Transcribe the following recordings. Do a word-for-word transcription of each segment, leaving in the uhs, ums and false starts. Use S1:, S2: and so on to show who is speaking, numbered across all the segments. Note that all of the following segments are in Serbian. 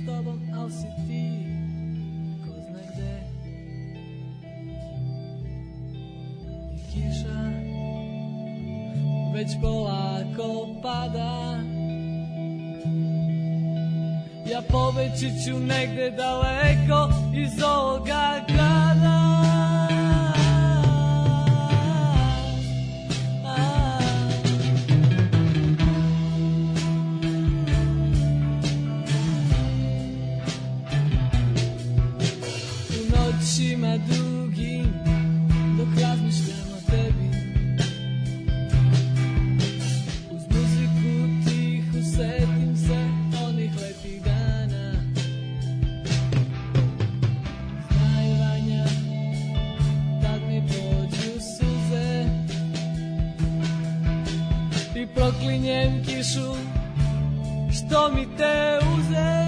S1: s tobom, al si ti ko zna gde. I kiša već polako pada, ja pobeći ću negde daleko iz ovoga grada. U noćima dugim dok razmišljam o tebi, uz muziku tihu setim se onih lepih dana. Znaj Vanja, tad mi pođu suze i proklinjem kišu što mi te uze.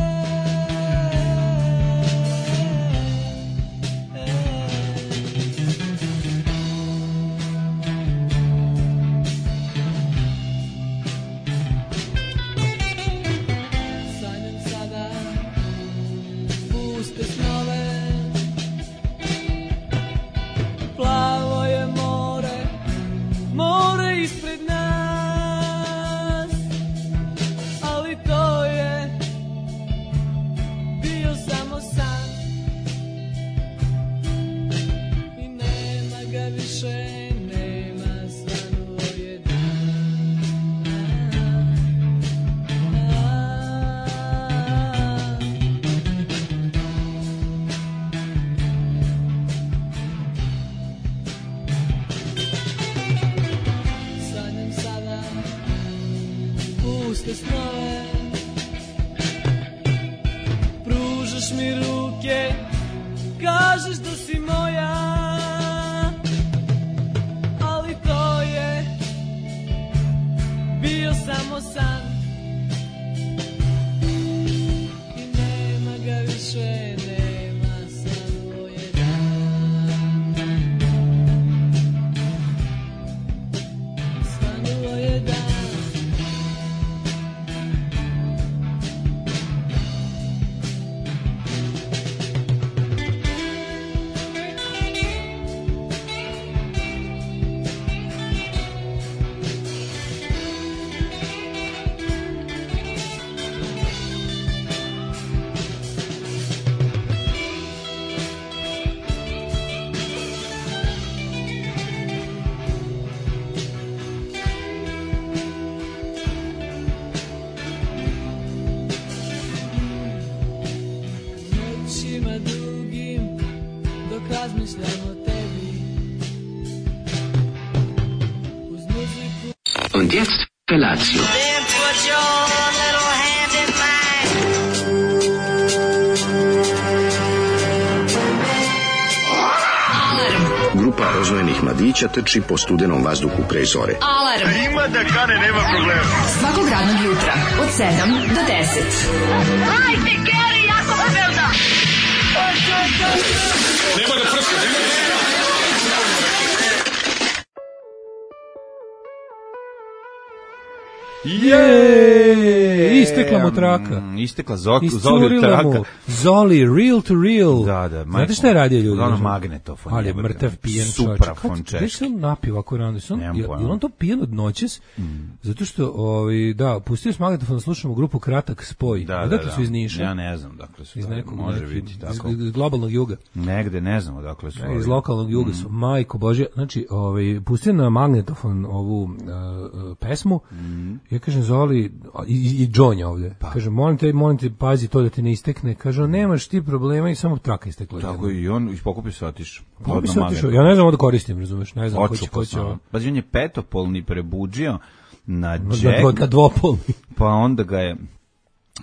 S2: Und jetzt Felatio.
S3: Then put your little hand in
S2: mine. Grupa rozvojenih mladića trči po studenom vazduhu pre zore.
S4: Alarm. A ima da kane, nema problema. Svakog radnog jutra od sedam do deset.
S3: Hajde, Geri, jako se velda.
S5: Nema da prska, nema da prska.
S6: Je, istekla mu traka.
S7: Mm, istekla Zoli traka.
S6: Zoli, real to real.
S7: Da, da.
S6: Znate šta je radio ljudi?
S7: Ono magnetofon.
S6: Ali je mrtav pijen čovječ.
S7: Suprafon češki.
S6: Gdje se on napio ovako rano? Je li on to pijen od noćes? Mm. Zato što, ovaj, da, pustio s magnetofon da slušamo grupu Kratak spoj.
S7: Da,
S6: dakle
S7: da,
S6: su iz Niša?
S7: Ja ne znam dakle su.
S6: Iz nekog,
S7: može
S6: neki,
S7: biti tako.
S6: Iz, iz globalnog juga.
S7: Negde, ne znam dakle su.
S6: Iz lokalnog juga mm. su. Majko Božje. Znači, ovaj, pustio na magnetofon ovu uh, uh, pesmu. Mm. Ja kažem, Zoli, i, i Džonja ovde. Pa. Kaže, molim te, molim te, pazi to da ti ne istekne. Kaže, nemaš ti problema i samo traka istekla.
S7: Tako i on ispokupio se otišao.
S6: Pokupio se otišao. Ja ne znam da koristim, razumeš? Ne znam ko će, ko će.
S7: Pazi, on je petopolni prebuđio na
S6: džek. Na, na dvopolni.
S7: Pa onda ga je...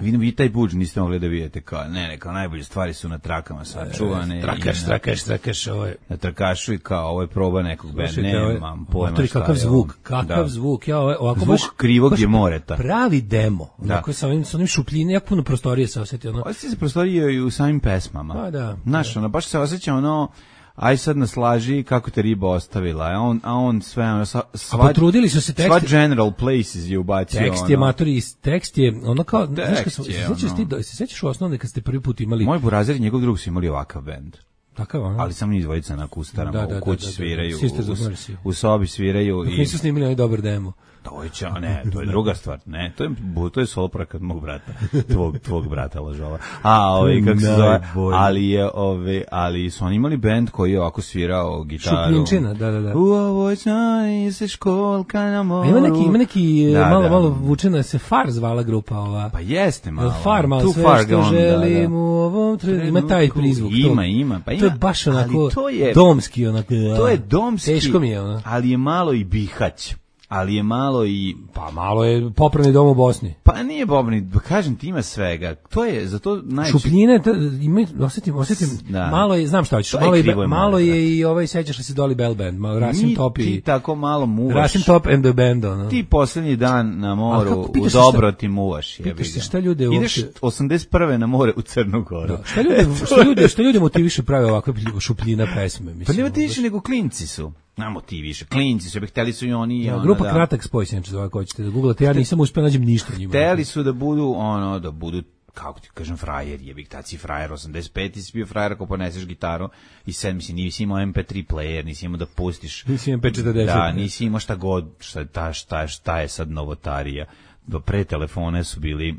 S7: Vi, vi taj budž niste mogli da vidite kao, ne, ne, kao najbolje stvari su na trakama sačuvane.
S6: E, trakaš, trakaš, trakaš, ovo je.
S7: Na trakašu i kao, ovo je proba nekog benda, nemam pojma šta je.
S6: Kakav zvuk, kakav da. zvuk, ja ovo, ovako
S7: zvuk
S6: baš,
S7: krivog
S6: baš
S7: je moreta.
S6: Pravi demo,
S7: da.
S6: Ovako sa onim, sa onim šupljine, jako puno prostorije se osjeti. Ono.
S7: Osjeti se prostorije i u samim pesmama.
S6: Pa da.
S7: Znaš, ono, baš se osjeća ono, aj sad nas laži kako te riba ostavila, a on, a on sve, ono, sva,
S6: A potrudili su se tekst.
S7: Sva General Places je ubacio.
S6: Tekst
S7: ono.
S6: je matori, tekst je ono kao, znaš kad sam,
S7: Tekst je,
S6: se sećaš
S7: ono.
S6: ti, se sećaš u osnovne kad ste prvi put imali...
S7: Moj burazer i njegov drug su imali ovakav bend.
S6: Takav, ono?
S7: Ali samo njih dvojica na kustarama,
S6: Da, da,
S7: u kući
S6: da, da, da.
S7: sviraju,
S6: Sisters
S7: u,
S6: of Mercy.
S7: u sobi sviraju.
S6: Dok
S7: I...
S6: nisu snimili onaj dobar demo.
S7: To je, ča, ne, to je druga stvar, ne, to je, to je solo projekat mog brata, tvog, tvog brata lažova. A, ovaj, kako se zove, ali je, ovaj, ali su oni imali bend koji je ovako svirao gitaru.
S6: Šupljinčina, da, da, da.
S7: U ovoj čani se školka na moru.
S6: A ima neki, ima neki,
S7: Da,
S6: malo,
S7: da.
S6: malo vučena, se Far zvala grupa ova.
S7: Pa jeste malo.
S6: Far, malo
S7: Too
S6: sve
S7: far
S6: što
S7: gone,
S6: želim
S7: da, da.
S6: u ovom trenutku. Ima taj prizvuk.
S7: Ima,
S6: to,
S7: ima, pa ima.
S6: To je baš onako
S7: ali to je,
S6: domski, onako.
S7: To je domski,
S6: teško mi je, ono.
S7: ali je malo i Bihać. Ali je malo i...
S6: Pa malo je popravni dom u Bosni.
S7: Pa nije Bobni, kažem ti ima svega. To je, za to najče...
S6: Šupljine, to, ima, osetim, osetim,
S7: Da.
S6: malo je, znam šta hoćeš,
S7: To je
S6: malo je,
S7: krivo je
S6: malo
S7: malo,
S6: je i ovaj, sećaš li se Dolly Bell Band, malo Rasim
S7: Mi
S6: Top
S7: ti
S6: i...
S7: tako malo muvaš.
S6: Rasim Top and the Band, ono.
S7: Ti poslednji dan na
S6: Ali
S7: moru,
S6: kako,
S7: u
S6: pitaš se
S7: dobro
S6: šta-
S7: ti muvaš. jebi
S6: pitaš se
S7: ga.
S6: šta ljude
S7: Ideš
S6: uopšte-
S7: osamdeset prve na more u Crnu Goru.
S6: Da. Šta ljude, šta ljude, šta ljude motiviše prave ovakve šupljina pesme,
S7: Pa
S6: mislim.
S7: nema ti više nego klinci su. Na motiviše. Klinci su, hteli su i oni. i
S6: Ja,
S7: ono,
S6: grupa
S7: da.
S6: Kratak spoj, se neče zove, ako hoćete da googlate, ja nisam uspio nađem ništa njima.
S7: Hteli su da budu, ono, da budu, kako ti kažem, frajer, jebik, tad si frajer, osamdeset pet ti si bio frajer ako poneseš gitaru i sad, mislim, nisi imao em pe tri player, nisi imao da pustiš.
S6: Nisi em pe četrdeset.
S7: Da, nisi imao šta god, šta, ta, šta, šta je sad novotarija. Do pre telefone su bili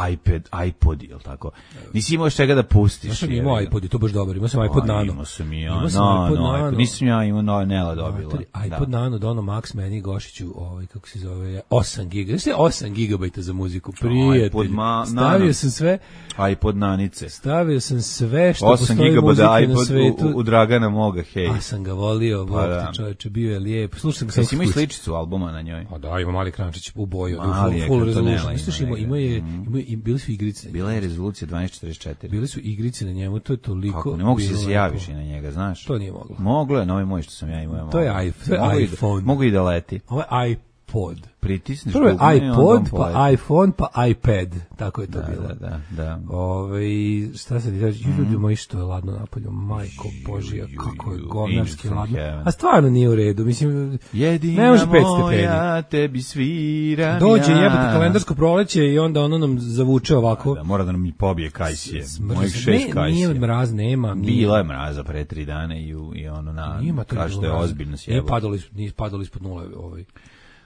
S7: iPad, iPod, jel tako? Nisi imao čega da pustiš.
S6: Ja sam
S7: jebi
S6: imao
S7: ga.
S6: iPod i to baš dobar, imao sam iPod
S7: A,
S6: Nano.
S7: Imao sam i ja,
S6: Imao sam
S7: no,
S6: iPod
S7: no,
S6: Nano.
S7: iPod. Nisam ja imao, no, Nela dobila.
S6: Matori,
S7: Da.
S6: iPod Nano, Dono Max, meni Gošiću, ovaj, kako se zove, osam giga. Znaš je osam gigabajta za muziku, prijatelj.
S7: iPod ma-
S6: Stavio
S7: Nano.
S6: sam sve,
S7: iPod Nanice.
S6: stavio sam sve što
S7: osam
S6: postoji muzike
S7: gigabajta
S6: na
S7: iPod
S6: svetu.
S7: u, u Dragana moga, hej.
S6: A sam ga volio,
S7: Pa
S6: pa,
S7: da.
S6: čoveče, bio je lijep. Slušam ga sam
S7: Jesi imao i
S6: kući.
S7: sličicu albuma na njoj?
S6: A da, ima mali krančić u boju,
S7: Mali je,
S6: full, full
S7: kartonela
S6: resolution. Misliš,
S7: ima
S6: ima, ima,
S7: negde.
S6: je, ima, i bili su igrice.
S7: Bila je rezolucija dvanaest četrdeset četiri.
S6: Bili su igrice na njemu, to je toliko...
S7: Kako, ne mogu se
S6: bilo
S7: se
S6: lepo.
S7: javiš i na njega, znaš?
S6: To nije moglo.
S7: Moglo je, novi moj što sam ja imao.
S6: To je
S7: moglo.
S6: iPhone, to je
S7: Mogu i da-
S6: iPhone.
S7: Mogu i da leti.
S6: Ovo je iPod.
S7: Pritisneš
S6: Prvo je
S7: dugme i onda
S6: iPod,
S7: on
S6: pa
S7: poleti.
S6: iPhone, pa iPad. Tako je to
S7: Da,
S6: bilo.
S7: da, da, da.
S6: Ove, šta se ti reći, ljudi moji što je ladno napolju, majko Božija, kako je govnarski
S7: Angels
S6: ladno.
S7: from heaven.
S6: A stvarno nije u redu, mislim, ne
S7: Jedina
S6: može pet stepeni.
S7: moja, tebi sviram
S6: Dođe
S7: ja.
S6: jebote kalendarsko proleće i onda ono nam zavuče ovako.
S7: Da, mora da nam mi pobije kajsije.
S6: Smrzi
S7: Mojih
S6: se.
S7: šest
S6: Ne, Nije
S7: kajsije.
S6: mraz, nema. nije-
S7: Bilo je mraza pre tri dana i, u- i ono na,
S6: Ima to
S7: kaže da je ozbiljno
S6: Nije
S7: sjebo.
S6: padalo, is- nije padalo ispod nule. Ovaj.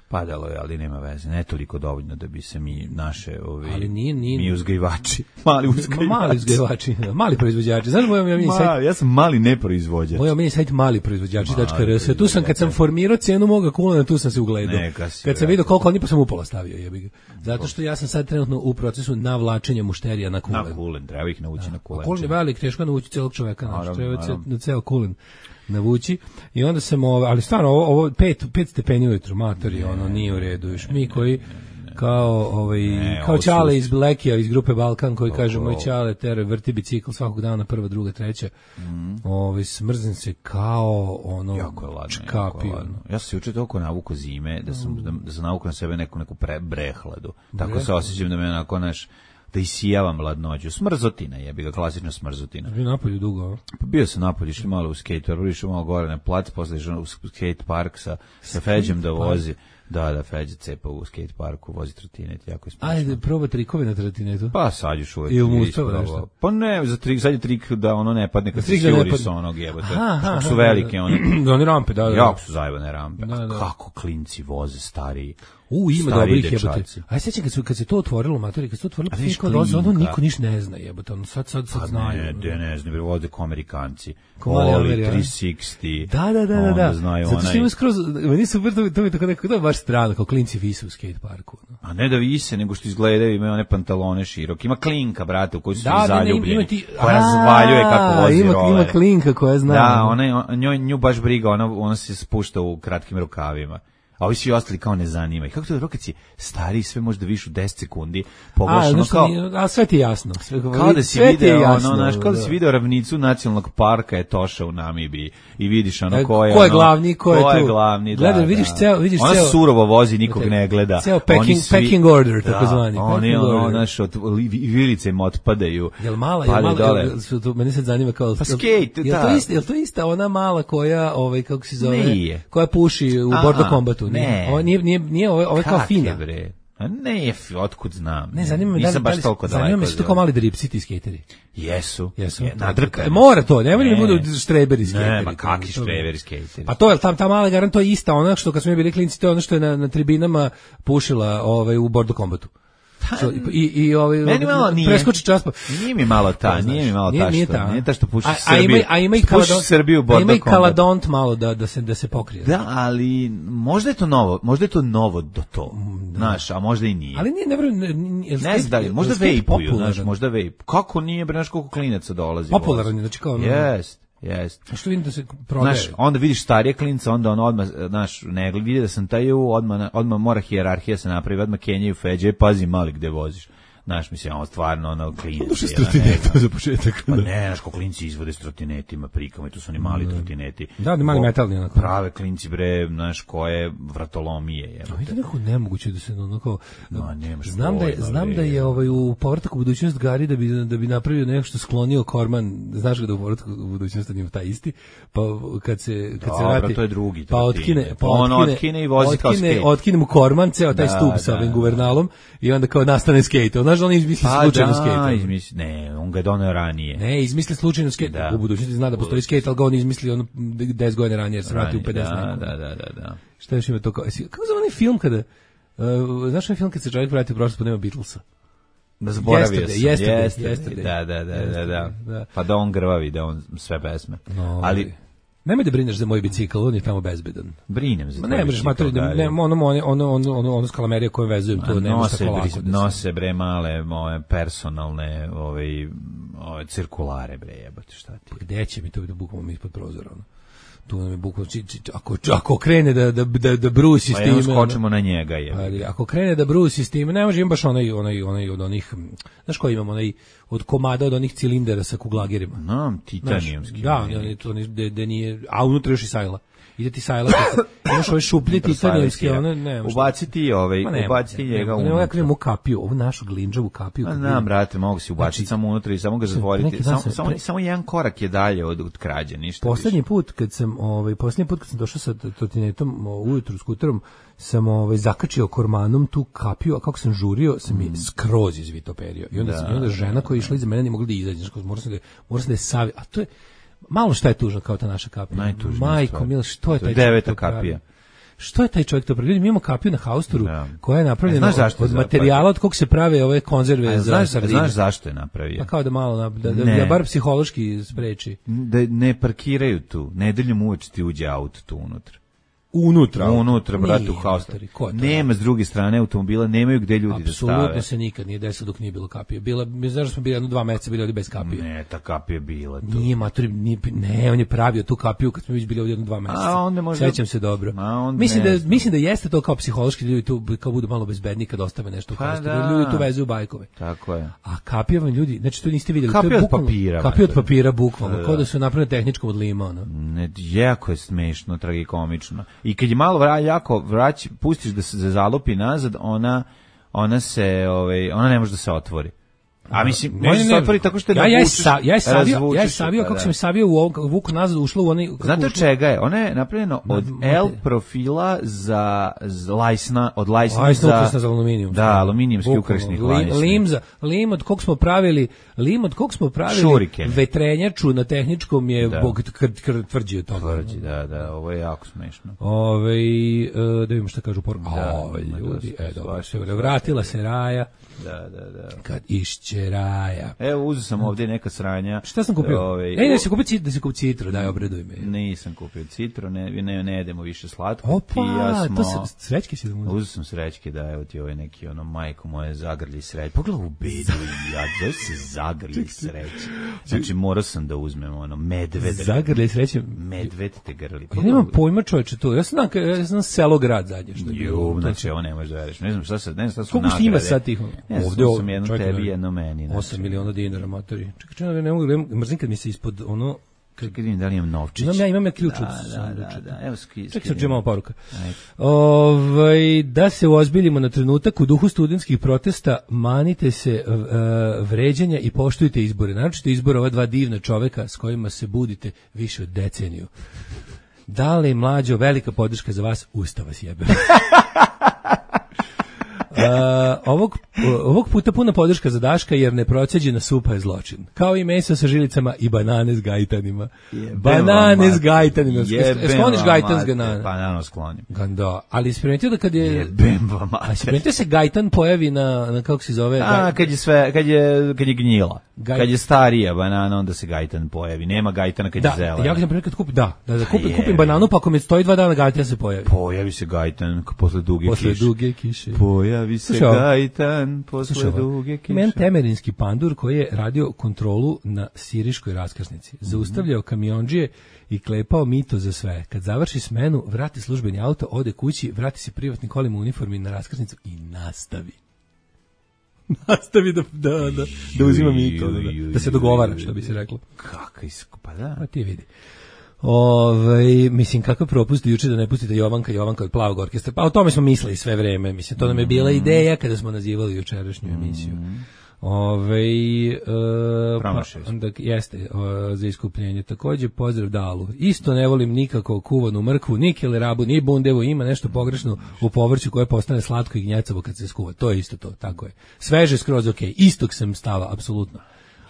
S7: Padalo je, ali nema veze. Ne toliko dovoljno da bi se mi naše ovi
S6: Ali nije- nije-
S7: mi uzgajivači, mali
S6: Ma,
S7: uzgajivači.
S6: mali uzgajivači, mali proizvođači. Znaš moj omiljeni sajt?
S7: Ma, ja sam mali neproizvođač.
S6: Moj omiljeni sajt mali proizvođači tačka
S7: Mali
S6: er es. Tu sam kad sam formirao cenu moga kulena, tu sam se ugledao.
S7: Neka si,
S6: Kad sam
S7: brate.
S6: vidio koliko oni pa sam upola stavio, jebi ga. Zato što ja sam sad trenutno u procesu navlačenja mušterija na kulen.
S7: Na kulen, treba ih nauči na kulen.
S6: Kulen je velik, teško je navući celog čoveka, znači
S7: Naravno,
S6: treba
S7: naravno.
S6: na ceo kulen navući. I onda sam, ove, ali stvarno, ovo, ovo pet, pet stepeni ujutru, matori, ono, nije u redu. Još mi koji, kao, ovaj,
S7: Ne,
S6: kao
S7: ovo su-
S6: Ćale iz Blekija, iz grupe Balkan, koji
S7: Tako.
S6: kaže, moj Ćale tere, vrti bicikl svakog dana, prva, druga, treća. Ovaj, smrzim se kao, ono,
S7: Jako je ladno, jako
S6: čkapi,
S7: je
S6: ono.
S7: ladno. Ja sam se juče toliko navuko zime, da sam, da, da sam navuko na sebe neku, neku pre, brehladu. Tako se osjećam da me onako, naš, da isijavam ladnoću. Smrzotina jebi ga, klasična smrzotina.
S6: Bio napolju dugo, a?
S7: Pa bio sam napolje, išli malo u skate, prvo išao malo gore na plac, posle išao u skate park sa, sa Feđem da vozi. Da, da, Feđe cepa u skate parku, vozi trotinet, jako je smiješno.
S6: Ajde, proba trikove na trotinetu.
S7: Pa sad još uvek.
S6: Ili mu
S7: nisam
S6: ustava
S7: probao.
S6: nešto?
S7: Pa ne, za trik, sad je trik da ono ne padne kad se
S6: Trik da ne
S7: sjuri
S6: padne.
S7: sa onog jebote.
S6: Aha, aha,
S7: Kako su
S6: aha,
S7: velike
S6: da.
S7: one.
S6: Da, oni rampe, da, da.
S7: Jako su zajebane rampe.
S6: Da,
S7: A
S6: da.
S7: kako klinci voze stariji.
S6: U, ima
S7: stariji
S6: dobrih jebote.
S7: dečaci.
S6: Aj sećam kad se kad se to otvorilo, matori, kad se to otvorilo,
S7: A
S6: pa
S7: vidiš
S6: kao doze, ono
S7: klinka.
S6: niko ništa ne zna, jebote, ono sad sad sad
S7: Pa
S6: znaju.
S7: ne,
S6: ono.
S7: de, ne znam, voze ko Amerikanci.
S6: Ko mali
S7: Oli,
S6: Ameri, a?
S7: tri šezdeset.
S6: Da, da, da, da,
S7: onda
S6: da.
S7: znaju
S6: Zato što
S7: onaj-
S6: ima skroz, meni su super, to, mi- to mi je tako nekako, to je baš strano, kao klinci vise u skate parku. No.
S7: A ne da vise, nego što izgledaju, imaju one pantalone široke. Ima klinka, brate, u kojoj su
S6: Da,
S7: svi
S6: da, ne,
S7: zaljubljeni.
S6: ima ti,
S7: koja razvaljuje kako vozi
S6: ima,
S7: roller.
S6: ima klinka koja zna.
S7: Da,
S6: ono.
S7: ona, je- njoj, nju baš briga, ona, ona se spušta u kratkim rukavima. a ovi svi ostali kao ne zanima. I kako to dobro kad si stariji, sve možda viš u deset sekundi, pogledaš ono kao...
S6: A sve ti je jasno. Sve,
S7: kao da si video, jasno, ono, znaš, kao da si video ravnicu nacionalnog parka Etoša u Namibiji i vidiš ono ko je...
S6: Ko je
S7: ono,
S6: glavni, ko je
S7: ko
S6: tu.
S7: je glavni, da,
S6: Gledaj,
S7: da.
S6: vidiš ceo... Vidiš
S7: ona
S6: ceo,
S7: surovo vozi, nikog ne gleda.
S6: Ceo packing,
S7: svi,
S6: packing order, tako
S7: da,
S6: zvani.
S7: Oni, ono, znaš, od vilice im otpadaju.
S6: Jel mala, jel mala, jel, su, to, meni se zanima kao...
S7: Pa skate,
S6: jel,
S7: da.
S6: To ista, jel to ista ona mala koja, ovaj, kako se zove...
S7: Nije.
S6: Koja puši u Bordo Kombatu?
S7: Ne.
S6: Ovo nije, nije, nije, ovo, ovo je kao fina.
S7: Bre? A ne, otkud znam.
S6: Ne, zanima me da li,
S7: baš
S6: da
S7: toliko
S6: li, zanima
S7: daleko.
S6: me su to kao mali dripsi ti skateri.
S7: Jesu.
S6: Jesu.
S7: Je, nadrkani.
S6: Mora to, ne može da budu štreberi skateri.
S7: Ne, ma kakvi štreberi skateri.
S6: Pa to je tam ta mala garant, to je ista ona što kad smo mi bili klinci, to je ono što je na, na tribinama pušila ovaj u Bordo Kombatu. So, i i ovaj preskoči čas pa
S7: nije mi malo ta, nije mi malo ta što, nije ta što puši Srbiju.
S6: A ima a ima i Srbiju Bordo. Ima i Kaladont malo da da se da se pokrije.
S7: Da, ali možda je to novo, možda je to novo do to. Znaš, a možda i nije.
S6: Ali nije ne
S7: ne znam da li, možda vejpuju, znaš, možda vejp. Kako nije, bre, znaš koliko klinaca dolazi.
S6: Popularan, znači kao
S7: jest. Jest.
S6: A što vidim da se prodaje?
S7: Znaš, onda vidiš starije klinca, onda on odmah, znaš, ne vidi da sam taj u, odmah, odmah mora hijerarhija se napravi, odmah Kenjaju Feđe, pazi mali gde voziš. Znaš, mislim, on stvarno, ono, klinac.
S6: Ono što trotinetu za početak.
S7: Pa ne, znaš, ko klinci izvode s trotinetima, prikama, i tu su oni mali trotineti.
S6: Da, da, mali metalni, onako.
S7: Prave klinci, bre, znaš, koje vratolomije, je.
S6: A vidi neko nemoguće da se, onako,
S7: no, nemaš
S6: znam da je, znam da je ovaj, u Povratak u budućnost Gari da bi, da bi napravio nešto sklonio Korman, znaš ga da u Povratak u budućnost njima taj isti, pa kad se, kad
S7: Dobro,
S6: se vrati,
S7: to je drugi,
S6: pa otkine, pa
S7: on
S6: otkine,
S7: otkine i vozi kao skate.
S6: Otkine mu Korman, ceo taj
S7: da,
S6: stup sa ovim guvernalom i onda kao nastane skate. Znaš, on izmisli
S7: pa
S6: slučajno
S7: da,
S6: skate.
S7: Izmisli, ne, on ga je doneo ranije.
S6: Ne, izmisli slučajno skate. Da. U budućnosti zna da postoji skate, ali ga on izmisli ono deset godina ranije, jer se vrati u pedeset.
S7: Da, da, da, da, da.
S6: Šta još ima to kao? Kako zove onaj film kada, uh, znaš onaj film kad se čovjek vrati u prošlost pa nema Beatlesa?
S7: Da zaboravio
S6: yesterday,
S7: sam.
S6: Yesterday,
S7: yesterday.
S6: yesterday.
S7: Da, da, da,
S6: yesterday,
S7: da, da,
S6: da.
S7: Pa da on grvavi, da on sve pesme.
S6: No,
S7: ali
S6: nemoj da brineš za moj bicikl, on je tamo bezbedan.
S7: Brinem za
S6: Ma ne možeš matori, ne, ono ono ono ono ono ono skalamerije koje vezujem to ne može tako lako.
S7: Nose bre male moje personalne, ovaj, ove cirkulare bre, jebote, šta ti.
S6: Gde će mi to biti bukvalno ispod prozora, ono. Tu nam je bukvalno, ako, ako krene da, da, da, da brusi
S7: pa
S6: s time...
S7: Pa skočimo na njega, je.
S6: Ako krene da brusi s time, ne može im baš onaj, onaj, onaj od onih, znaš koji imamo, onaj, od komada od onih cilindera sa kuglagirima.
S7: No, titanijumski.
S6: Da, oni to da nije, a unutra još i sajla. Ide ti sajla, imaš ove šuplje titanijumske, one, ne.
S7: Ubaciti ovaj, ubaciti njega unutra.
S6: Ne, ne, ne, kapiju, ovu našu glinđavu kapiju.
S7: A znam, brate, mogu si ubaciti samo unutra i samo ga zatvoriti. Samo, samo, samo jedan korak je dalje od, od krađe, ništa.
S6: Poslednji put kad sam, ovaj, poslednji put kad sam došao sa trotinetom ujutru skuterom, sam ovaj zakačio kormanom tu kapiju, a kako sam žurio, sam mi skroz izvitoperio. I onda da, sam, i onda žena koja je išla iza mene nije mogla da izađe, znači morao sam da morao sam da je savi, a to je malo šta je tužno kao ta naša kapija. Majko mila, što je taj
S7: deveta kapija?
S6: Što je taj čovjek to pravi? Mi imamo kapiju na Haustoru koja je napravljena od materijala od kog se prave ove konzerve za sardine.
S7: Znaš zašto je napravio?
S6: Pa kao da malo da da, da bar psihološki spreči.
S7: Da ne parkiraju tu, nedeljom uveče ti uđe auto tu unutra.
S6: Unutra,
S7: unutra, brate, u Haustoru. Nema s druge strane automobila, nemaju gde ljudi da stave.
S6: Apsolutno se nikad nije desilo dok nije bilo kapije. Bila, mi znaš da smo bili jedno dva meseca bili ovdje bez kapije.
S7: Ne, ta kapija bila tu.
S6: Nije, matori, nije, ne, on je pravio tu kapiju kad smo već bili ovdje jedno dva meseca.
S7: A onda možda...
S6: Sećam se dobro. Mislim da, mislim da jeste to kao psihološki ljudi tu kao budu malo bezbedni kad ostave nešto u Haustoru. Pa ljudi tu vezuju bajkove.
S7: Tako je.
S6: A kapija vam ljudi, znači to niste vidjeli.
S7: Kapija od papira.
S6: Kapija od papira, bukvalno. Kao da su napravljene tehničkom od lima, ono.
S7: Ne, jako je smešno, tragikomično. I kad je malo jako vrać, pustiš da se zalupi nazad, ona ona se, ovaj, ona ne može da se otvori. A mislim, ne može se otvori tako što je
S6: ja, ja, sa, ja je savio, ja je savio, kako sam je savio u ovom vuku nazad, ušlo u onaj...
S7: Znate čega je? Ona je napravljena od L profila za, za lajsna, od lajsna,
S6: lajsna za... Lajsna za aluminijum.
S7: Da, aluminijumski ukrasnih lajsni.
S6: Lim, za, lim od kog smo pravili, lim od kog smo pravili
S7: Šuriken.
S6: Vetrenjaču na tehničkom je
S7: da.
S6: Bog tvrđi od toga.
S7: Tvrđi, da, da, ovo je jako smešno.
S6: Ove, da vidimo šta kažu por... Da, Ove, ljudi, e, dobro, se vratila se Raja.
S7: Da, da, da.
S6: Kad išće šećeraja.
S7: Evo, uzeo sam ovdje neka sranja.
S6: Šta sam kupio?
S7: Ove,
S6: Ej, da se kupi citro, da se kupi citro, daj, obraduj me.
S7: Nisam kupio citro, ne, ne, ne jedemo više slatko.
S6: Opa,
S7: ja smo,
S6: to se, srećke si da mu
S7: uzeo sam srećke, da, evo ti ovaj neki, ono, majko moje, zagrlji sreće. Pogledaj u bedu i ja, da se zagrlji sreće. Znači, morao sam da uzmem, ono, medved.
S6: Zagrlji sreće.
S7: Medved te grli.
S6: Ja nemam pojma, čoveče, to. Ja sam, ja sam selo grad zadnje što je bilo.
S7: Ju, znači, ovo ne možeš da veriš. Ne znam šta se, ne znam šta su
S6: koliko
S7: nagrade.
S6: Koliko ima sad tih?
S7: Ne znam, ovdje sam jedno tebi, jedno meni. Znači.
S6: osam miliona dinara, matori. Čekaj, čekaj, ne mogu, mrzim kad mi se ispod ono...
S7: Čekaj, vidim da li imam novčić.
S6: Imam ja, imam ja ključ od
S7: da,
S6: sanduča.
S7: Da, da, evo ski.
S6: Čekaj, sad ću malo poruka. Ovaj, da se uozbiljimo na trenutak u duhu studentskih protesta, manite se uh, vređanja i poštujte izbore. Naročito izbore ova dva divna čoveka s kojima se budite više od deceniju. Da li, mlađo, velika podrška za vas, Ustav vas jebe. Uh, ovog, ovog puta puna podrška za Daška jer neproceđena supa je zločin. Kao i meso sa žilicama i banane s gajtanima. Jebem banane s gajtanima. Skloniš gajtan s ganana.
S7: Pa naravno sklonim.
S6: Ganda. Ali si primetio da kad je...
S7: Jebem vam mater.
S6: A si primetio se gajtan pojavi na, na kako se zove?
S7: A, kad je sve, kad je, kad je gnjila. Gaj... Kad je starija banana, onda se gajtan pojavi. Nema gajtana kad
S6: da,
S7: je zelena.
S6: Ja kad kad kupim, da, da, da kupim, kupim bananu, pa ako mi stoji dva dana gajtan se pojavi.
S7: Pojavi se gajtan posle duge
S6: posle
S7: kiše.
S6: duge kiše.
S7: Pojavi se gajtan posle duge kiše.
S6: Men temerinski pandur koji je radio kontrolu na siriškoj raskrsnici. Mm-hmm. Zaustavljao kamiondžije i klepao mito za sve. Kad završi smenu, vrati službeni auto, ode kući, vrati se privatni kolima u uniformi na raskrsnicu i nastavi. Nastavi da, da, da, da uzima mito, da, da, da se dogovara, što bi se reklo.
S7: Kaka iskupa, da.
S6: Pa ti vidi. Ove, mislim, kakav propust juče da ne pustite Jovanka, Jovanka od Plavog orkestra. Pa o tome smo mislili sve vreme. Mislim, to nam je bila ideja kada smo nazivali jučerašnju emisiju. Ove, e, pa, onda, jeste, o, za iskupljenje. Takođe, pozdrav Dalu. Isto ne volim nikako kuvanu mrkvu, ni kelerabu, ni bundevu. Ima nešto pogrešno u povrću koje postane slatko i gnjecavo kad se skuva. To je isto to, tako je. Sveže skroz ok. Istog sam stava, apsolutno.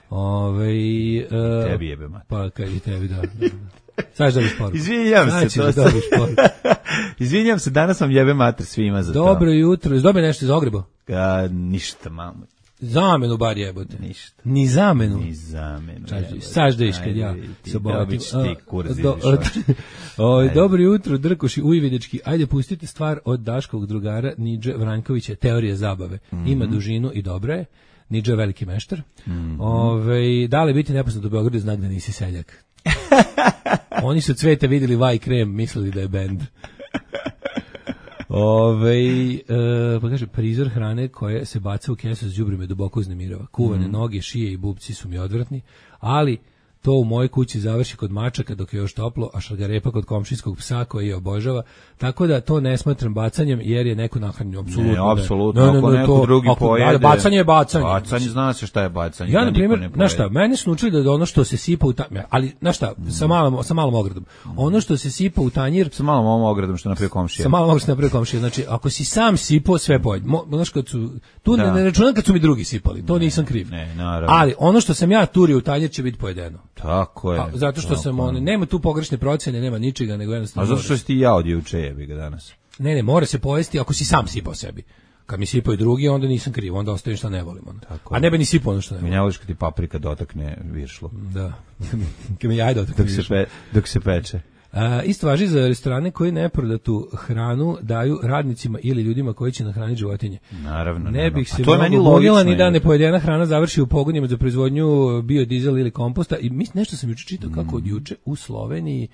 S6: Ove, e,
S7: tebi jebe mat.
S6: Pa, kad i tebi, da. da. Sad da biš poruku.
S7: Izvinjam se.
S6: To da
S7: Izvinjam se, danas vam jebe mater svima za
S6: Dobro
S7: to.
S6: Dobro jutro. Dobio nešto iz Ogreba?
S7: A, ništa, mamo.
S6: Zamenu bar jebote.
S7: Ništa.
S6: Ni zamenu.
S7: Ni zamenu.
S6: Saždeš kad ja se bogatim.
S7: Do,
S6: dobro jutro, Drkoši, Ujvidečki. Ajde, pustite stvar od Daškovog drugara Nidže Vrankovića, Teorije zabave. Mm-hmm. Ima dužinu i dobro je. Nidže je veliki meštar. Mm-hmm. Ove, da li biti nepoznat u Beogradu znak da nisi seljak? Oni su Cvete vidjeli vaj krem, mislili da je bend. Ove, e, pa kaže, prizor hrane koje se baca u kesu s đubrima duboko uznemirava. Kuvane mm. noge, šije i bubci su mi odvratni, ali to u mojoj kući završi kod mačaka dok je još toplo, a šargarepa kod komšijskog psa koji je obožava. Tako da to ne smatram bacanjem jer je neko nahranio. Apsolutno.
S7: Ne, apsolutno. Ne, ne, ako ne, neko to, drugi ako, pojede.
S6: Bacanje je bacanje.
S7: Bacanje, zna se šta je bacanje.
S6: Ja, na primjer, znaš šta, meni su naučili da ono što se sipa u tanjir, ali, znaš šta, mm. sa, malom, sa malom ogradom. Ono što se sipa u tanjir...
S7: Sa malom ogradom što napravio komšija.
S6: Sa malom ogradom što napravio komšija. Znači, ako si sam sipao, sve pojede. Znaš, kad su... Tu da. ne, ne računam kad su mi drugi sipali. To ne, nisam kriv.
S7: Ne, naravno.
S6: Ali ono što sam ja turio u tanjir će biti pojedeno.
S7: Tako je.
S6: Pa, zato što sam on, nema tu pogrešne procjene, nema ničega, nego jednostavno.
S7: A zato što si ti ja od juče jebi ga danas.
S6: Ne, ne, mora se pojesti ako si sam sipao sebi. Kad mi sipaju drugi, onda nisam kriv, onda ostavim šta ne volim. Tako a ne bi ni sipao ono što ne volim.
S7: Mi ne voliš kad ti paprika dotakne viršlu.
S6: Da, kad mi jaj dotakne
S7: dok, se pe, dok se peče.
S6: A, isto važi za restorane koji neprodatu hranu daju radnicima ili ljudima koji će nahraniti životinje.
S7: Naravno.
S6: Ne bih se
S7: mogla
S6: ni da nepojedena hrana završi u pogonima za proizvodnju biodizel ili komposta. I mislim, nešto sam juče čitao kako od juče u Sloveniji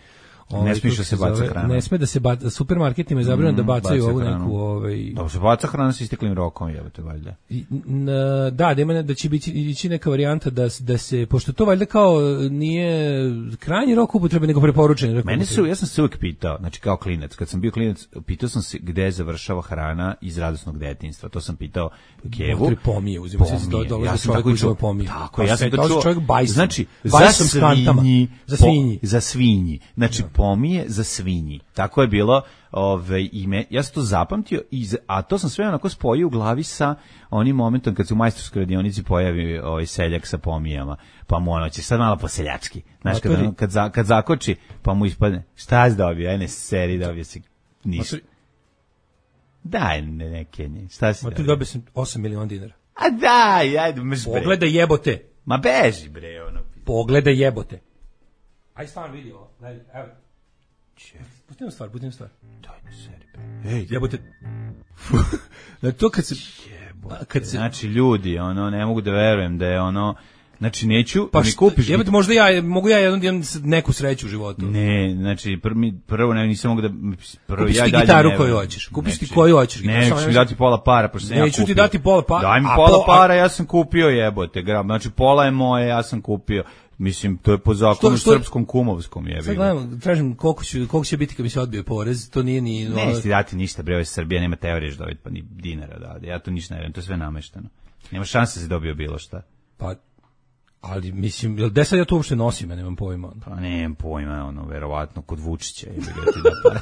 S7: Ovaj, ne smije da se baca hrana.
S6: Ne sme da se baca, supermarketima je zabranjeno mm, da bacaju ovu neku... Ovaj...
S7: Da se baca hrana sa isteklim rokom, jebate, valjda.
S6: I, na, da, da ima da će biti ići neka varijanta da, da se, pošto to valjda kao nije krajnji rok upotrebe, nego preporučen.
S7: Mene su, ja sam se uvijek pitao, znači kao klinac, kad sam bio klinac, pitao sam se gde završava hrana iz radosnog detinjstva. To sam pitao Kevu.
S6: Motri pomije, uzima se do dolaze ja čovjek uzima pomije.
S7: Tako, ja sam to čuo.
S6: Čovjek bajsom.
S7: Znači,
S6: bajsom
S7: za svinji.
S6: Za svinji.
S7: Za svinji. Znači, pomije za svinji. Tako je bilo ove, ime. Ja sam to zapamtio, i, a to sam sve onako spojio u glavi sa onim momentom kad se u majstorskoj radionici pojavi ovaj seljak sa pomijama. Pa mu ono će sad malo po seljački. Znaš, kad, ono, kad, za, kad zakoči, pa mu ispadne, šta si dobio? Ajne, seri dobio si ništa. Daj neke nje. Šta si dobio?
S6: Dobio sam osam miliona dinara.
S7: A daj, ajde, meš bre.
S6: Pogledaj jebote.
S7: Ma beži bre, ono.
S6: Pogledaj jebote. Aj stvarno vidi ovo. Daj, evo. Pustim stvar, pustim stvar.
S7: Daj na seri bre. Ej,
S6: Jebote. Na to kad se... Kad se...
S7: Znači, ljudi, ono, ne mogu da verujem da je ono... Znači, neću,
S6: pa
S7: mi kupiš...
S6: Jebote, možda ja, mogu ja jednom imam neku sreću u životu.
S7: Ne, znači, prvo, prvo ne, nisam mogu da... Prvo,
S6: kupiš
S7: ja
S6: ti
S7: dalje
S6: gitaru
S7: ne,
S6: koju hoćeš. Kupiš ti koju hoćeš.
S7: Ne, neću mi dati pola para, pošto sam ja kupio.
S6: Neću ti dati pola para.
S7: Daj mi
S6: a
S7: pola
S6: po,
S7: para, ja sam kupio jebote. Gra. Znači, pola je moje, ja sam kupio. Mislim, to je po zakonu što, što, srpskom kumovskom jebi.
S6: Sad gledam, tražim koliko će, koliko će biti kad mi se odbije porez, to nije ni...
S7: Ne, neće ti dati ništa, bre, ovo je Srbija, nema teorije što dobiti, pa ni dinara da. Ja to ništa ne vjerujem, to je sve namešteno. Nema šanse da se dobio bilo šta.
S6: Pa, ali mislim, jel gde sad ja to uopšte nosim, ja nemam pojma.
S7: Pa nemam pojma, ono, verovatno, kod Vučića, jebi ga ti da para.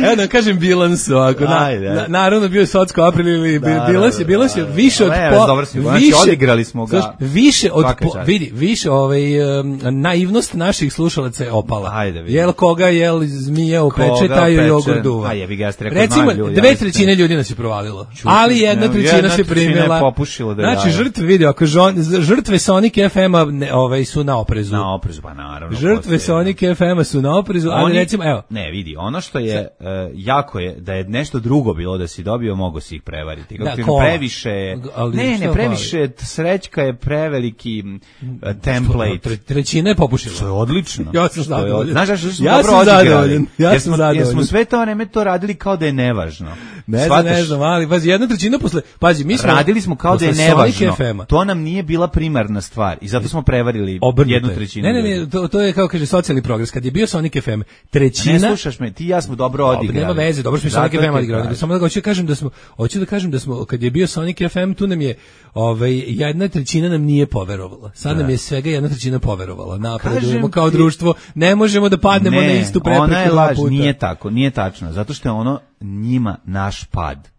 S6: Evo da kažem bilans ovako, na, na, naravno bio je Socko april ili da, bilans je, bilans je više od po,
S7: dobro si,
S6: više,
S7: znači odigrali smo ga.
S6: Sluš, više od, po, vidi, više ovaj, um, naivnost naših slušalaca je opala.
S7: Ajde, vidim.
S6: Jel koga, jel zmije u pečetaju jogurt duva.
S7: A jebi ga, ja ste rekao
S6: recimo,
S7: ljudi,
S6: dve trećine ljudi nas je provalilo, čuti, ali jedna ne, trećina se primila.
S7: Popušila da
S6: znači, žrtve, vidi, ako žon, žrtve Sonic F M-a ne, ovaj, su na oprezu.
S7: Na oprezu, pa naravno.
S6: Žrtve Sonic F M-a su na oprezu, ali
S7: oni,
S6: recimo, evo.
S7: Ne, vidi, ono što je uh, jako je da je nešto drugo bilo da si dobio, mogo si ih prevariti. Kako da, previše, ali ne, ne, previše, hvali? Srećka je preveliki uh, template.
S6: Tre, trećina je popušila.
S7: To je odlično.
S6: Ja sam zadovoljan.
S7: Znaš što smo
S6: ja
S7: dobro odigrali?
S6: Ja
S7: jer
S6: sam
S7: smo,
S6: zadovoljan.
S7: Jer smo sve to vreme to radili kao da je nevažno.
S6: Ne znam, ne znam, ali pazi, jedna trećina posle, pazi, mi smo...
S7: Radili smo kao da je nevažno. To nam nije bila primarna stvar i zato smo prevarili Obrnite. jednu trećinu.
S6: Ne, ne, ne, to, to je kao kaže socijalni progres. Kad je bio Sonic F M, trećina...
S7: Ne slušaš me, ti i ja smo dobro odigrali.
S6: Nema veze, dobro smo Sonic F M odigrali. Samo da hoću da kažem da smo, hoću da kažem da smo, kad je bio Sonic F M, tu nam je, ovaj, jedna trećina nam nije poverovala. Sad da. nam je svega jedna trećina poverovala. Napredujemo kao ti... društvo, ne možemo da padnemo
S7: ne,
S6: na istu prepreku.
S7: Ona je laž, nije tako, nije tačno. Zato što je ono njima naš pad.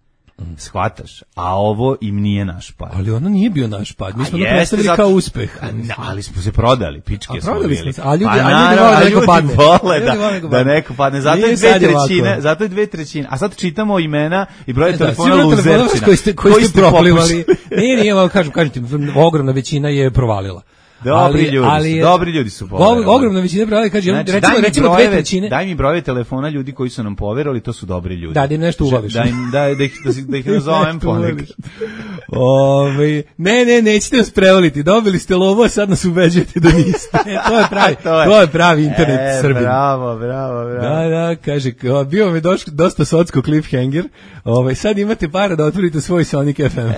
S7: Shvataš, a ovo im nije naš pad.
S6: Ali ono nije bio naš pad, mi smo to predstavili zato... kao uspeh.
S7: A, ne, ali smo se prodali, pičke
S6: a
S7: smo
S6: bili.
S7: Smo se,
S6: a ljudi,
S7: pa,
S6: a ljudi vole da neko padne.
S7: Vole da, da, da neko padne, zato je dve trećine, zato je dve trećine. A sad čitamo imena i broje ne, telefona da, luzerčina.
S6: Koji ste, koji ste proplivali. Nije, nije, kažem, kažem ti, ogromna većina je provalila.
S7: Dobri ali, ljudi, ali, dobri ljudi su poverovali.
S6: Ogromna većina provalila, kaže, znači, recimo,
S7: daj
S6: recimo
S7: brojeve,
S6: dve trećine.
S7: Daj mi brojeve telefona ljudi koji su nam poverovali, to su dobri ljudi.
S6: Da, da im nešto ubaviš.
S7: Da im da da ih da, da ih nazovem ponekad.
S6: Ove, ne, ne, nećete nas prevaliti. Dobili ste lovo, sad nas ubeđujete da niste. E, to je pravi, to je, to je pravi internet
S7: e,
S6: Srbije.
S7: Bravo, bravo, bravo.
S6: Da, da, kaže, bio mi došlo dosta socko cliffhanger. Ovaj sad imate para da otvorite svoj Sonic F M.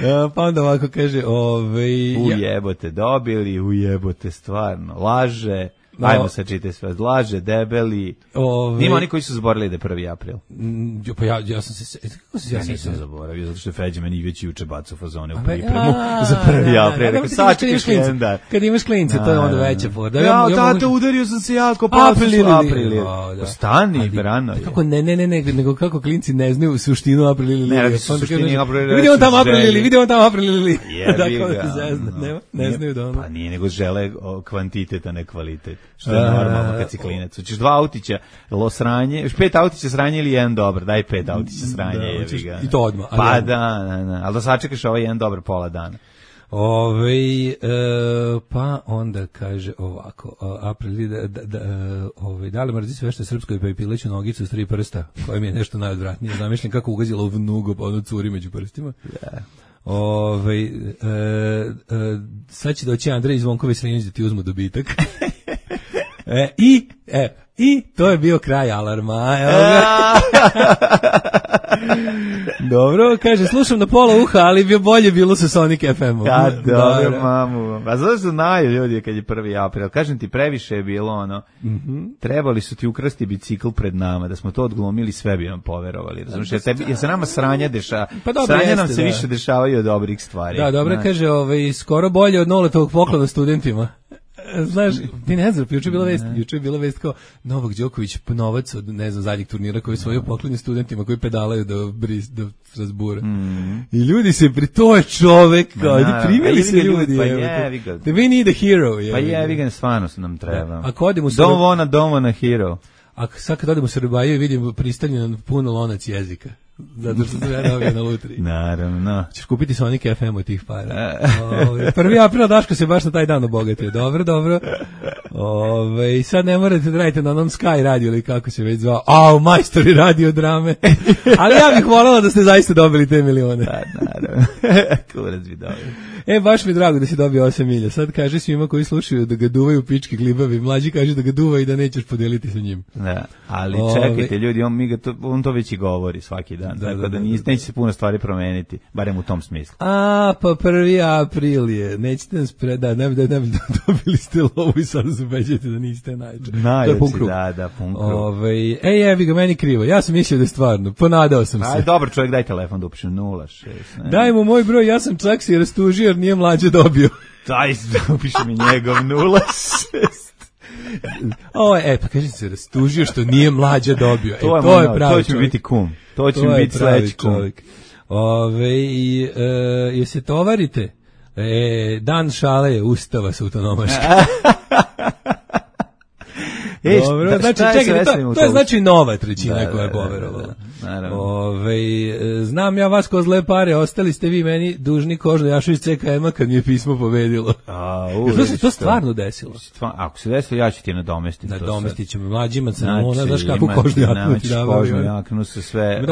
S6: Ja, pa onda ovako kaže, ovaj
S7: ujebote dobili, ujebote stvarno, laže, no. Ajmo sad čite sve, laže, debeli, ove... Nima oni koji su zaboravili da je prvi april.
S6: Mm, pa ja, ja sam se, kako se
S7: ja, ja nisam se... zaboravio, zato što je Feđa meni već juče bacao fazone u pripremu za prvi april, rekao sad čekaš kalendar.
S6: Kad imaš klince, to je onda veća forda.
S7: Ja, tata, udario sam se jako, pa april, april. Stani, brano je.
S6: Kako ne, ne, ne, nego kako klinci ne znaju suštinu april ili
S7: ne, radi su suštini april.
S6: Vidimo tamo april ili, vidimo tamo april ili.
S7: Jebi ga.
S6: Ne znaju da ono.
S7: Pa nije, nego žele kvantitet, a ne kvalitet. Što je normalno kad si klinac. Hoćeš dva autića lo sranje, još pet autića sranje ili jedan dobar, daj pet autića sranje. Da, jebi ga.
S6: I to odmah.
S7: Pa da, da, da, ali da sačekaš ovaj jedan dobar pola dana.
S6: Ove, e, pa onda kaže ovako, april, da, da, da, ove, da li mrzi sve što je srpsko pa i pileću nogicu s tri prsta, koja mi je nešto najodvratnije. Zamišljam kako ugazila u vnugu, pa ono curi među prstima. Da. Ove, e, e, sad će doći Andrej Zvonkovi Srenić da ti uzmu dobitak. E, i, e, i to je bio kraj alarma. Evo ga. Dobro, kaže, slušam na pola uha, ali bi bolje bilo sa Sonic F M-om.
S7: Ja, dobro, dobro, mamu. A zato što znaju ljudi kad je prvi april. Kažem ti, previše je bilo ono, mm-hmm. trebali su ti ukrasti bicikl pred nama, da smo to odglumili, sve bi nam poverovali. Razumiješ, jer, tebi, jer se nama sranje dešava. Pa sranje jeste, nam se da. više dešavaju od dobrih stvari. Da, dobro, znači. Kaže, ovaj, skoro bolje od Noletovog poklona studentima. Znaš, ti ne znam, juče je bila vest, juče je bila vest kao Novak Đoković novac od, ne znam, zadnjeg turnira koji svoju poklonje studentima koji pedalaju do Bris, do Strasbura. Mm. I ljudi se, pri to je čovek, kao, na, primjeli se ljudi. Pa je, ga.
S6: We need a hero. Je,
S7: pa je, vi ga stvarno nam treba.
S6: Ako odemo
S7: Don't wanna, don't wanna hero.
S6: a sad kad odem u Srbaju vidim pristavljen puno lonac jezika. Zato što sam ja dobio na lutriji.
S7: Naravno.
S6: Ćeš kupiti Sonic F M od tih para. Ove, prvi april Daško se baš na taj dan obogatio. Dobro, dobro. Ove, sad ne morate da radite na onom Sky radio ili kako se već zvao. Au, majstori radio drame. Ali ja bih voljela da ste zaista dobili te milione.
S7: Da, naravno. Kurac bi dobio.
S6: E, baš mi je drago da si dobio osam milja. Sad kaže svima koji slušaju da ga duvaju pički glibavi. Mlađi kaže da ga duva i da nećeš podeliti sa njim.
S7: Da, ali čekajte ljudi, on, mi ga to, on to već i govori svaki dan. Da, tako da, da, da neće se puno stvari promeniti, barem u tom smislu.
S6: A, pa prvi april je. Nećete nas predati, ne bi da ne bi dobili ste lovu i sad se ubeđujete da niste najče.
S7: Najče, da, da, pun krug.
S6: Ove, ej, jebi ga, meni krivo. Ja sam mislio da je stvarno. Ponadao sam se.
S7: Aj, dobar čovjek, daj telefon da upišem nula šest. Ne.
S6: Daj mu moj broj, ja sam čak si rastužio jer nije mlađe dobio.
S7: Daj, upiši mi njegov nula šest.
S6: O, e, pa kažem se, rastužio što nije mlađe dobio. E,
S7: to je,
S6: to je
S7: moj,
S6: pravi
S7: to će
S6: čovjek.
S7: biti kum. To će
S6: to
S7: biti sledeći kum.
S6: Ove, i, e, je se tovarite? E, dan šale je ustava sa autonomaška.
S7: E,
S6: dobro,
S7: šta,
S6: znači,
S7: šta je
S6: čekaj, to, to je znači nova trećina
S7: da,
S6: koja je
S7: da,
S6: poverovala.
S7: Da, da,
S6: Ove, znam ja vas ko zle pare, ostali ste vi meni dužni kožno Jašović C K M-a kad mi je pismo pobedilo.
S7: A,
S6: to se to stvarno desilo.
S7: Ako se desilo, ja ću ti nadomestiti.
S6: Nadomestit ćemo mlađima crnona,
S7: znači,
S6: znaš kako kožnu jaknu ti davaju.
S7: Kožnu jaknu sa sve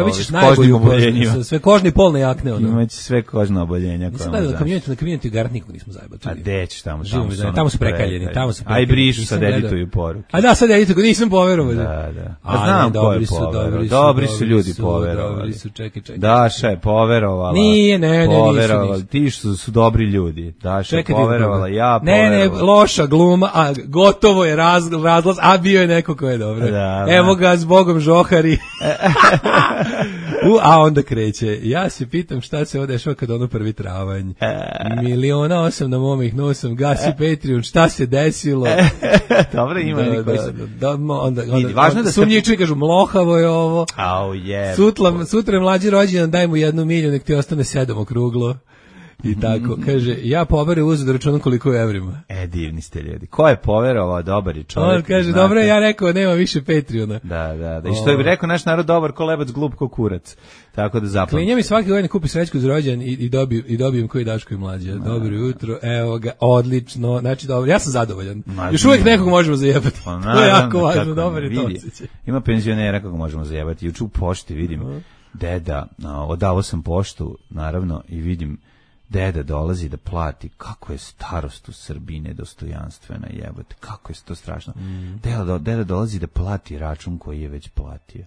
S6: kožnim oboljenjima. Sve kožni polne jakne. Ono.
S7: Imaće sve kožne oboljenja.
S6: Nisam gledao na kamioneti, na kamioneti garat nikog nismo zajebali.
S7: A deći tamo,
S6: tamo su, tamo su prekaljeni. Tamo su
S7: aj brišu sad edituju poruke.
S6: A da, sad edituju, nisam poverovao.
S7: Da, da. A znam ko je poverovao. Dobri su ljudi poverovali.
S6: Su, čekaj, čekaj.
S7: Daša je poverovala.
S6: Nije, ne, ne,
S7: poverovala.
S6: nisu,
S7: Ti su, su dobri ljudi. Daša je poverovala, ja
S6: poverovala. Ne, ne, loša gluma, a gotovo je raz, razlaz, a bio je neko ko je dobro. Da, evo ga s Bogom žohari. U, a onda kreće. Ja se pitam šta se odešao kad ono prvi travanj. Miliona osam na momih nosam, gasi Patreon, šta se desilo?
S7: Dobro, ima
S6: da,
S7: neki koji
S6: da,
S7: se...
S6: Da, onda, onda,
S7: Vidi, važno da
S6: sumnjiči kažu, mlohavo je ovo.
S7: Au, je.
S6: Sutra, sutra je mlađi rođendan, daj mu jednu miliju, nek ti ostane sedam okruglo. I tako, kaže, ja poverujem uzeo da računam koliko je evrima.
S7: E, divni ste ljudi. Ko je poverovao, dobar je čovjek.
S6: On kaže, dobro, ja rekao, nema više Patreona.
S7: Da, da, da. I što je bi rekao naš narod, dobar ko lebac, glup ko kurac. Tako da zapamtim.
S6: Klinja mi svaki godine kupi srećku za rođendan i, i, dobijem, i dobijem koji Daško i mlađe. Dobro jutro, evo ga, odlično. Znači, dobro, ja sam zadovoljan.
S7: Ma,
S6: još uvijek nekog možemo zajebati.
S7: Pa,
S6: to je jako važno, dobar je to osjećaj.
S7: Ima penzionera kako možemo zajebati. Juče u pošti vidim uh-huh. deda, no, odavao sam poštu, naravno, i vidim deda dolazi da plati, kako je starost u Srbiji nedostojanstvena, jebote, kako je to strašno. Mm. Deda, deda dolazi da plati račun koji je već platio.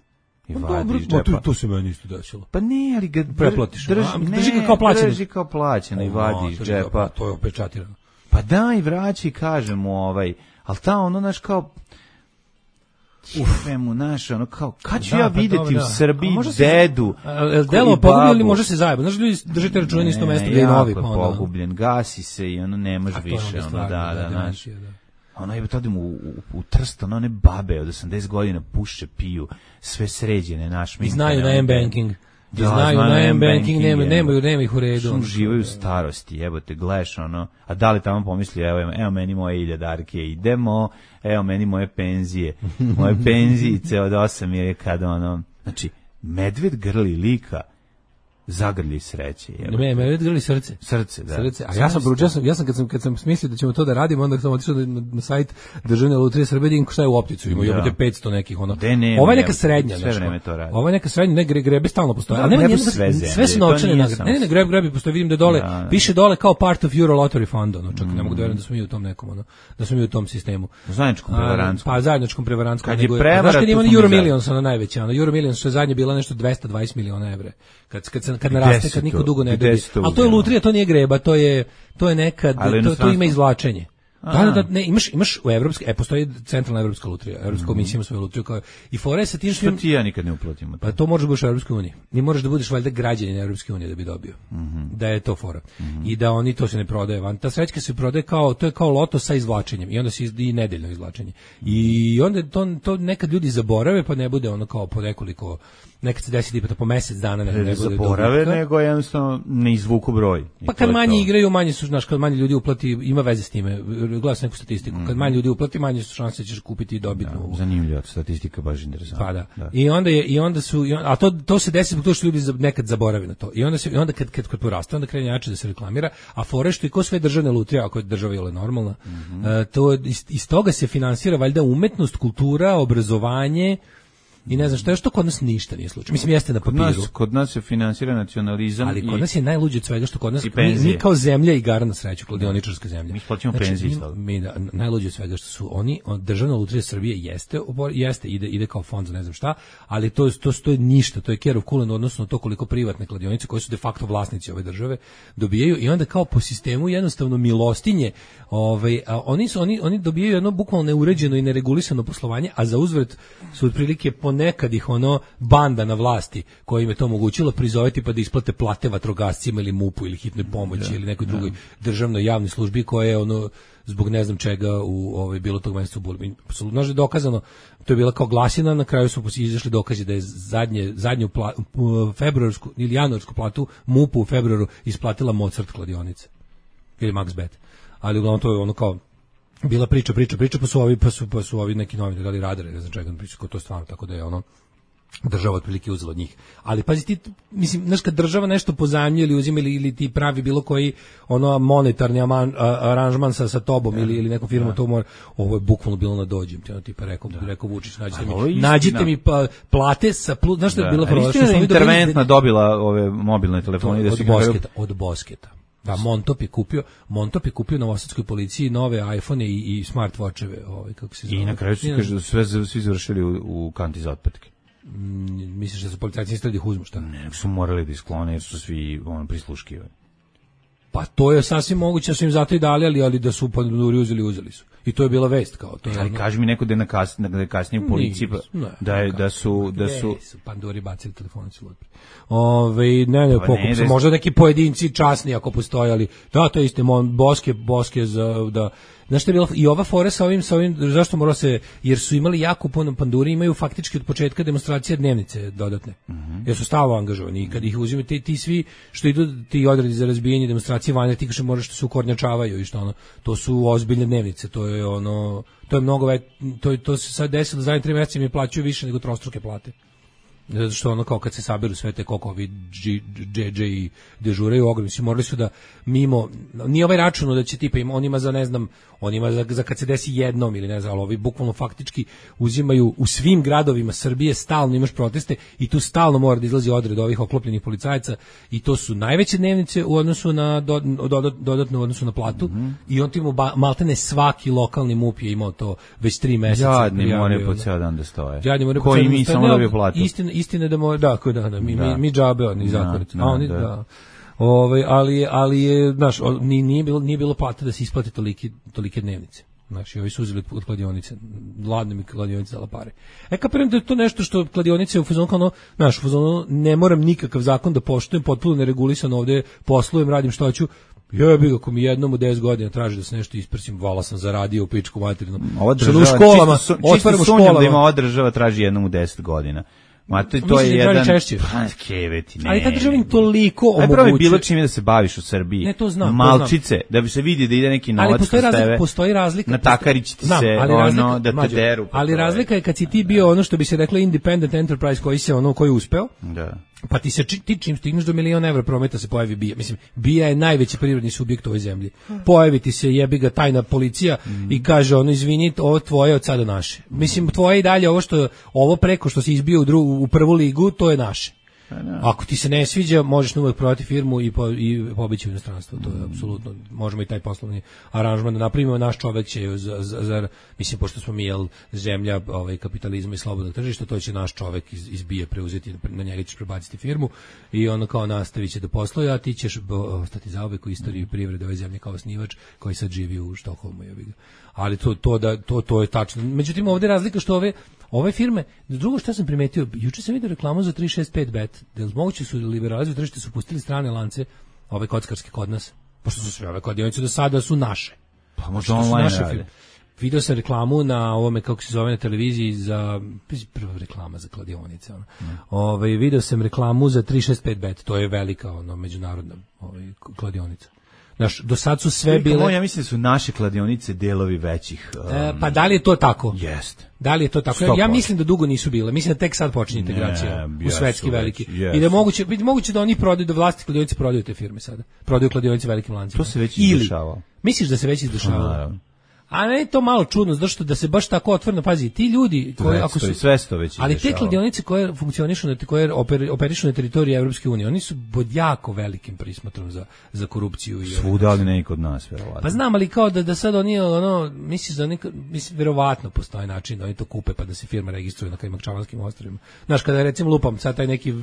S7: I
S6: no,
S7: vadi
S6: dobro,
S7: iz džepa.
S6: To, to se meni isto desilo.
S7: Pa ne, ali ga
S6: preplatiš.
S7: Drži,
S6: a,
S7: ne,
S6: drži ga kao plaćeno.
S7: Drži kao plaćeno i vadi iz džepa.
S6: Pa, to je opečatirano.
S7: Pa da, i vraći, kažem mu, ovaj, ali ta ono, naš, kao, Uf, mu naš, ono kao, kad ću da, ja vidjeti pa, u Srbiji dedu?
S6: Delo pogubljen ili može se zajebo? Znaš, ljudi držite računa na isto mesto gdje je novi.
S7: Pa jako je pogubljen, gasi se i ono ne može više, ono, da, da, znaš. Ono je to u, u, u Trst, ono one babe od osamdeset godina puše, piju, sve sređene, naš.
S6: I znaju na M-banking. Da, znaju na M-banking, nema, nemaju, nema ih u redu.
S7: Što živaju u starosti, jebote, gledaš ono, a da li tamo pomisli, evo, evo meni moje iljadarke, idemo, evo meni moje penzije, moje penzijice od osam je kada ono, znači, medved grli lika, zagrlji sreće.
S6: Ne, medved grli srce.
S7: Srce, da.
S6: Srce. A ja sam proučio, ja sam kad sam kad sam smislio da ćemo to da radimo, onda sam otišao na, na sajt Državne lutrije Srbije, šta je u opticu, ima jebote petsto nekih ono. Ova je neka srednja,
S7: sve vreme to radi.
S6: Ova je neka srednja, ne gre, grebe stalno postoji. Ali nema sve, sve su novčane nagrade. Ne, ne, grebe, grebe postoji, vidim da dole, da. Piše dole kao part of Euro Lottery Fund, ono, čak mm. ne mogu da verujem da smo mi u tom nekom, ono, da smo mi u tom sistemu.
S7: Zajedničkom prevarantskom.
S6: Pa zajedničkom prevarantskom.
S7: Kad je prevara,
S6: znaš kad ima Euro Millions, ono najveća, ono Euro Millions što je zadnje bila nešto dvesta dvadeset miliona evra. Kad kad kad naraste, kad niko dugo ne dobije. Ali to je lutrija, to nije greba, to je to je nekad, to, to ima izvlačenje. Da, da, da, ne, imaš, imaš u evropske, e, postoji centralna evropska lutrija, evropska mm-hmm. komisija ima svoju lutriju, kao, i fore sa tim
S7: što ti ja nikad ne uplatimo.
S6: Pa to možeš da budeš u Evropskoj uniji. Ni moraš da budeš valjda građanin Evropske unije da bi dobio. Mm-hmm. Da je to fora. Mm-hmm. I da oni to se ne prodaje van. Ta srećka se prodaje kao, to je kao loto sa izvlačenjem. I onda se i nedeljno izvlačenje. I onda to, to nekad ljudi zaborave, pa ne bude ono kao po nekoliko, nekad se desi tipa po mesec dana ne, ne bude
S7: zaborave, dobitka. Nego jednostavno ne izvuku broj.
S6: Pa kad manje igraju, manje su, znaš, kad manje ljudi uplati, ima veze s time. uplati, gledaš neku statistiku. Kad manje ljudi uplati, manje su šanse da ćeš kupiti i dobiti novu.
S7: Zanimljiva statistika, baš interesantna.
S6: Pa da.
S7: da.
S6: I onda je i onda su i on, a to to se desi zbog toga što ljudi nekad zaborave na to. I onda se i onda kad kad kad poraste, onda krene jače da se reklamira, a fore što i ko sve državne lutrije, ako je država je normalna, mm-hmm. uh, to iz, iz toga se finansira valjda umetnost, kultura, obrazovanje. I ne znam šta je, što kod nas ništa nije slučaj. Mislim, jeste na papiru.
S7: Kod nas, kod nas se finansira nacionalizam.
S6: Ali
S7: i,
S6: kod nas je najluđe od svega što kod nas, mi, mi kao zemlja igara na sreću, kladioničarska zemlja.
S7: Mi plaćamo
S6: znači,
S7: penzije.
S6: Mi, mi da, najluđe od svega što su oni, on, državna lutrija Srbije jeste, jeste ide, ide kao fond za ne znam šta, ali to, to, to je ništa, to je care of kulen odnosno to koliko privatne kladionice, koje su de facto vlasnici ove države, dobijaju i onda kao po sistemu jednostavno milostinje, ovaj, a oni, su, oni, oni dobijaju jedno bukvalno neuređeno i neregulisano poslovanje, a za uzvrat su otprilike ponekad ih ono banda na vlasti koja im je to omogućila prizoveti pa da isplate plate vatrogascima ili MUP-u ili hitnoj pomoći da, ili nekoj drugoj da. državnoj javnoj službi koja je ono zbog ne znam čega u ovaj bilo tog meseca u Bulbi. Apsolutno je dokazano, to je bila kao glasina, na kraju su izašli dokazi da je zadnje zadnju pla, februarsku ili januarsku platu MUP-u u februaru isplatila Mozart kladionica ili Maxbet. Ali uglavnom to je ono kao bila priča, priča, priča, pa su ovi, pa su, pa su ovi neki novine dali radare, ne znam čega, priča, to je stvarno, tako da je ono, država otprilike uzela od njih. Ali pazi ti, mislim, znaš, kad država nešto pozajmljuje ili uzima ili, ili ti pravi bilo koji ono monetarni aman, a, aranžman sa, sa tobom ja, ili, ili nekom firmom, ja. to mora, ovo je bukvalno bilo na dođem, ti ono tipa rekao, da. rekao Vučić, nađite mi, nađite mi pa, plate sa, plus, znaš što je bilo prvo?
S7: Istina je interventna dobila ove mobilne telefone.
S6: Da od, bosketa, od Bosketa. Da, Montop je kupio, Montop je kupio novosadskoj policiji nove iPhone i, i smartwatcheve, ovaj kako se zove.
S7: I na kraju su kaže da sve svi završili u, u kanti za otpatke.
S6: Mm, misliš da su policajci isto da ih uzmu šta?
S7: Ne, su morali da isklone jer su svi on prisluškivani.
S6: Pa to je sasvim moguće da su im zato i dali, ali, ali da su panduri uzeli, uzeli su. I to je bila vest kao to.
S7: Ali ono... kaži mi neko da je na kasnije, da je kasnije u policiji pa, ne, da je da su da su,
S6: su panduri bacili telefone su lutri. Ove ne ne, pokup su možda neki pojedinci časni ako postoje, ali da to je isto mon Boske Boske za da znaš što je bilo i ova fora sa ovim sa ovim zašto moralo se jer su imali jako puno panduri, imaju faktički od početka demonstracije dnevnice dodatne. Mm-hmm. Jer su stalno angažovani i kad ih uzimaju ti, ti svi što idu ti odredi za razbijanje demonstracije vanje ti kaže moraš što se ukornjačavaju i što ono to su ozbiljne dnevnice, to je ono to je mnogo već, to to se sad desilo zadnje tri meseca mi plaćaju više nego trostruke plate. Zato što ono kao kad se saberu sve te koliko ovi dže dže i dežuraju ogromni su morali su da mimo nije ovaj račun da će tipa im on ima za ne znam on ima za, za kad se desi jednom ili ne znam ali ovi bukvalno faktički uzimaju u svim gradovima Srbije stalno imaš proteste i tu stalno mora da izlazi odred ovih oklopljenih policajaca i to su najveće dnevnice u odnosu na do, dodat, dodatno u odnosu na platu mm-hmm. i on timo maltene svaki lokalni MUP je imao to već tri meseca.
S7: Jadni more po ceo dan da stoje.
S6: Jadni more
S7: po ceo dan. Koji mi samo dobiju platu.
S6: Istina, istina da mora, da, da, da, mi, da. mi, mi džabe, oni zakoniti. A oni, da. da. Ove, ali, ali je, znaš, nije, nije, bilo, nije bilo plata da se isplate tolike, tolike dnevnice. Znači, ovi su uzeli od kladionice, ladne mi kladionice dala pare. E, kapiram da je to nešto što kladionice u fazonu, ono, znaš, u fazonu, ne moram nikakav zakon da poštujem, potpuno neregulisano ovde poslujem, radim što hoću. Ja bih ako mi jednom u deset godina traži da se nešto isprsim, vala sam zaradio u pičku materinu.
S7: Ova država, u školama, čisto, čisto sumnjam da ima ova država traži jednom u deset godina. Ma to, to je jedan pa keveti, ne.
S6: Ali ta država im toliko
S7: omogućuje. Ajde bilo čime da se baviš u Srbiji.
S6: Ne, to znam,
S7: malčice,
S6: to znam.
S7: Da bi se vidi da ide neki novac
S6: s tebe. Ali postoji razlika.
S7: Na takarić ti znam, se ono razlika, da te mađu, deru.
S6: Ali razlika je kad si ti bio ono što bi se reklo independent enterprise koji se ono koji uspeo.
S7: Da.
S6: Pa ti se ti čim stigneš do miliona evra prometa se pojavi bija. Mislim, bija je najveći privredni subjekt u ovoj zemlji. Pojavi ti se jebi ga tajna policija mm. i kaže ono izvini, ovo tvoje od sada naše. Mislim, tvoje i dalje ovo što ovo preko što si izbio u drugu u prvu ligu, to je naše. Ako ti se ne sviđa, možeš uvek prodati firmu i po, i pobeći u inostranstvo. To je apsolutno, možemo i taj poslovni aranžman da napravimo. Naš čovek će za, za, za mislim pošto smo mi jel zemlja ovaj kapitalizma i slobodnog tržišta, to će naš čovek iz, iz bije preuzeti, na njega ćeš prebaciti firmu i ono kao nastaviće da posluje, a ti ćeš ostati zauvek u istoriji privrede ove zemlje kao osnivač koji sad živi u Štokholmu. Ali to to da to to je tačno. Međutim ovde je razlika što ove ove firme, drugo što sam primetio, juče sam vidio reklamu za tri šest pet bet, da li moguće su liberalizovali tržište, su pustili strane lance, ove kockarske kod nas, pošto su sve ove kladionice do sada su naše.
S7: Pa možda online rade.
S6: Video sam reklamu na ovome, kako se zove na televiziji, za, prva reklama za kladionice. Ono. Mm. Ove, video sam reklamu za tri šest pet bet, to je velika ono, međunarodna ovaj, kladionica. Znaš, do sad su sve bile...
S7: Moj, ja mislim da su naše kladionice delovi većih. Um,
S6: e, pa da li je to tako?
S7: Jest.
S6: Da li je to tako? Ja, ja mislim da dugo nisu bile. Mislim da tek sad počinje integracija ne, u svetski veliki. Yes. I da je moguće, moguće da oni prodaju, da vlasti kladionice prodaju te firme sada. Prodaju kladionice velikim lancima.
S7: To se već izdešava.
S6: Misliš da se već izdešava? A ne je to malo čudno, zašto da se baš tako otvoreno pazi, ti ljudi koji ako su
S7: sve sto već
S6: ali te kladionice koje funkcionišu na koje oper, operišu na teritoriji Evropske unije, oni su pod jako velikim prismotrom za za korupciju i
S7: svuda, ali ne i kod nas verovatno.
S6: Pa znam, ali kao da da sad oni ono misliš da neka mislim verovatno postoji način da oni to kupe pa da se firma registruje na Kajmakčavanskim ostrvima. Znaš, kada recimo lupam sad taj neki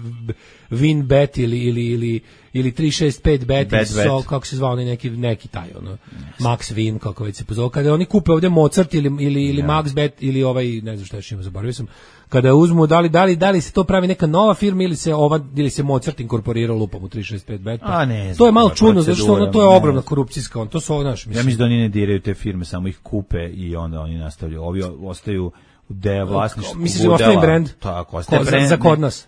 S6: Winbet ili ili ili ili tri šest pet bet, bet, so, kako se zvao onaj neki neki taj ono yes. Max Win kako već se pozove, kada oni kupe ovdje Mozart ili ili ili yeah. Max Bet ili ovaj ne znam šta još ima, zaboravio sam, kada uzmu da li da li da li se to pravi neka nova firma ili se ova ili se Mozart inkorporirao lupom u tri šest pet bet.
S7: A ne,
S6: to je malo čudno zato što ono to je ogromna korupcijska, on to su naš mislim.
S7: Ja mislim da oni ne diraju te firme, samo ih kupe i onda oni nastavljaju. Ovi ostaju u deo vlasništva.
S6: Mislim da ostaje brend.
S7: Tako, ostaje brend
S6: za kod nas.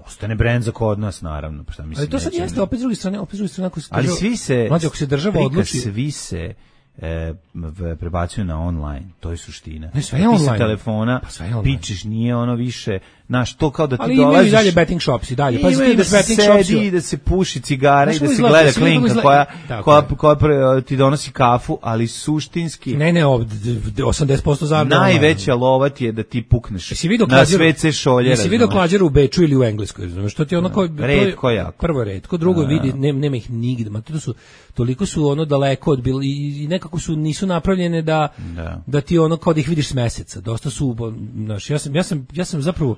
S7: Ostane brend za kod nas, naravno. Pa šta mislim,
S6: ali to sad jeste, opet s druge strane, opet s druge strane, ako se
S7: ali država, svi se,
S6: mlađe, ako se država odluči...
S7: svi se e, prebacuju na online, to je suština.
S6: Ne, sve je online.
S7: Ti sa telefona, pa pičeš, nije ono više, znaš, to kao da ti
S6: ali
S7: dolaziš...
S6: Ali imaju i dalje betting shops i dalje. Pa
S7: imaju da se sedi i da se puši cigara i da se gleda klinka koja, koja, koja, koja ti donosi kafu, ali suštinski...
S6: Ne, ne, osamdeset posto zarada.
S7: Najveća lova ti je da ti pukneš na sve ce šolje.
S6: Jesi vidio klađeru u Beču ili u Engleskoj? Znaš, što ti onako...
S7: Redko jako.
S6: Prvo redko, drugo vidi, nema, nema ih nigde. Ma to su, toliko su ono daleko od bili i nekako su, nisu napravljene da, da. da ti ono kao da ih vidiš s meseca. Dosta su, znaš, ja sam, ja sam, ja sam zapravo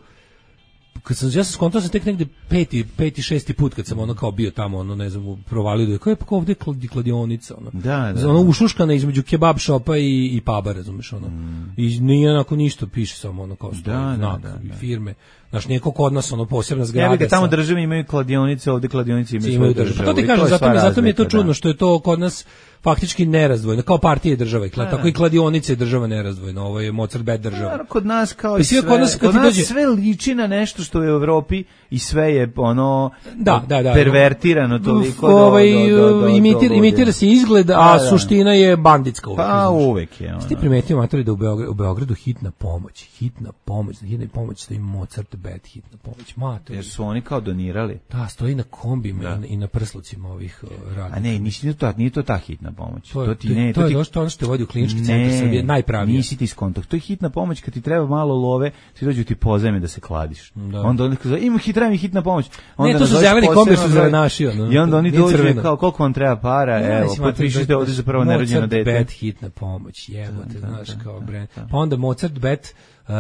S6: kad sam ja sam skontao sam tek negde peti, peti, šesti put kad sam ono kao bio tamo, ono ne znam, provalio da je kao je pa ovde kladionica, ono.
S7: Da, da.
S6: Ono ušuškana između kebab shopa i i puba, razumeš, ono. Mm. I nije onako ništa, piše samo ono kao stoji
S7: da,
S6: znak
S7: da, da,
S6: i
S7: da.
S6: firme. Znaš, neko kod nas, ono, posebna zgrada.
S7: Ja bih tamo države imaju kladionice, ovde kladionice imaju svoju državu.
S6: Pa to ti kažem, zato mi, zato mi je to čudno, da. Što je to kod nas faktički nerazdvojeno, kao partije država, da, tako i kladionice država nerazdvojeno, ovo je Mozart Bet država.
S7: Da, kod nas kao i sve, kod nas, kod nas dođe... sve liči na nešto što je u Evropi i sve je ono
S6: da, da, da,
S7: pervertirano toliko
S6: do, ovaj, do, do, do, imitira, imitira se izgled, a da, da. Suština je banditska uvek.
S7: Pa uvek je.
S6: Ono. Ti primetio, matori, da u Beogradu, u Beogradu hitna pomoć, hitna pomoć, hitna pomoć, stoji Mozart Bet, hitna pomoć, matori.
S7: Jer su oni kao donirali.
S6: Da, stoji na kombima da. i na prslucima ovih uh, radnika.
S7: A ne, nisi to, nije to ta hitna pomoć.
S6: To,
S7: to ti ne,
S6: to, to
S7: je
S6: došto ono što vodi u klinički centar Srbije, najpravije.
S7: Nisi ti skontakt. To je hitna pomoć kad ti treba malo love, ti dođu ti pozajme da se kladiš. Da. Onda oni kažu, ima hitna, mi hitna pomoć. Onda
S6: ne, to su zeleni kombi što zelenaši. Ono,
S7: I onda oni dođu kao, koliko vam treba para, ne, evo, potpišite ovdje za prvo nerođeno dete.
S6: Mozart Bet hitna pomoć, jebote, znaš, kao brend. Pa onda Mozart Bet, uh,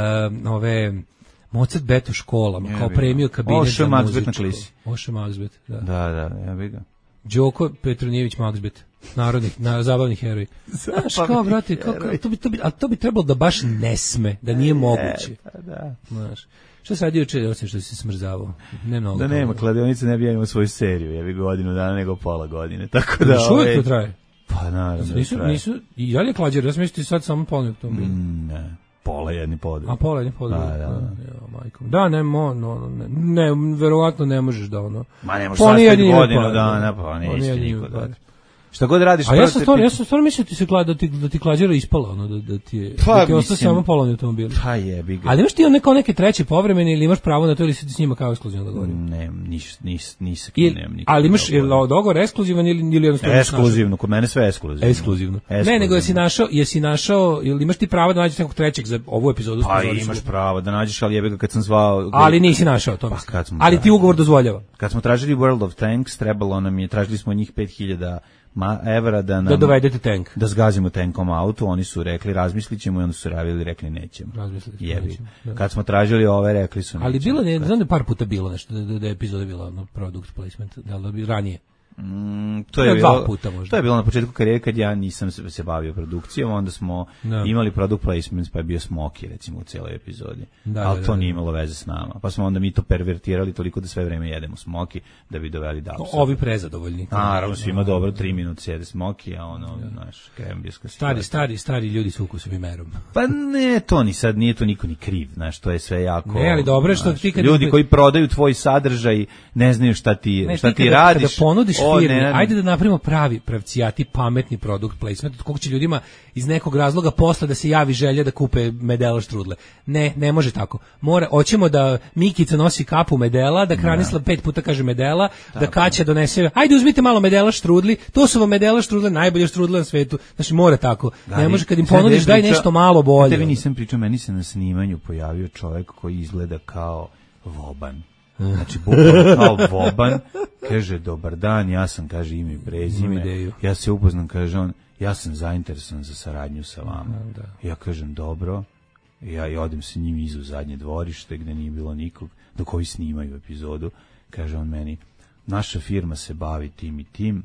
S6: ove... Mozart Bet u školama, yeah, kao premio kabinet za muzičko. Oše Maxbet, da.
S7: Da, da, ja bih ga.
S6: Đoko Petronijević Maxbet, narodnih, na, zabavnih heroji. Znaš, kao, brate, kao, kao, to, bi, to, bi, a to bi trebalo da baš ne sme, da nije moguće.
S7: Pa da.
S6: Znaš, što se radi juče, osim što si smrzavao? Ne mnogo.
S7: Da nema, kladionice ne bi ja imao svoju seriju, ja bih godinu dana nego pola godine, tako da...
S6: Još uvijek to traje?
S7: Pa naravno
S6: nisu,
S7: traje.
S6: Nisu, i ja li klađer, ja sam mislio ti sad samo polnik tom bilo.
S7: Mm, ne. Pola jedni podel.
S6: A pola jedni podel.
S7: Da, da, da.
S6: Ja, majko. Da, ne, mo, no, ne, ne, verovatno ne možeš da ono.
S7: Ma ne možeš sastaviti godinu dana, pa neće niko da. Šta god radiš...
S6: A ja sam stvarno, ja sam stvarno mislio ti se klada, da ti, da ti klađera ispala, ono, da, da ti je,
S7: pa,
S6: da ti ostao samo polovni automobil.
S7: Pa jebi ga.
S6: Ali imaš ti on neko neke treće povremene ili imaš pravo na to ili si ti s njima kao ekskluzivan dogovor?
S7: Ne, nis, nis, nis, nis, nemam nikog.
S6: Ali imaš dogovor ekskluzivan ili, ili jednostavno...
S7: Ekskluzivno, kod mene sve ekskluzivno.
S6: Ekskluzivno. Ne, nego jesi našao, jesi našao, ili imaš ti pravo da nađeš nekog trećeg za ovu epizodu?
S7: Pa imaš pravo da nađeš, ali jebi ga kad sam zvao...
S6: Ali nisi našao to. Ali ti ugovor dozvoljava.
S7: Kad smo tražili World of Tanks, trebalo nam je, tražili smo njih pet hiljada Ma, evra da nam,
S6: da dovedete tank.
S7: Da zgazimo tankom auto, oni su rekli razmislit ćemo i onda su javili rekli nećemo.
S6: Razmislit
S7: nećemo. Da. Kad smo tražili ove, rekli su nećemo.
S6: Ali bilo ne, znam da je par puta bilo nešto, da, da je epizoda bila no, product placement, da li bi ranije.
S7: Mm, to je bilo, puta možda. To je bilo na početku karijere kad ja nisam se, se bavio produkcijom, onda smo no. imali product placements, pa je bio Smoky recimo u cijeloj epizodi. Da, ali da, to da, nije imalo veze s nama. Pa smo onda mi to pervertirali toliko da sve vreme jedemo Smoky da bi doveli Dabsa.
S6: Ovi prezadovoljni.
S7: Naravno, svima no. dobro, tri minute sjede Smoky, a ono, da. naš krembijska
S6: stari, stari, stari ljudi s ukusom i merom.
S7: Pa ne, to ni sad, nije to niko ni kriv, znaš, to je sve jako...
S6: Ne, ali dobro što ti kad...
S7: Ljudi koji prodaju tvoj sadržaj ne znaju šta ti, ne, šta ti, ti kada, radiš,
S6: kada ponudiš
S7: O,
S6: firmi,
S7: ne, ne.
S6: ajde da napravimo pravi, pravcijati, pametni produkt placement, od kog će ljudima iz nekog razloga posla da se javi želja da kupe Medela štrudle. Ne, ne može tako. Mora, hoćemo da Mikica nosi kapu Medela, da Kranisla pet puta kaže Medela, da Kaća donese, ajde uzmite malo Medela štrudli, to su vam Medela štrudle, najbolje štrudle na svetu. Znači mora tako. Ne može kad im ponudiš daj nešto malo bolje.
S7: Tebi nisam pričao, meni se na snimanju pojavio čovjek koji izgleda kao Voban. Znači, bukvalno kao Voban, kaže, dobar dan, ja sam, kaže, ime i prezime, ja se upoznam, kaže on, ja sam zainteresovan za saradnju sa vama. Da. Ja kažem, dobro, ja i odem sa njim izu zadnje dvorište, gde nije bilo nikog, dok ovi snimaju epizodu, kaže on meni, naša firma se bavi tim i tim,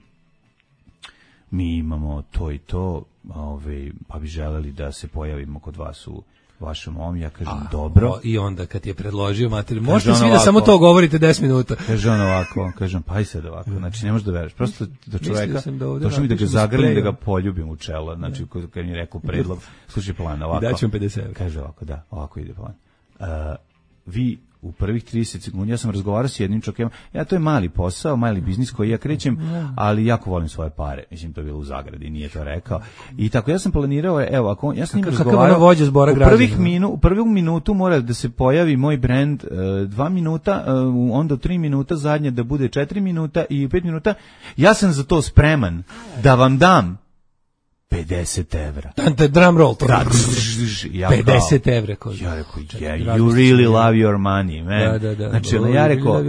S7: mi imamo to i to, ove, pa bi želeli da se pojavimo kod vas u vašom ovom, ja kažem, a, dobro. O,
S6: I onda kad je predložio materiju, možete svi da samo to govorite deset minuta.
S7: Kaže on ovako, kažem, pa i sad ovako, znači ne možeš da veruješ, prosto do čoveka, došlo mi da ga zagrlim, da ga poljubim u čelo, znači kad mi je rekao predlog, slušaj plan, ovako.
S6: I daću vam pedeset evra.
S7: Kaže ovako, da, ovako ide plan. Uh, vi u prvih trideset sekundi, ja sam razgovarao s jednim čovjekom, ja to je mali posao, mali biznis koji ja krećem, ali jako volim svoje pare, mislim to je bilo u zagradi, nije to rekao, i tako ja sam planirao, evo, ako ja sam njim razgovarao, u prvih minu, u prvih minutu mora da se pojavi moj brand, uh, dva minuta, uh, onda tri minuta, zadnje da bude četiri minuta i pet minuta, ja sam za to spreman da vam dam pedeset evra.
S6: Dante drum roll.
S7: Da, ja
S6: pedeset evra.
S7: Ja rekao, yeah, you really love your money, man.
S6: Da, da, da.
S7: Znači, oh, ja rekao,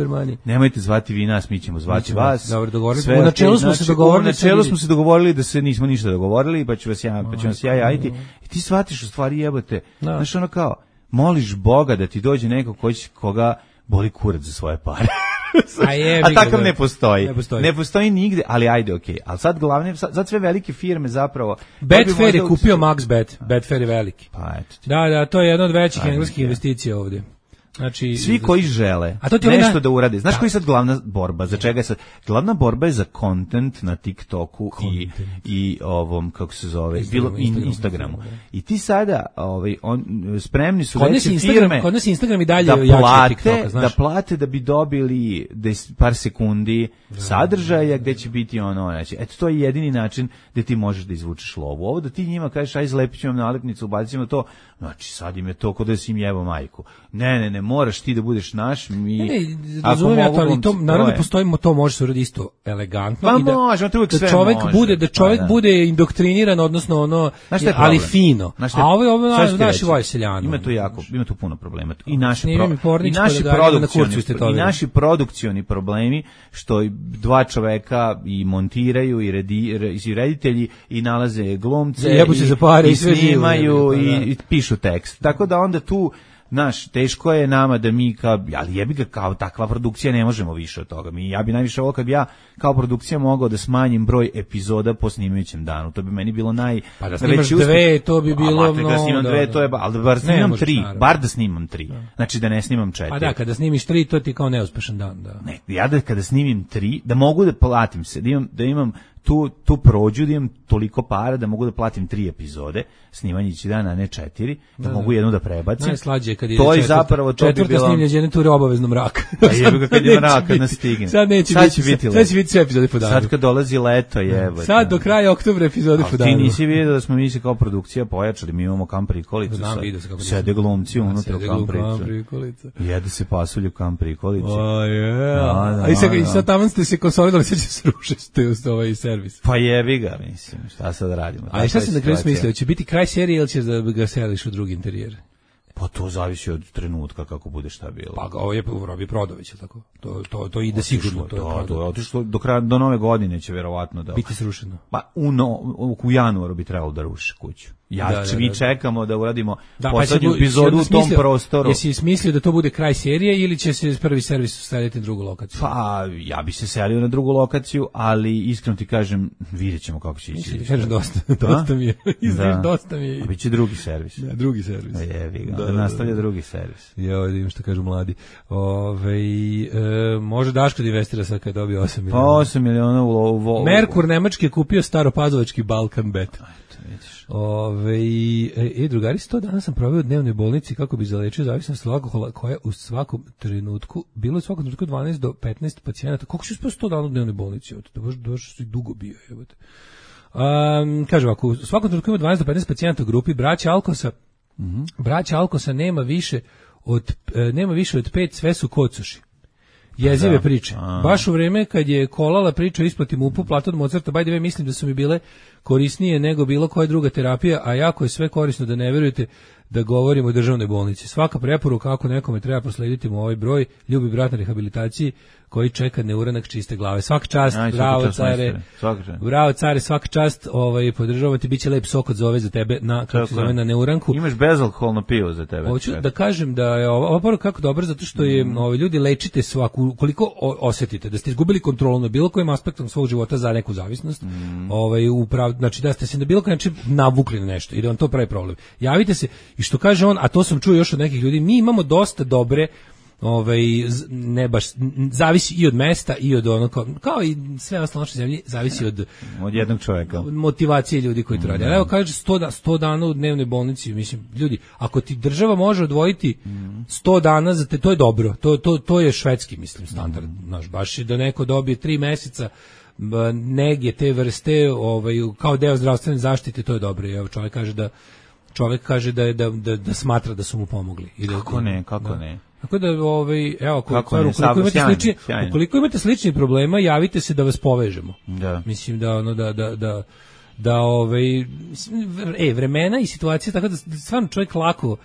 S7: nemojte zvati vi nas, mi ćemo zvati
S6: ćemo,
S7: vas.
S6: Dobro, dogovorili smo. U načelu smo se dogovorili.
S7: U načelu smo se dogovorili da se nismo ništa dogovorili, pa ću vas ja, pa ću vas ja javiti. I ti shvatiš u stvari jebote. Znaš, ono kao, moliš Boga da ti dođe neko ko će, koga boli kurac za svoje pare. A, je, a takav ne postoji. ne postoji. Ne postoji nigde, ali ajde, okej. Okay. Ali sad glavne, sad, sad sve velike firme zapravo...
S6: Betfair je kupio MaxBet. Betfair je veliki.
S7: Pa eto ti.
S6: Da, da, to je jedna od većih ajde, engleskih investicija ovdje. Znači,
S7: svi koji žele a to ti nešto onda, da urade. Znaš da. Koji je sad glavna borba? Za čega je sad? Glavna borba je za content na TikToku i, i ovom, kako se zove, Instagram, bilo in, Instagramu. I ti sada, ovaj, on, spremni su veće firme
S6: kod nas Instagram i dalje
S7: da plate, TikToka, znaš? Da plate da bi dobili des, par sekundi da, sadržaja gde će biti ono, znači, eto, to je jedini način gde ti možeš da izvučeš lovu. Ovo da ti njima kažeš, aj zlepit ću vam nalepnicu, ubacimo to, znači, sad im je to kod da si im jebo majku. Ne, ne, ne, moraš ti da budeš naš, mi...
S6: Ne, ne, razumijem ja to, ali to, naravno postoji, to može se uraditi isto elegantno.
S7: Pa
S6: i da,
S7: može, to uvijek sve
S6: da čovjek
S7: može.
S6: Bude, da čovjek
S7: pa, da.
S6: bude indoktriniran, odnosno ono, je, ali fino. A ovo je ovo naši vojseljani.
S7: Ima tu jako, ima tu puno problema. I naši, pro, i
S6: naši,
S7: da produkcioni, i naši produkcioni problemi, što dva čoveka i montiraju, i, redi, i reditelji, i nalaze glumce,
S6: i, se za pare,
S7: i snimaju, i, i pišu tekst. Tako da onda tu Naš, teško je nama da mi kao, ali jebi ga kao takva produkcija ne možemo više od toga. Mi, ja bi najviše ovo kad bi ja kao produkcija mogao da smanjim broj epizoda po snimajućem danu. To bi meni bilo naj...
S6: Pa da snimaš dve, to bi bilo...
S7: A, da snimam dve, to je... Ali da bar snimam tri, naravno. bar da snimam tri. Da. Znači da ne snimam četiri.
S6: A da, kada snimiš tri, to ti kao neuspešan dan. Da.
S7: Ne, ja da kada snimim tri, da mogu da platim se, da imam, da imam tu, tu prođu, da imam toliko para da mogu da platim tri epizode, snimanje će dana, a ne četiri, da, da mogu jednu da prebacim.
S6: Najslađe kad
S7: to je zapravo to
S6: bi bilo... snimljenje jedne ture obavezno mrak.
S7: A jebi ga kad je mrak, kad nas stigne.
S6: Sad neće
S7: sad
S6: biti,
S7: biti,
S6: sad će biti sve epizode po danu.
S7: Sad kad dolazi leto, jebote.
S6: Sad do kraja oktobra epizode po danu.
S7: Ti nisi vidio da smo mi se kao produkcija pojačali, mi imamo kamp prikolicu.
S6: Znam, vidio se kako
S7: sede glumci unutra u kamp prikolicu. Jede se pasulj u kamp prikolici.
S6: O, je. A i sad, sad tamo ste se konsolidali, sad će se rušiti ovaj servis.
S7: Pa jebi ga, mislim, šta sad radimo.
S6: A šta si na kraju smislio, će biti kraj serije ili ćeš da ga seliš u drugi interijer?
S7: Pa to zavisi od trenutka kako bude šta bilo.
S6: Pa ovo je Robi Prodović, tako. To to to ide otišlo, sigurno, to je.
S7: Da, to je otišlo do kraja do nove godine će verovatno da
S6: biti srušeno.
S7: Pa u no, u januaru bi trebalo da ruši kuću. Ja da, da, mi da, da. čekamo da uradimo da, poslednju pa epizodu u tom smislio, prostoru.
S6: Jesi smislio da to bude kraj serije ili će se prvi servis seliti na drugu lokaciju?
S7: Pa ja bi se selio na drugu lokaciju, ali iskreno ti kažem, videćemo kako će ići.
S6: Kažem dosta, dosta mi je.
S7: Da.
S6: Dosta mi je.
S7: A biće drugi servis.
S6: Da, drugi servis.
S7: A jevi ga, da, da nastavlja da, drugi servis.
S6: Ja vidim što kažu mladi. Ovaj e, može Daško da investira sad kad dobije osam miliona.
S7: Pa osam miliona u lovu.
S6: Merkur nemački je kupio staropazovački Balkan Bet.
S7: Eto, vidiš.
S6: Ove, Ove, e, e, drugari, sto dana sam proveo u dnevnoj bolnici kako bi zalečio zavisnost od alkohola, koja u svakom trenutku, bilo je u svakom trenutku dvanaest do petnaest pacijenata. Koliko si uspio sto dana u dnevnoj bolnici? Da baš, baš si dugo bio. Jebote. Um, kaže ovako, u svakom trenutku ima dvanaest do petnaest pacijenata u grupi. Braća Alkosa, mm-hmm. braća Alkosa nema više od, e, nema više od pet, sve su kocuši. Jezive da. priče. A. Baš u vreme kad je kolala priča o isplati MUP-u platu od Mozarta, by the way, mislim da su mi bile korisnije nego bilo koja druga terapija, a jako je sve korisno da ne verujete da govorimo o državnoj bolnici. Svaka preporuka kako nekome treba proslediti mu ovaj broj, ljubi brat na rehabilitaciji koji čeka neuranak čiste glave. Svaka čast, Aj, bravo čast, care, bravo care, svaka čast, ovaj, podržavati, bit će lep sok od zove za tebe na, kako se zove, na neuranku.
S7: Imaš bezalkoholno pivo za tebe.
S6: Hoću da kažem da je ova poruka kako dobro, zato što je, mm. ovaj, ljudi, lečite svaku, koliko osetite da ste izgubili kontrolu na bilo kojim aspektom svog života za neku zavisnost, mm. ovaj, uprav, znači da ste se na bilo koji način navukli na nešto i da vam to pravi problem. Javite se i što kaže on, a to sam čuo još od nekih ljudi, mi imamo dosta dobre, ovaj, ne baš, zavisi i od mesta i od ono, kao, kao i sve ostalo naše zemlje, zavisi od
S7: od jednog čovjeka,
S6: motivacije ljudi koji to rade. Ali evo kaže sto, sto dana u dnevnoj bolnici, mislim, ljudi, ako ti država može odvojiti sto dana za te, to je dobro, to, to, to je švedski, mislim, standard, naš, baš da neko dobije tri meseca nege te vrste, ovaj, kao deo zdravstvene zaštite, to je dobro. Evo čovjek kaže da čovjek kaže da je da, da, da smatra da su mu pomogli. I da,
S7: kako ne, kako da. ne.
S6: Tako da, ovaj, evo, kako ne, ukoliko, imate sjajno, slični, sjajno. ukoliko imate sličnih problema, javite se da vas povežemo. Da. Mislim da, ono, da, da, da, da, ovaj, e, vremena i situacija, tako da stvarno čovjek lako,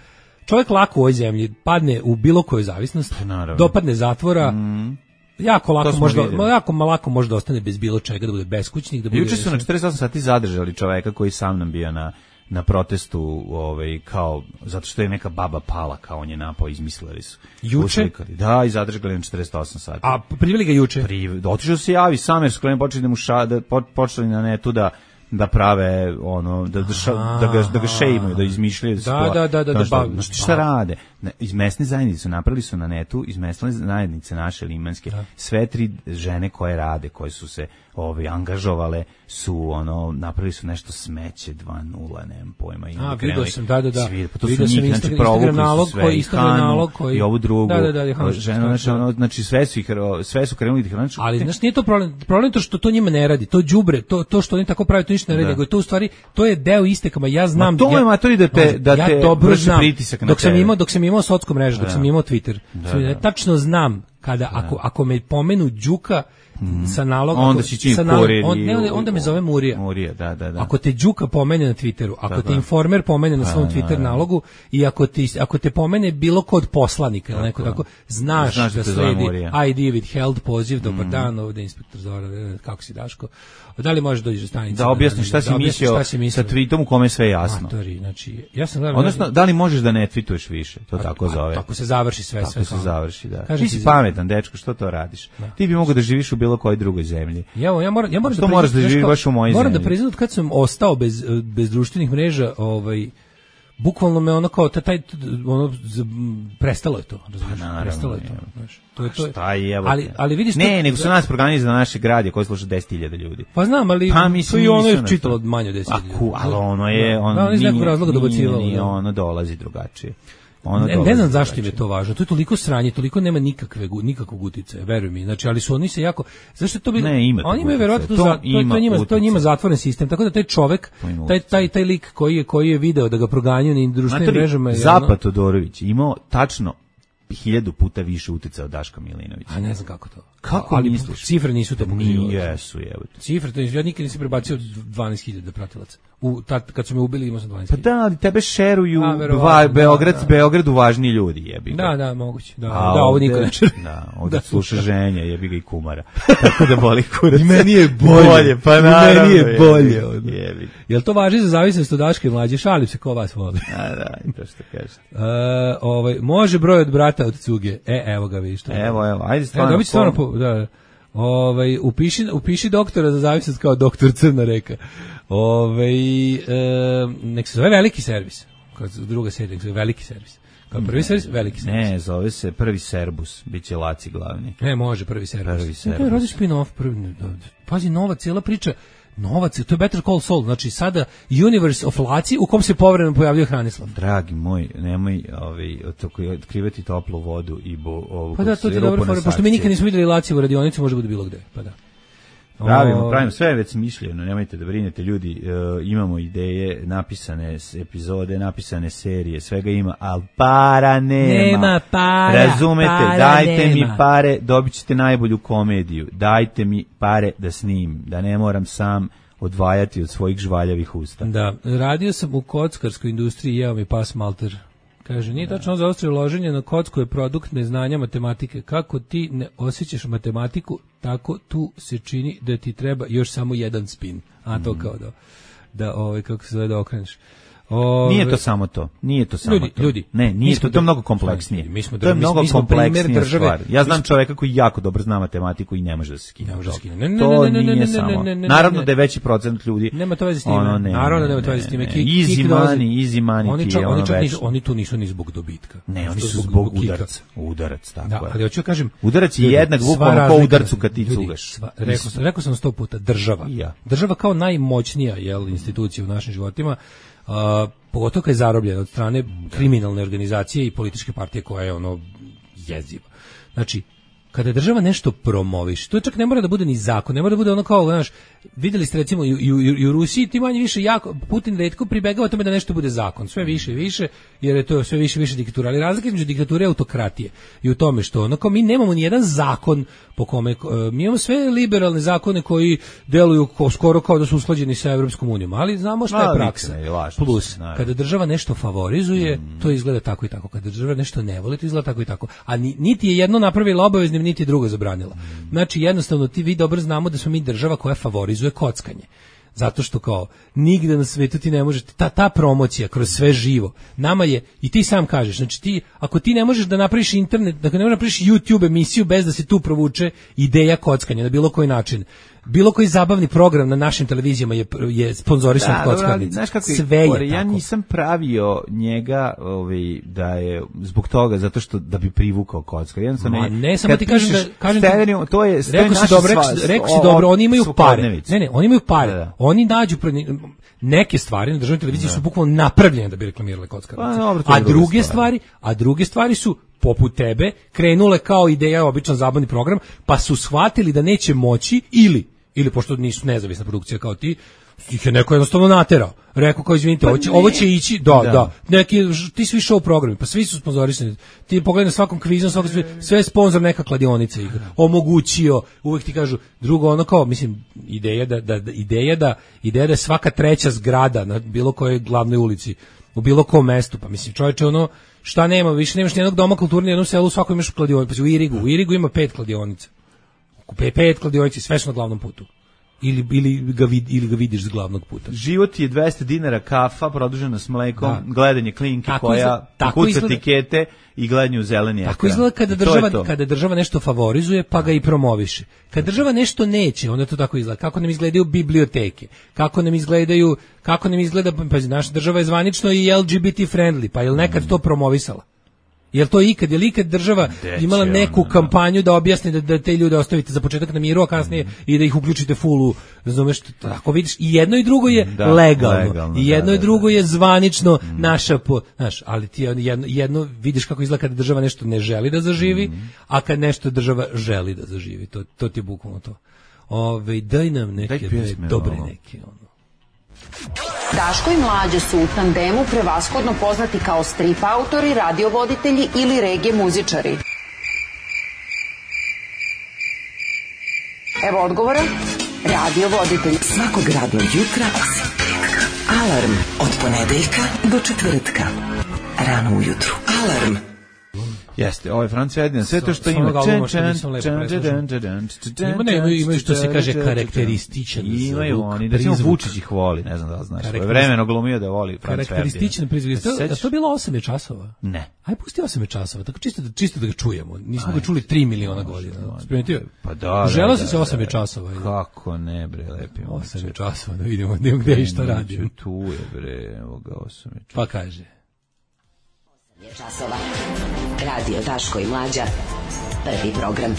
S6: čovjek lako u ovoj zemlji padne u bilo koju zavisnost, pa, dopadne zatvora, mm. jako lako može, jako lako može da ostane bez bilo čega, da bude beskućnik, da bude.
S7: Juče su na četrdeset osam sati zadržali čoveka koji sam nam bio na na protestu, ovaj, kao zato što je neka baba pala, kao on je napao, izmislili su.
S6: Juče?
S7: Uslikali. Da, i zadržali na četrdeset osam sati.
S6: A priveli ga juče?
S7: Pri, otišao se javi sam jer su počeli da mu ša, da počeli na netu da da prave ono da da, ša, da ga da ga šejmuju, da izmišljaju
S6: da, da, da, da, da,
S7: šta, da, šta ba. rade. Iz mesne zajednice napravili su na netu, iz mesne zajednice naše limanske, da. sve tri žene koje rade, koje su se ovaj angažovale su ono napravili su nešto smeće dva nula, nemam pojma, i
S6: a vidio sam da da da
S7: svi, pa to su njih, znači Instagram nalog koji Instagram nalog koji
S6: i
S7: ovu drugu
S6: da, da, da,
S7: ženu, znači ono, znači sve su ih sve su krenuli da ih,
S6: ali znači nije to problem, problem to što to njima ne radi, to đubre, to to što oni tako pravi to ništa ne radi, nego to u stvari to je deo istekama, ja znam
S7: da to je matori da te da te
S6: vrši pritisak na dok sam imao dok sam imao socijsku mrežu, dok sam imao Twitter, tačno znam kada ako ako me pomenu Đuka Mm. sa nalogom
S7: onda si čim kurir
S6: on, ne, onda me zove Murija.
S7: Murija, da, da, da.
S6: Ako te Đuka pomene na Twitteru, ako da, te Informer pomene na svom Twitter nalogu i ako ti ako te pomene bilo kod poslanika ili neko tako, znaš, znaš da, da sledi I D withheld poziv, dobar mm. dan, ovde inspektor Zora, kako si Daško? Da li možeš doći do stanice?
S7: Da objasniš šta, da, šta si mislio sa tweetom u kome je sve jasno.
S6: Matori, znači, ja sam gledao,
S7: odnosno, da li možeš da ne tweetuješ više? To a, tako zove.
S6: A, tako se završi sve,
S7: tako
S6: sve.
S7: Tako se završi, da. Kažem, ti si pametan, dečko, što to radiš? Da. Ti bi mogao da živiš u bilo kojoj drugoj zemlji.
S6: Ja, ja moram, ja moram
S7: što da moraš da živiš baš u mojoj zemlji.
S6: Moram da priznam kad sam ostao bez bez društvenih mreža, ovaj bukvalno me ono kao taj ono prestalo je to, razumiješ? Pa, prestalo je to, znaš. To je to.
S7: Šta je,
S6: ali ali vidiš
S7: ne, nego su nas programi za naše grade koji sluša deset hiljada ljudi.
S6: Pa znam, ali
S7: pa,
S6: to i ono je čitalo manje od deset hiljada.
S7: A ali ono je on
S6: da, iz nekog razloga dobacivalo.
S7: Nije, ono dolazi drugačije.
S6: Ono ne, ne znam zašto im je to važno. To je toliko sranje, toliko nema nikakve nikakvog uticaja, veruj mi. Znači, ali su oni se jako zašto to bi
S7: ne, ima
S6: oni imaju verovatno to, to, to, to njima to njima zatvoren sistem. Tako da taj čovjek, taj taj taj lik koji je koji je video da ga proganjaju na društvenim mrežama je
S7: Zapad Todorović imao tačno hiljadu puta više uticaja od Daška Milinovića.
S6: A ne znam kako to.
S7: Kako
S6: ali
S7: misliš?
S6: Cifre nisu to pokazivale.
S7: Jesu, jebote.
S6: Cifre, to ja nikad nisam prebacio dvanaest hiljada pratilaca. U tad kad su me ubili imao sam dvanaest
S7: hiljada. Pa da, ali tebe šeruju dva Beograd, da, Beogradu važni ljudi, jebi ga.
S6: Da, da, moguće. Da, a da, ovo niko ne čuje.
S7: Da, ovdje sluša ženja, jebi ga i kumara. Tako da boli kurac.
S6: I meni je bolje. bolje
S7: pa naravno.
S6: Meni je bolje. Jebi. Jel to važi za zavisnost od Daške mlađe? Šalim se ko vas voli.
S7: A da, i to što kažete.
S6: Uh, ovaj, može broj od brata od cuge. E, evo ga vidiš.
S7: Evo, evo, ajde stvarno.
S6: Evo, dobit stvarno, po, da. Ovaj upiši upiši doktora za zavisnost kao doktor Crna reka. Ovaj e, nek se zove veliki servis. Kao druga serija, zove veliki servis. Kao prvi servis, veliki servis.
S7: Ne, zove se prvi Serbus, biće Laci glavni.
S6: Ne, može prvi servis.
S7: Prvi servis.
S6: Ne, radi spin-off prvi. Pazi, nova cijela priča. Novac, to je Better Call Saul, znači sada universe of Laci u kom se povremeno pojavljuje Hranislav.
S7: Dragi moj, nemoj ovaj, otkrivati toplu vodu i bo, ovu...
S6: Pa da, to ti je dobro fora, pošto mi nikad nismo vidjeli Laci u radionici, može bude bilo gde, pa da.
S7: Pravimo, pravimo, sve je već smišljeno, nemojte da brinete ljudi, uh, imamo ideje, napisane epizode, napisane serije, svega ima, ali para nema.
S6: Nema para,
S7: razumete,
S6: para
S7: dajte
S6: nema.
S7: mi pare, dobit ćete najbolju komediju, dajte mi pare da snimim, da ne moram sam odvajati od svojih žvaljavih usta.
S6: Da, radio sam u kockarskoj industriji, jeo mi pas malter. Kaže, nije tačno za ostrije loženje na kocku je produkt neznanja matematike. Kako ti ne osjećaš matematiku, tako tu se čini da ti treba još samo jedan spin. A to kao da, da ovaj, kako se zove, da okreneš. Ove,
S7: nije to samo to. Nije to samo
S6: ljudi,
S7: to.
S6: Ljudi,
S7: ne, nije to, to je mnogo kompleksnije.
S6: Mi smo,
S7: to je mnogo
S6: mi smo
S7: kompleksnija stvar. Ja znam
S6: smo,
S7: čoveka koji jako dobro zna matematiku i ne može da se skine.
S6: Ne može da se skine. Ne, ne,
S7: to
S6: ne, ne,
S7: nije
S6: ne,
S7: samo.
S6: Ne, ne, ne,
S7: Naravno
S6: ne,
S7: da je veći procent ljudi.
S6: Nema to veze s time.
S7: Ono, ne,
S6: Naravno da
S7: ne,
S6: nema to veze s time.
S7: Ne,
S6: Kik,
S7: easy
S6: kik
S7: money, easy money
S6: oni
S7: ti
S6: čak,
S7: je
S6: oni
S7: ono
S6: čak
S7: večno.
S6: nisu, oni tu nisu ni zbog dobitka.
S7: Ne, oni su zbog udarac. Udarac, tako
S6: da,
S7: je.
S6: ali hoću kažem,
S7: udarac je jednak bukvalno po udarcu kad ti cugaš.
S6: Rekao sam, rekao sam sto puta, država.
S7: Ja.
S6: Država kao najmoćnija jel, institucija u našim životima, uh, pogotovo kad je zarobljena od strane kriminalne organizacije i političke partije koja je ono jeziva. Znači, kada država nešto promoviš, to čak ne mora da bude ni zakon, ne mora da bude ono kao, znaš, videli ste recimo i, i, i u Rusiji ti manje više jako, Putin retko pribegava tome da nešto bude zakon, sve više i više, jer je to sve više i više diktatura, ali razlika između diktature i autokratije i u tome što ono kao mi nemamo ni jedan zakon po kome, mi imamo sve liberalne zakone koji deluju ko, skoro kao da su usklađeni sa Evropskom unijom, ali znamo šta je praksa. Plus, kada država nešto favorizuje, mm. to izgleda tako i tako, kada država nešto ne voli, to izgleda tako i tako, a niti je jedno napravila obaveznim, niti je drugo zabranila. Znači, jednostavno, ti vi dobro znamo da smo mi država koja favorizuje kockanje. Zato što kao, nigde na svetu ti ne možete, ta, ta promocija kroz sve živo, nama je, i ti sam kažeš, znači ti, ako ti ne možeš da napraviš internet, da ne možeš da napraviš YouTube emisiju bez da se tu provuče ideja kockanja na bilo koji način, bilo koji zabavni program na našim televizijama je, je sponzorisan od kockarnica. Sve je tako.
S7: Ja nisam pravio njega ovaj, da je zbog toga, zato što da bi privukao kockar. Jednostavno
S6: Ma, ne, samo ti kažem da... Kažem
S7: Stevenio, to je,
S6: rekao si dobro, rekao si dobro, oni imaju pare. Ne, ne, oni imaju pare. Da, da. Oni nađu neke stvari na državnoj televiziji da. Su bukvalno napravljene da bi reklamirale kockarnice. Pa, a druge stvari, a druge stvari su poput tebe krenule kao ideja, običan zabavni program, pa su shvatili da neće moći ili ili pošto nisu nezavisna produkcija kao ti, ih je neko jednostavno naterao. Rekao kao izvinite, pa ovo, će, ovo će ići, da, da, da. Neki, ti svi show programi, pa svi su sponzorisani. Ti pogledaj na svakom kvizu, svakom sve, sve je sponzor neka kladionica igra. Omogućio, uvek ti kažu, drugo ono kao, mislim, ideja da, da, da, ideja da, ideja da svaka treća zgrada na bilo kojoj glavnoj ulici, u bilo kom mestu, pa mislim, čovječe, ono, šta nema, više nemaš nijednog doma kulturne, jednom selu, svako imaš kladionicu, pa u Irigu, u Irigu ima pet kladionica. Pet kladionici, sve su na glavnom putu. Ili, ili, ga vid, ili ga vidiš s glavnog puta.
S7: Život je dvesta dinara kafa, produžena s mlekom, da. Gledanje klinke tako koja kuca tikete i gledanje u zeleni ekran.
S6: Tako izgleda kada država, kada država nešto favorizuje, pa ga i promoviše. Kad država nešto neće, onda to tako izgleda. Kako nam izgledaju biblioteke, kako nam izgledaju, kako nam izgleda, pa naša država je zvanično i L G B T friendly, pa je li nekad to promovisala? Jel to ikad, je li ikad država imala neku ona, kampanju da objasni da, da te ljude ostavite za početak na miru, a kasnije mm. i da ih uključite fullu, razumeš, tako vidiš, i jedno i drugo je da, legalno, legalno, i jedno da, i drugo da, je zvanično mm. naša, po, znaš, ali ti jedno, jedno vidiš kako izgleda kada država nešto ne želi da zaživi, mm. a kad nešto država želi da zaživi, to, to ti je bukvalno to. Ove, daj nam neke daj dobre ovo. Neke, ono.
S8: Daško i Mlađa su u tandemu prevashodno poznati kao strip autori, radiovoditelji ili regije muzičari. Evo odgovora. Radiovoditelj. Svakog radnog jutra. Alarm od ponedeljka do četvrtka. Rano ujutru. Alarm.
S7: Jeste, ovaj Franz Ferdinand, sve to što ima.
S6: Imaju što se kaže karakterističan zvuk.
S7: Imaju oni, da ćemo Vučić ih voli, ne znam da li znaš. Vremeno glumio da voli Franz Ferdinand.
S6: Karakterističan prizvuk. Da to bilo osam časova?
S7: Ne.
S6: Aj pusti osam časova, tako čisto da čisto da ga čujemo. Nismo ga čuli tri miliona godina. Sprimetio?
S7: Pa da.
S6: Želeo se osam časova.
S7: Kako ne bre, lepi.
S6: osam časova, da vidimo gde i šta radi.
S7: Tu je bre, evo ga osam časova.
S6: Pa kaže.
S8: Časova. Radio Daško i Mlađa. Prvi program.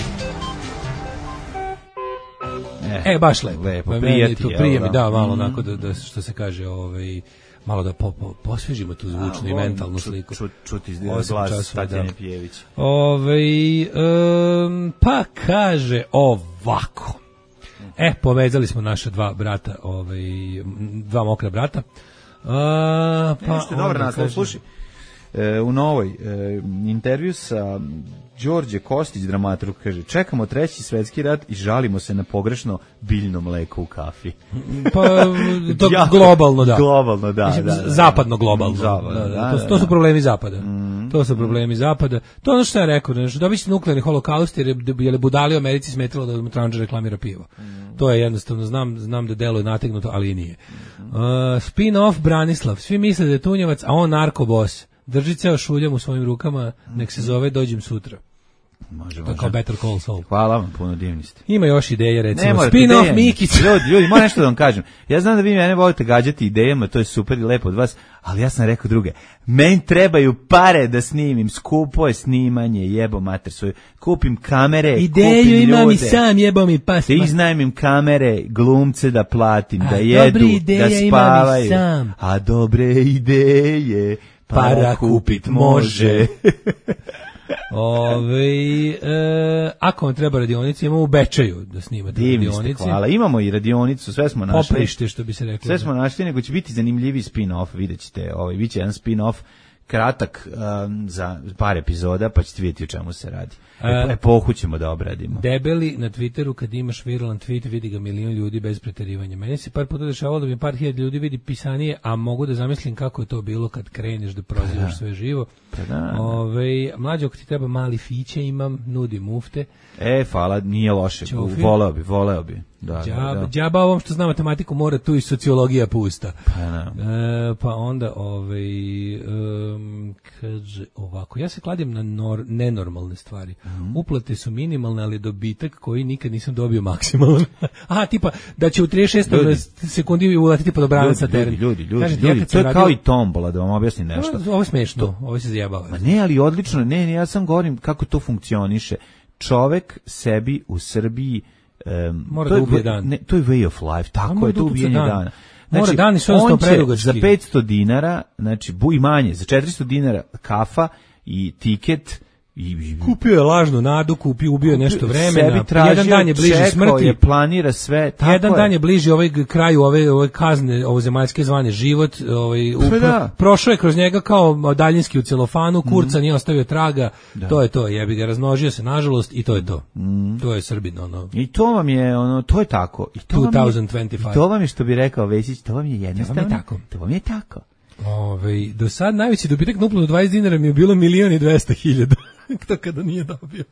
S6: E, baš lepo.
S7: Lepo,
S6: Pa meni
S7: prijati,
S6: to
S7: jel
S6: prije mi
S7: da?
S6: da malo
S7: Mm.
S6: onako da, da što se kaže, ovaj malo da po, po, posvežimo tu zvučnu
S7: A,
S6: i
S7: volim
S6: mentalnu
S7: čut-
S6: sliku.
S7: čut- čuti iz
S6: Osam
S7: glas
S6: časova,
S7: Tatjane
S6: da.
S7: Pijević.
S6: Ovaj em, pa kaže ovako. E, povezali smo naša dva brata, ovaj m, dva mokra brata. A, pa
S7: Nešto je dobar
S6: onda
S7: naslov,
S6: kaže-
S7: slušaj. E, u novoj e, intervju sa Đorđe Kostić, dramaturg, kaže: čekamo treći svetski rat i žalimo se na pogrešno biljno mleko u kafi.
S6: Pa to
S7: Jako-
S6: globalno da.
S7: Globalno, da,
S6: Mislim,
S7: da, da.
S6: zapadno globalno.
S7: Zapadno,
S6: Da, da,
S7: da,
S6: to,
S7: da,
S6: to su
S7: da.
S6: problemi zapada. To su problemi zapada. To je ono što ja rekao, znači dobit će nuklearni holokaust jer je, jer je budali u Americi smetalo da mu Tranđa reklamira pivo. To je jednostavno, znam, znam da deluje nategnuto, ali i nije. Uh, spin-off Branislav. Svi misle da je tunjevac, a on narkobos. Drži ceo šuljam u svojim rukama, nek se zove dođem sutra.
S7: Može,
S6: To je
S7: može.
S6: kao Better Call Saul.
S7: Hvala vam, puno divni ste.
S6: Ima još ideje, recimo.
S7: Ne morate
S6: Spin-off
S7: ideje.
S6: Mikić.
S7: Ljudi, ljudi, moram nešto da vam kažem. Ja znam da vi mene volite gađati idejama, to je super i lepo od vas, ali ja sam rekao druge. Meni trebaju pare da snimim, skupo je snimanje, jebo mater svoju. Kupim kamere,
S6: Ideju
S7: kupim
S6: imam
S7: ljude.
S6: i sam, jebo mi pas.
S7: Da iznajmim kamere, glumce da platim,
S6: A
S7: da jedu,
S6: dobre ideje
S7: da
S6: imam i
S7: spavaju.
S6: sam.
S7: A dobre ideje para kupit može.
S6: Ove, e, ako vam treba radionica, imamo u Bečaju da snimate
S7: Divni ste,
S6: radionici.
S7: hvala. Imamo i radionicu, sve smo našli.
S6: Poprište, što bi se reklo.
S7: Sve smo našli, nego će biti zanimljivi spin-off, vidjet ćete, ovaj, bit će jedan spin-off kratak um, za par epizoda, pa ćete vidjeti o čemu se radi.
S6: A-
S7: Epohu ćemo da obradimo.
S6: Debeli na Twitteru, kad imaš viralan tweet, vidi ga milion ljudi bez preterivanja. Meni se par puta dešavalo da mi par hiljada ljudi vidi pisanije, a mogu da zamislim kako je to bilo kad kreneš da prozivaš sve živo.
S7: Pa da, da.
S6: Ove, mlađe, ako ti treba mali fiće, imam, nudi mufte.
S7: E, hvala, nije loše,
S6: Ćofi.
S7: voleo bi, voleo bi. Da,
S6: Džaba,
S7: da, da.
S6: džaba ovom što zna matematiku mora tu i sociologija pusta.
S7: Pa, da.
S6: E, pa onda ovaj um, kaže ovako, ja se kladim na nor, nenormalne stvari.
S7: Mhm.
S6: Uplate su minimalne, ali dobitak koji nikad nisam dobio maksimalan. Aha, tipa da će u trideset šestoj
S7: Ljudi.
S6: sekundi uletiti pod obranac na
S7: Ljudi,
S6: teren.
S7: ljudi, ljudi,
S6: Kažem ti,
S7: ljudi,
S6: ja kad
S7: to je
S6: sam
S7: kao
S6: radio-
S7: i tombola, da vam objasnim nešto.
S6: Ovo je smešno, ovo se zajebava.
S7: Ma ne, ali odlično, ne, ne, ja sam govorim kako to funkcioniše. Čovek sebi u Srbiji um,
S6: Mora
S7: to
S6: da
S7: je
S6: ubije
S7: v-
S6: dan.
S7: Ne, to je way of life, tako
S6: mora
S7: je
S6: da
S7: to
S6: utuca
S7: ubijanje
S6: dan.
S7: dana.
S6: Mora dani su jednostavno
S7: on će
S6: predugački.
S7: za petsto dinara, znači bu i manje, za četiristo dinara kafa i tiket i, i
S6: Kupio je lažnu nadu, kupio, ubio je nešto vremena.
S7: sebi tražio,
S6: Jedan dan je bliže
S7: čekao
S6: smrti.
S7: je, planira sve, tako
S6: Jedan
S7: je.
S6: dan je bliži ovaj g- kraju ove ove kazne, ovo zemaljske zvane život, ovaj u,
S7: Pa da.
S6: prošao je kroz njega kao daljinski u celofanu, kurca nije ostavio traga. To je to, jebi ga, razmnožio se nažalost i to je to. To je Srbin, ono.
S7: I to vam je, ono, to je tako. I to vam je,
S6: dvanaest dvadeset pet.
S7: i to vam je, što bi rekao Vesić, to vam je jednostavno.
S6: To vam je tako.
S7: To vam je tako.
S6: Ovaj do sad najveći dobitak na uplatu dvadeset dinara mi je bilo milion i dvesta hiljada. To kada nije dobio.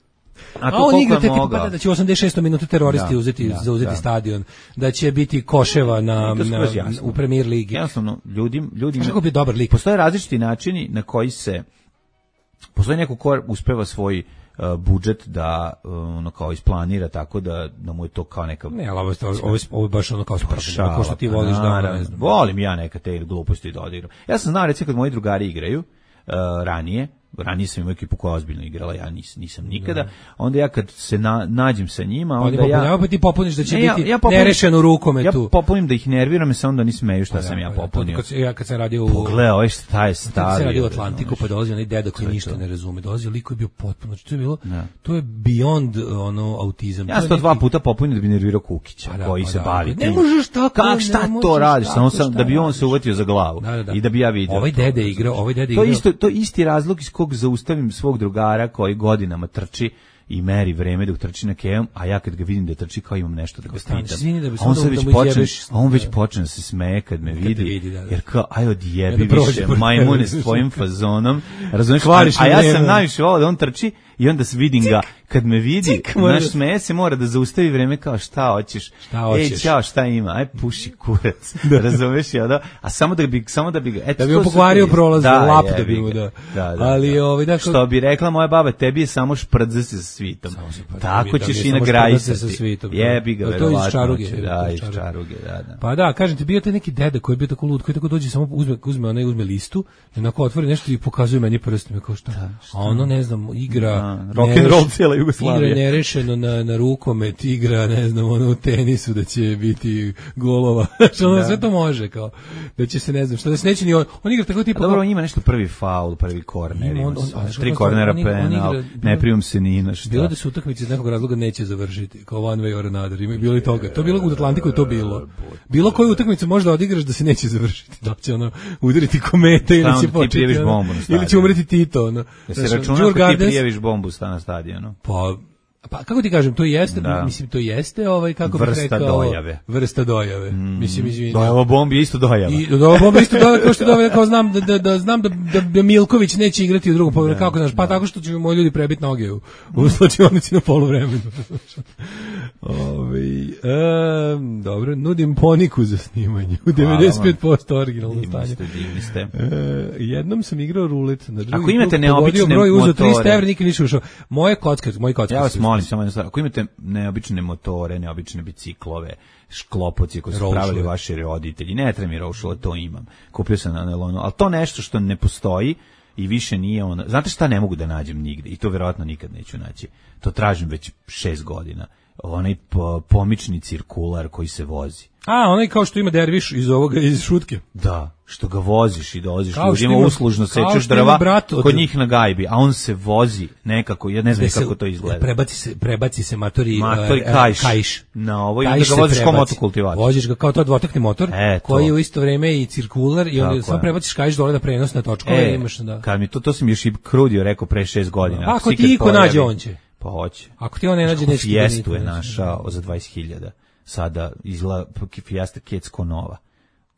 S7: A
S6: A,
S7: to
S6: on
S7: koliko
S6: igra
S7: je
S6: te tipa
S7: mogao?
S6: da, da će u osamdeset šestoj minuti teroristi
S7: Da,
S6: uzeti,
S7: da,
S6: zauzeti
S7: da.
S6: stadion, da će biti koševa na,
S7: I to
S6: na,
S7: skroz jasno.
S6: u premier ligi.
S7: Jednostavno, ljudi, ljudi
S6: Znaš kako bi dobar lik?
S7: postoje različiti načini na koji se postoji neko ko uspeva svoj uh, budžet da uh, ono kao isplanira tako da, da mu je to kao neka
S6: Ne, ali ovo, je- ovo, je- ovo je baš ono kao sportsko,
S7: šala,
S6: ko što ti
S7: pa
S6: voliš da,
S7: naravno.
S6: ne znam.
S7: Volim ja neka te gluposti da odigram. Ja sam znao recimo kad moji drugari igraju uh, ranije, ranije sam imao ekipu koja je ozbiljno igrala, ja nis, nisam nikada, onda ja kad se na, nađem sa njima,
S6: Oni
S7: onda ja...
S6: popunjavaju, pa ti popuniš da će
S7: Ne, ja-
S6: biti
S7: ja popunim-
S6: nerešeno u rukometu.
S7: Ja popunim da ih nerviram i samo da oni smeju šta
S6: Pa
S7: sam
S6: da,
S7: ja
S6: pa da,
S7: popunio.
S6: Kad, se- ja kad sam radio u...
S7: Pogledaj, ovaj šta je
S6: Kad
S7: stavio.
S6: se radi u
S7: bre,
S6: Atlantiku,
S7: znaš.
S6: pa dolazi onaj deda koji
S7: To je
S6: ništa
S7: to.
S6: ne razume. Dolazi lik koji je bio potpuno, znači to je bilo,
S7: Da.
S6: to je beyond ono autizam.
S7: Ja
S6: To
S7: sam
S6: je
S7: to dva
S6: neki-
S7: puta popunio da bi nervirao Kukića,
S6: Pa da,
S7: koji
S6: pa
S7: se
S6: da.
S7: bavi
S6: Ne
S7: tim.
S6: možeš tako,
S7: Kak,
S6: ne
S7: šta to
S6: možeš
S7: radiš?
S6: tako,
S7: Samo sam,
S6: šta
S7: da bi on
S6: radiš?
S7: se uvatio za glavu
S6: Da, da, da.
S7: i da bi ja vidio.
S6: Ovaj
S7: to,
S6: dede
S7: razumeš.
S6: igrao, ovaj dede
S7: To je
S6: igrao.
S7: isto, to je isti razlog iz kog zaustavim svog drugara koji godinama trči i meri vreme dok trči na kevom, a ja kad ga vidim da trči kao imam nešto da ga
S6: Stani,
S7: pitam.
S6: izvini da bi
S7: A on
S6: samo
S7: sad
S6: da
S7: već
S6: mu
S7: počne,
S6: izjebeš.
S7: a on već
S6: Da.
S7: počne da se smeje kad me
S6: te
S7: vidi,
S6: vidi, da, da.
S7: jer kao, aj odjebi
S6: Kada prođe
S7: više,
S6: pored
S7: majmune
S6: tebe.
S7: s tvojim fazonom, razumiješ,
S6: Kvariš
S7: a
S6: mi
S7: ja
S6: vreme.
S7: sam najviše volao da on trči i onda se vidim ga, kad me vidi,
S6: Cik, mora
S7: naš
S6: da-
S7: smeje se mora da zaustavi vreme kao šta hoćeš,
S6: Šta hoćeš?
S7: ej, ćao, šta ima, aj puši kurac, razumeš, ja da, a samo da bi, samo da bi ga, eto,
S6: Da bi
S7: to
S6: mu
S7: su
S6: pokvario
S7: te-
S6: prolaz, lap da
S7: jebi
S6: bi mu
S7: ga.
S6: da.
S7: Da, da,
S6: Ali,
S7: da.
S6: ovaj, dakle-
S7: što bi rekla moja baba, tebi je samo šprdze se sa svitom,
S6: Pa,
S7: tako
S6: da mi-
S7: ćeš
S6: da mi
S7: i
S6: je
S7: na
S6: samo
S7: graju
S6: šprdze sa svitom, da.
S7: jebi ga,
S6: To je iz
S7: verovatno
S6: Čaruge,
S7: će,
S6: je, to
S7: da,
S6: je
S7: iz
S6: Čaruge.
S7: Čaruge, da, da.
S6: Pa da, kažem ti, bio taj neki deda koji je bio tako lud, koji tako dođe, samo uzme, uzme, onaj, uzme listu, i onako otvori nešto i pokazuje meni prstom, kao šta. A ono, ne znam, igra...
S7: Da, rock and roll cijela Jugoslavije.
S6: Igra nerešeno na, na rukomet, igra, ne znam, ono, u tenisu da će biti golova. Znači, ono,
S7: Da.
S6: sve to može, kao, da će se, ne znam, što da se neće ni on, on igra tako tipa...
S7: Dobro, on ima nešto prvi faul, prvi korner,
S6: Ima
S7: ima
S6: on- on-
S7: sve.
S6: a znaš
S7: tri
S6: kako
S7: kornera,
S6: on igra- on
S7: penal,
S6: igra-
S7: ne primim se ni na šta.
S6: Bilo da se utakmice iz nekog razloga neće završiti, kao one way or another, ima bilo i toga. To je bilo u Atlantiku je to bilo. Bilo koju utakmicu možda odigraš da se neće završiti, da će ono udariti kometa ili
S7: onda
S6: će
S7: ti
S6: početi,
S7: prijaviš
S6: ono,
S7: bombu na
S6: ili će
S7: stadionu.
S6: umreti Tito, ono.
S7: Da
S6: Znaš,
S7: se računa
S6: Djurgårdens-
S7: ako ti prijaviš bombu sta na stadionu.
S6: Pa, pa kako ti kažem, to jeste,
S7: Da.
S6: mislim, to jeste, ovaj, kako bih
S7: Vrsta
S6: rekao,
S7: dojave.
S6: vrsta dojave. Mislim, izvini.
S7: Dojava bombi je isto dojava.
S6: I da ovo bomba isto dojava kao što dojava, kao znam da, da, da znam da, da, da Milković neće igrati u drugom poluvremenu. Kako znaš? Pa tako što će moji ljudi prebiti noge u, u slačionici na poluvremenu. Ovaj em, dobro, nudim poniku za snimanje u devedeset pet posto originalno
S7: Divni
S6: stanje.
S7: ste, divni ste.
S6: E, jednom sam igrao rulet na drugi
S7: Ako imate
S6: krug,
S7: neobične
S6: pogodio broj, uzeo
S7: motore-
S6: trista evra, nikad više ušao. Moje kocke, moji kocke.
S7: Ja vas
S6: su-
S7: molim samo jednu stvar, ako imate neobične motore, neobične biciklove, šklopoci koji su
S6: Rošle.
S7: pravili vaši roditelji, ne treba mi rošle, to imam. Kupio sam na nelonu, ali to nešto što ne postoji i više nije ono. Znate šta ne mogu da nađem nigde i to verovatno nikad neću naći. To tražim već šest godina. Onaj po- pomični cirkular koji se vozi.
S6: A, onaj kao što ima derviš iz ovoga, iz šutke.
S7: Da, što ga voziš i doziš
S6: Kao što
S7: ljudima
S6: ima-
S7: uslužno
S6: kao
S7: sečeš
S6: što ima
S7: drva
S6: brat od-
S7: kod njih na gajbi, a on se vozi nekako, ja ne znam
S6: Gde se-
S7: kako to izgleda.
S6: Prebaci se, prebaci se matori,
S7: Matori
S6: e, e,
S7: kajš.
S6: kajš.
S7: Na ovo i
S6: Kajš
S7: onda ga
S6: se
S7: voziš kao
S6: prebaci.
S7: motokultivator.
S6: Voziš ga kao to dvotakni motor,
S7: E, to.
S6: koji je u isto vrijeme i cirkular i onda
S7: Tako
S6: samo
S7: je.
S6: prebaciš kajš dole na prenos na točkove
S7: E,
S6: i imaš da.
S7: kad mi to, to sam još i Krudio rekao pre šest godina.
S6: Ako
S7: se
S6: ti
S7: ikad
S6: iko
S7: pojavi-
S6: nađe, on će.
S7: Pa hoće.
S6: Ako ti on ne nađe,
S7: Kako
S6: neće ti ga
S7: Fijestu
S6: niko
S7: je
S6: naći.
S7: našao za dvadeset hiljada. Sada izgleda Fiesta Kecko Nova.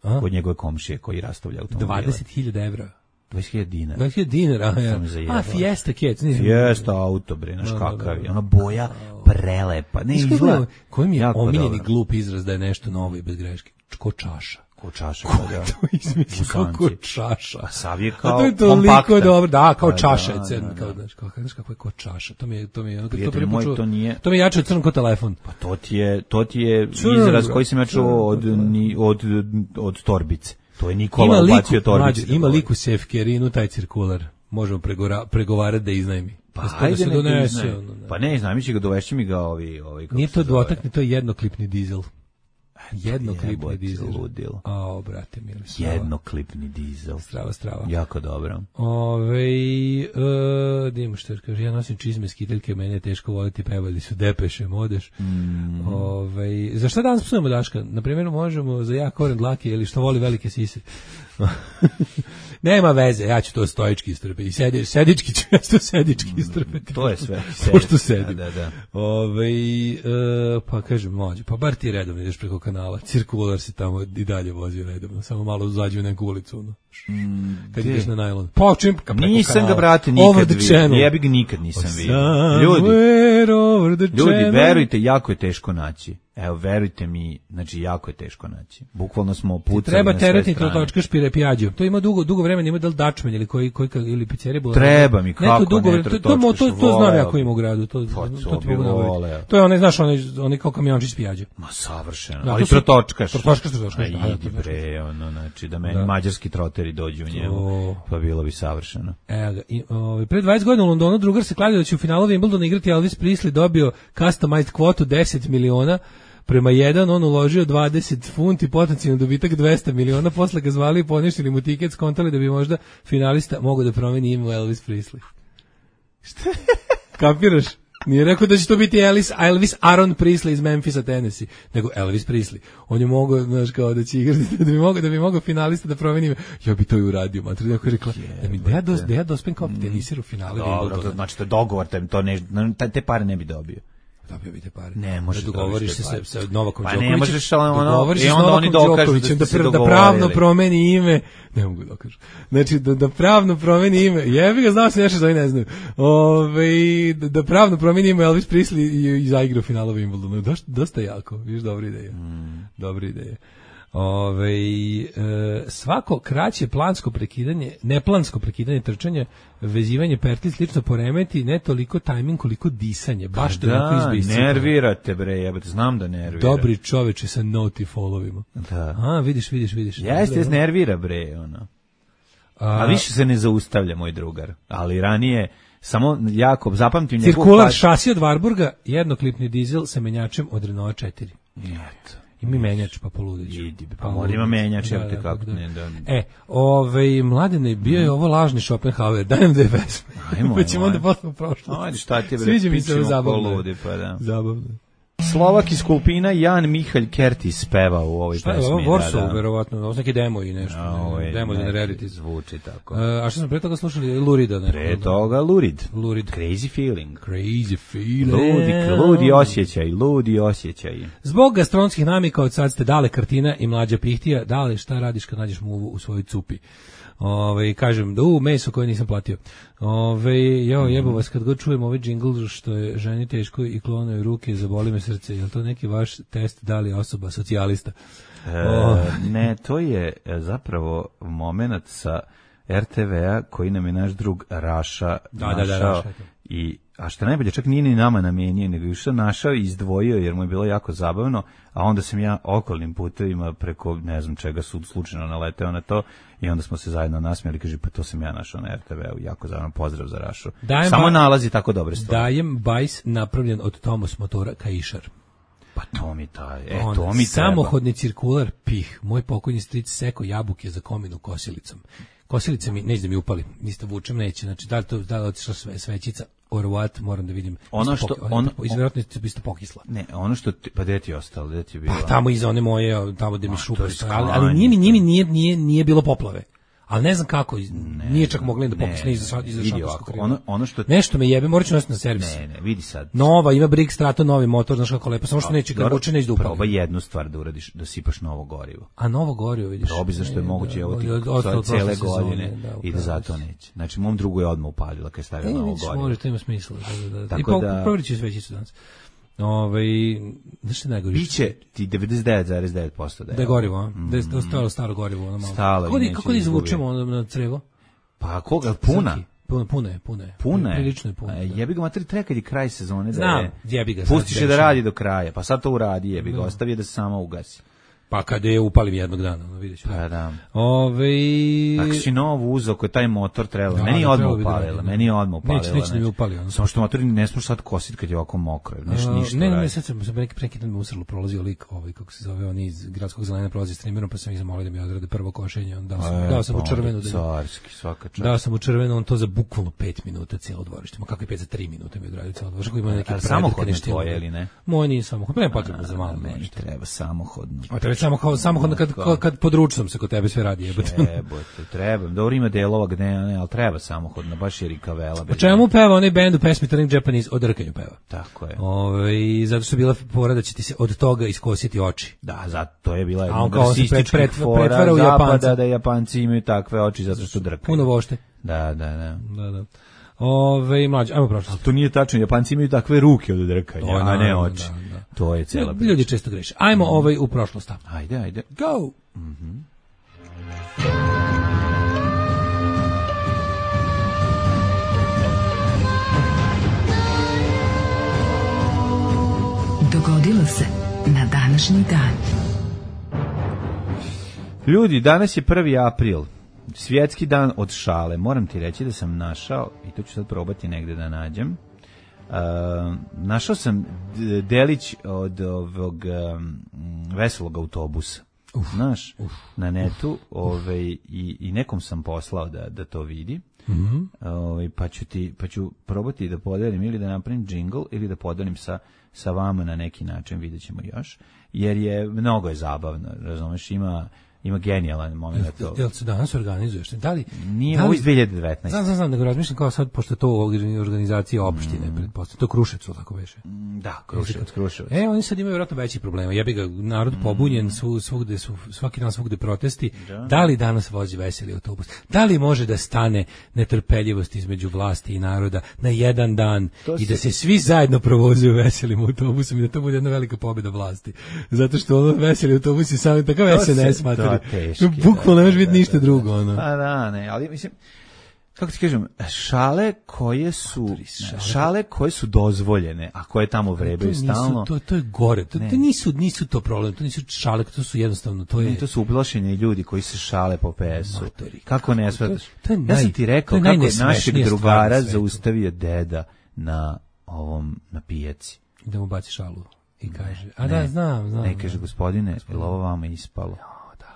S6: A?
S7: Kod njegove komšije koji rastavlja automobile.
S6: dvadeset hiljada evra.
S7: dvadeset hiljada dinara.
S6: dvadeset hiljada dinara, a, ja.
S7: Sam me zajebao.
S6: A, Fiesta Kec.
S7: Fiesta auto, bre, znaš
S6: Da, da,
S7: kakav
S6: da.
S7: je. Ona boja prelepa. Ne
S6: Znaš kako
S7: izgleda.
S6: je- koji mi je
S7: jako
S6: omiljeni
S7: dobro.
S6: glup izraz da je nešto novo i bez greške? Ko čaša.
S7: Ko čaša.
S6: Ko
S7: da.
S6: je to izmislio?
S7: Musanci.
S6: Kako čaša?
S7: A sav je
S6: A
S7: kao
S6: to je toliko
S7: kompaktan.
S6: dobro, da, kao
S7: Pa
S6: čaša je
S7: da,
S6: crn,
S7: da,
S6: kao,
S7: da.
S6: znaš, kao, znaš kako je ko čaša, to mi je, to mi je, ono, kad to
S7: Prijatelju
S6: prvi
S7: moj,
S6: put čuo,
S7: to nije-
S6: to mi je jače od crn ko telefon.
S7: Pa to ti je, to ti je
S6: Crn,
S7: izraz
S6: bro,
S7: koji sam ja čuo
S6: crn,
S7: od,
S6: kako
S7: ni, od, od torbice. To je Nikola
S6: Ima liku,
S7: ubacio torbice.
S6: mlađe,
S7: da
S6: ima
S7: govori.
S6: liku Sefkerinu, taj cirkular, možemo pregora, pregovarati da iznajmi.
S7: Pa
S6: Da se to- da
S7: ajde
S6: se
S7: nek ga
S6: donese,
S7: iznajmi.
S6: ono, da.
S7: Pa ne, znam, mi će ga dovešći mi ga ovi... ovi kako
S6: Nije
S7: se
S6: to
S7: zove.
S6: dvotakni, to je jednoklipni dizel. Jednoklipni
S7: Jebote,
S6: dizel.
S7: ludilo.
S6: A, brate, mili, strava.
S7: Jednoklipni dizel.
S6: Strava, strava.
S7: Jako dobro.
S6: Ove, e, da imamo što kaže, ja nosim čizme, skiteljke, mene je teško voliti, pevali su Depeše, Modeš.
S7: Mm.
S6: Ove, za šta danas psujemo Daška? Naprimjer, možemo za jak koren dlake ili što voli velike sise. Nema veze, ja ću to stojički istrpiti. Sedi, sedički ću ja to sedički istrpiti.
S7: To je sve.
S6: Pošto sedim.
S7: Da, da, da.
S6: Ove, e, pa kažem, mlađe, pa bar ti redovno ideš preko kanala. Cirkular se tamo i dalje vozi redovno. Samo malo zađe u neku ulicu. No. Kad
S7: gde?
S6: ideš na najlon. Pa čim ka preko
S7: Nisam
S6: kanala.
S7: ga, brate,
S6: Over
S7: nikad
S6: the
S7: vidio.
S6: channel.
S7: Jebi ga nikad nisam vidio. Ljudi,
S6: Somewhere over the
S7: ljudi,
S6: channel.
S7: verujte, jako je teško naći. Evo, verujte mi, znači, jako je teško naći. Bukvalno smo pucali
S6: Treba
S7: na sve
S6: teretni
S7: strane.
S6: točka špire pijađo. To ima dugo dugo vremena, ima da li Dačmen ili koji koji ili pizzerija bila.
S7: Treba mi, kako
S6: Neko dugo
S7: ne,
S6: vremena, to, to, to, to, to znam
S7: voleo
S6: ja ko
S7: bi.
S6: ima u gradu, to
S7: Pa,
S6: to,
S7: to
S6: ti
S7: bi
S6: mogu navoditi.
S7: voleo.
S6: To je onaj, znaš, onaj, onaj kao kamiončić pijađo.
S7: Ma savršeno.
S6: Da,
S7: Ali
S6: to su-
S7: trotočkaš.
S6: trotočkaš, trotočkaš,
S7: A
S6: da, da,
S7: idi
S6: trotočkaš.
S7: bre, ono, znači, da meni
S6: Da.
S7: mađarski troteri dođu u njemu.
S6: To-
S7: Pa bilo bi savršeno.
S6: Evo ga, i, ovaj, pre dvadeset godina u Londonu drugar se kladio da će u finalu Wimbledona igrati Elvis Presley, dobio customized kvotu deset miliona, prema jedan on uložio dvadeset funti, potencijalno dobitak dvesta miliona, posle ga zvali i poništili mu tiket, skontali da bi možda finalista mogao da promeni ime u Elvis Presley. Šta? Kapiraš? Nije rekao da će to biti Elvis, Elvis Aaron Presley iz Memphisa, Tennessee, nego Elvis Presley. On je mogao, znaš, kao da će igrati, da bi mogao, da bi mogao finalista da promeni ime. Ja bi to i uradio, matri, neko je rekla, da mi, da ja, dos, da ja dospem kao tenisir u finale
S7: Dobro, to
S6: Wimbledona.
S7: znači to je dogovor, te, to ne, te- te pare ne bi dobio.
S6: Dobio bi te pare.
S7: Ne, možeš
S6: da dogovoriš
S7: dobiti
S6: se
S7: te pare.
S6: sa, sa Novakom
S7: Pa ne
S6: Đokovićem.
S7: možeš, ali ono,
S6: dogovoriš se
S7: i
S6: s
S7: onda oni
S6: Novakom
S7: dokažu
S6: Đokovićem
S7: da
S6: da,
S7: ste se
S6: pr- da
S7: dogovorili.
S6: pravno promeni ime. Ne mogu dokažu. Znači, da, da pravno promeni ime. Jebi ga, znao sam nešto što oni ne znaju. Ove, da, da pravno promeni ime Elvis Presley i, i zaigra u finalu Wimbledonu. Dosta, dosta jako. Viš, dobra ideja. Mm. Dobra ideja. Ove, e, svako kraće plansko prekidanje, neplansko prekidanje trčanja, vezivanje pertli slično poremeti ne toliko tajming koliko disanje. Baš to onako
S7: Da,
S6: izbisci.
S7: nervirate bre, jebate, znam da nervira.
S6: Dobri čoveče sa noti followima.
S7: Da.
S6: A, vidiš, vidiš, vidiš.
S7: Jeste, jeste, nervira bre, ono. A,
S6: A,
S7: više se ne zaustavlja moj drugar. Ali ranije Samo jako zapamtim njegov
S6: Cirkular šasi od Warburga, jednoklipni dizel sa menjačem od Renault četiri.
S7: Eto.
S6: I mi menjač, pa poludić.
S7: Idi, pa mora ima menjač, da, da, kako. Da. Ne, da.
S6: E, ovaj, Mladene, bio je ovo lažni Schopenhauer, dajem dve pesme.
S7: Ajmo,
S6: pa ćemo onda posle u prošlost.
S7: Ajde, šta ti je, bre,
S6: Sviđa mi se
S7: pićemo
S6: zabavno.
S7: poludi, pa da.
S6: Zabavno.
S7: Slovak iz Kulpina, Jan Mihalj Kertis peva u ovoj
S6: šta
S7: pesmi.
S6: Šta je ovo, Warsaw,
S7: da, da.
S6: verovatno, ovo su neke demo i nešto.
S7: No,
S6: ne, demo za reality.
S7: Zvuči tako.
S6: Uh, a što smo pre toga slušali? Lurida. Neko,
S7: pre toga Lurid.
S6: Lurid.
S7: Crazy feeling.
S6: Crazy feeling.
S7: Ludi, ludi osjećaj, ludi osjećaj.
S6: Zbog gastronomskih namika od sad ste Dale Krtina i Mlađa Pihtija. Dale, šta radiš kad nađeš muvu u svojoj cupi? Ove, kažem, da u meso koje nisam platio. Ove, jo, jebo vas, kad god čujem ovaj džingl što je ženi teško i klonaju ruke, zaboli me srce. Je li to neki vaš test, da li je osoba socijalista?
S7: E, ne, to je zapravo moment sa er te ve-a koji nam je naš drug Raša
S6: da,
S7: našao.
S6: Da, da, Raša.
S7: I, a što najbolje, čak nije ni nama namenio, nego je što našao i izdvojio, jer mu je bilo jako zabavno, a onda sam ja okolnim putevima preko, ne znam čega, sud slučajno naleteo na to i onda smo se zajedno nasmijali, kaže, pa to sam ja našao na er te ve-u, jako zabavno, pozdrav za Rašu. Dajem Samo ba... nalazi tako dobre stvari.
S6: Dajem bajs napravljen od Tomos motora Kaišar.
S7: Pa to mi taj, e,
S6: On,
S7: to mi treba.
S6: Samohodni cirkular, pih, moj pokojni stric seko jabuke za kominu kosilicom. Kosilica mi, neće da mi upali, ništa vučem, neće, znači da li to, da li otišla sve, svećica, or what, moram da vidim.
S7: Ono što,
S6: ono, izvjerojatno je isto pokisla.
S7: Ne, ono što, ti, pa gde ti je ostalo, gde ti je bilo?
S6: Pa tamo iza one moje, tamo gde mi šupali, ali, ali nije mi, nije, mi nije, nije, nije bilo poplave. Ali ne znam kako, ne, nije čak mogli da pokisne iza šatorskog kriva.
S7: Ono, ono što...
S6: Nešto me jebe, morat ću nositi na servis.
S7: Ne, ne, vidi sad.
S6: Nova, ima Briggs Strato, novi motor, znaš kako lepo, samo što neće kad vuče neće da upali.
S7: Probaj jednu stvar da uradiš, da sipaš novo gorivo.
S6: A novo gorivo, vidiš?
S7: Probi zašto je moguće, evo ti cele godine i da zato neće. Znači, mom drugu je odmah upalila kad je stavila novo gorivo.
S6: Može, to ima smisla. I provjerit ću svećicu danas. Ovaj, znaš šta najgore?
S7: Biće ti devedeset devet zarez devet posto da je.
S6: Da je gorivo, a? Mm. Da je ostalo staro gorivo, ono malo.
S7: Stalo.
S6: Kako, kako da izvučemo ono na crevo?
S7: Pa koga, puna?
S6: Puno, puno je, puno je.
S7: Puno je?
S6: Prilično je puno.
S7: A, jebi ga materi, treba kad je kraj sezone.
S6: Znam,
S7: da je,
S6: jebi ga.
S7: Pustiš je da radi do kraja, pa sad to uradi, jebi ga, ostavi je da se sama ugasi.
S6: Pa kada je upalim jednog dana, no vidjet ću.
S7: Pa da.
S6: Ove...
S7: Ako si novo uzeo koji taj motor trebalo, meni je odmah upalila, meni je odmah upalila.
S6: Neće, neće da mi upali. Ono.
S7: Samo što motor ne smiješ sad kositi kad je ovako mokro, ništa ništa.
S6: Ne, ne, ne, sad sam neki prekidan me usrlo, prolazio lik, ovaj, kako se zove, on iz gradskog zelena prolazi streamerom, pa sam ih zamolio da mi odrade prvo košenje, on dao sam,
S7: e,
S6: dao sam
S7: pa,
S6: u červenu. Da
S7: carski, svaka čast.
S6: Dao sam u červenu, on to za bukvalno pet minuta cijelo dvorište, ma kako je pet za tri minute mi odradio cijelo dvorište, ima neki
S7: samohodno tvoje ili ne?
S6: Moj nije samohodno, nema potrebe za malo.
S7: Meni treba samohodno.
S6: A treba samo samohodno kad kad područnom se kod tebe sve radi, jebote.
S7: Jebote, treba. Dobro ima delova gde ne, al treba samohodno, baš je rikavela.
S6: O čemu peva onaj bend u pesmi Turning Japanese? O drkanju peva.
S7: Tako je.
S6: Ovaj zato što je bila fora da će ti se od toga iskositi oči.
S7: Da, zato je bila jedna
S6: rasistička
S7: pret,
S6: fora pretvara u Japanca
S7: da Japanci imaju takve oči zato što drkaju.
S6: Puno vošte.
S7: Da, da, da.
S6: Da, da. Ove, mlađe, ajmo prošlo.
S7: To nije tačno, Japanci imaju takve ruke od drkanja,
S6: to,
S7: a ne oči.
S6: Da, da.
S7: To je cela priča.
S6: Ljudi često greše. Ajmo mm. ovaj u prošlost.
S7: Ajde, ajde.
S6: Go!
S7: Mhm.
S4: Dogodilo se na današnji dan.
S7: Ljudi, danas je prvi april. Svjetski dan od šale. Moram ti reći da sam našao, i to ću sad probati negde da nađem, uh, našao sam delić od ovog um, veselog autobusa. Uf, Znaš, uf, na netu ovaj, i, i nekom sam poslao da, da to vidi.
S6: Mm-hmm.
S7: Ovaj, pa, ću ti, pa ću probati da podelim ili da napravim džingl ili da podelim sa, sa vama na neki način, vidjet ćemo još. Jer je, mnogo je zabavno, razumeš, ima... Ima genijalan moment.
S6: Jel, jel se danas organizuješ? Da li,
S7: Nije
S6: da li,
S7: ovo iz dve hiljade devetnaeste.
S6: Znam, znam, znam, nego razmišljam kao sad, pošto je to organizacija opštine, mm. pretpostavljam, to Kruševcu, tako veše.
S7: Da, Kruševac, Kruševac.
S6: E, oni sad imaju vjerojatno veći problema. Jebi ga, narod mm. pobunjen, svu, svugde su, svaki dan svugde protesti. Da. da li danas vozi veseli autobus? Da li može da stane netrpeljivost između vlasti i naroda na jedan dan to i da se svi zajedno provozuju veselim autobusom i da to bude jedna velika pobjeda vlasti? Zato što ono veseli autobus je samo takav es en es, materi. Bukvalno ne može biti ništa drugo. Ono.
S7: Pa da, ne, ali mislim, kako ti kažem, šale koje su šale koje su dozvoljene, a koje tamo vrebaju
S6: to
S7: stalno.
S6: To, to je gore, to, to nisu, nisu to problem, to nisu šale, to su jednostavno, to je...
S7: Ne, to su ublašeni ljudi koji se šale po pe esu. Matori, kako ne shvataš?
S6: Ja
S7: sam ti rekao kako je našeg drugara zaustavio deda na ovom, na pijaci.
S6: Da mu baci šalu i kaže, a da, znam, znam.
S7: Ne, kaže, gospodine, je li ovo vama ispalo?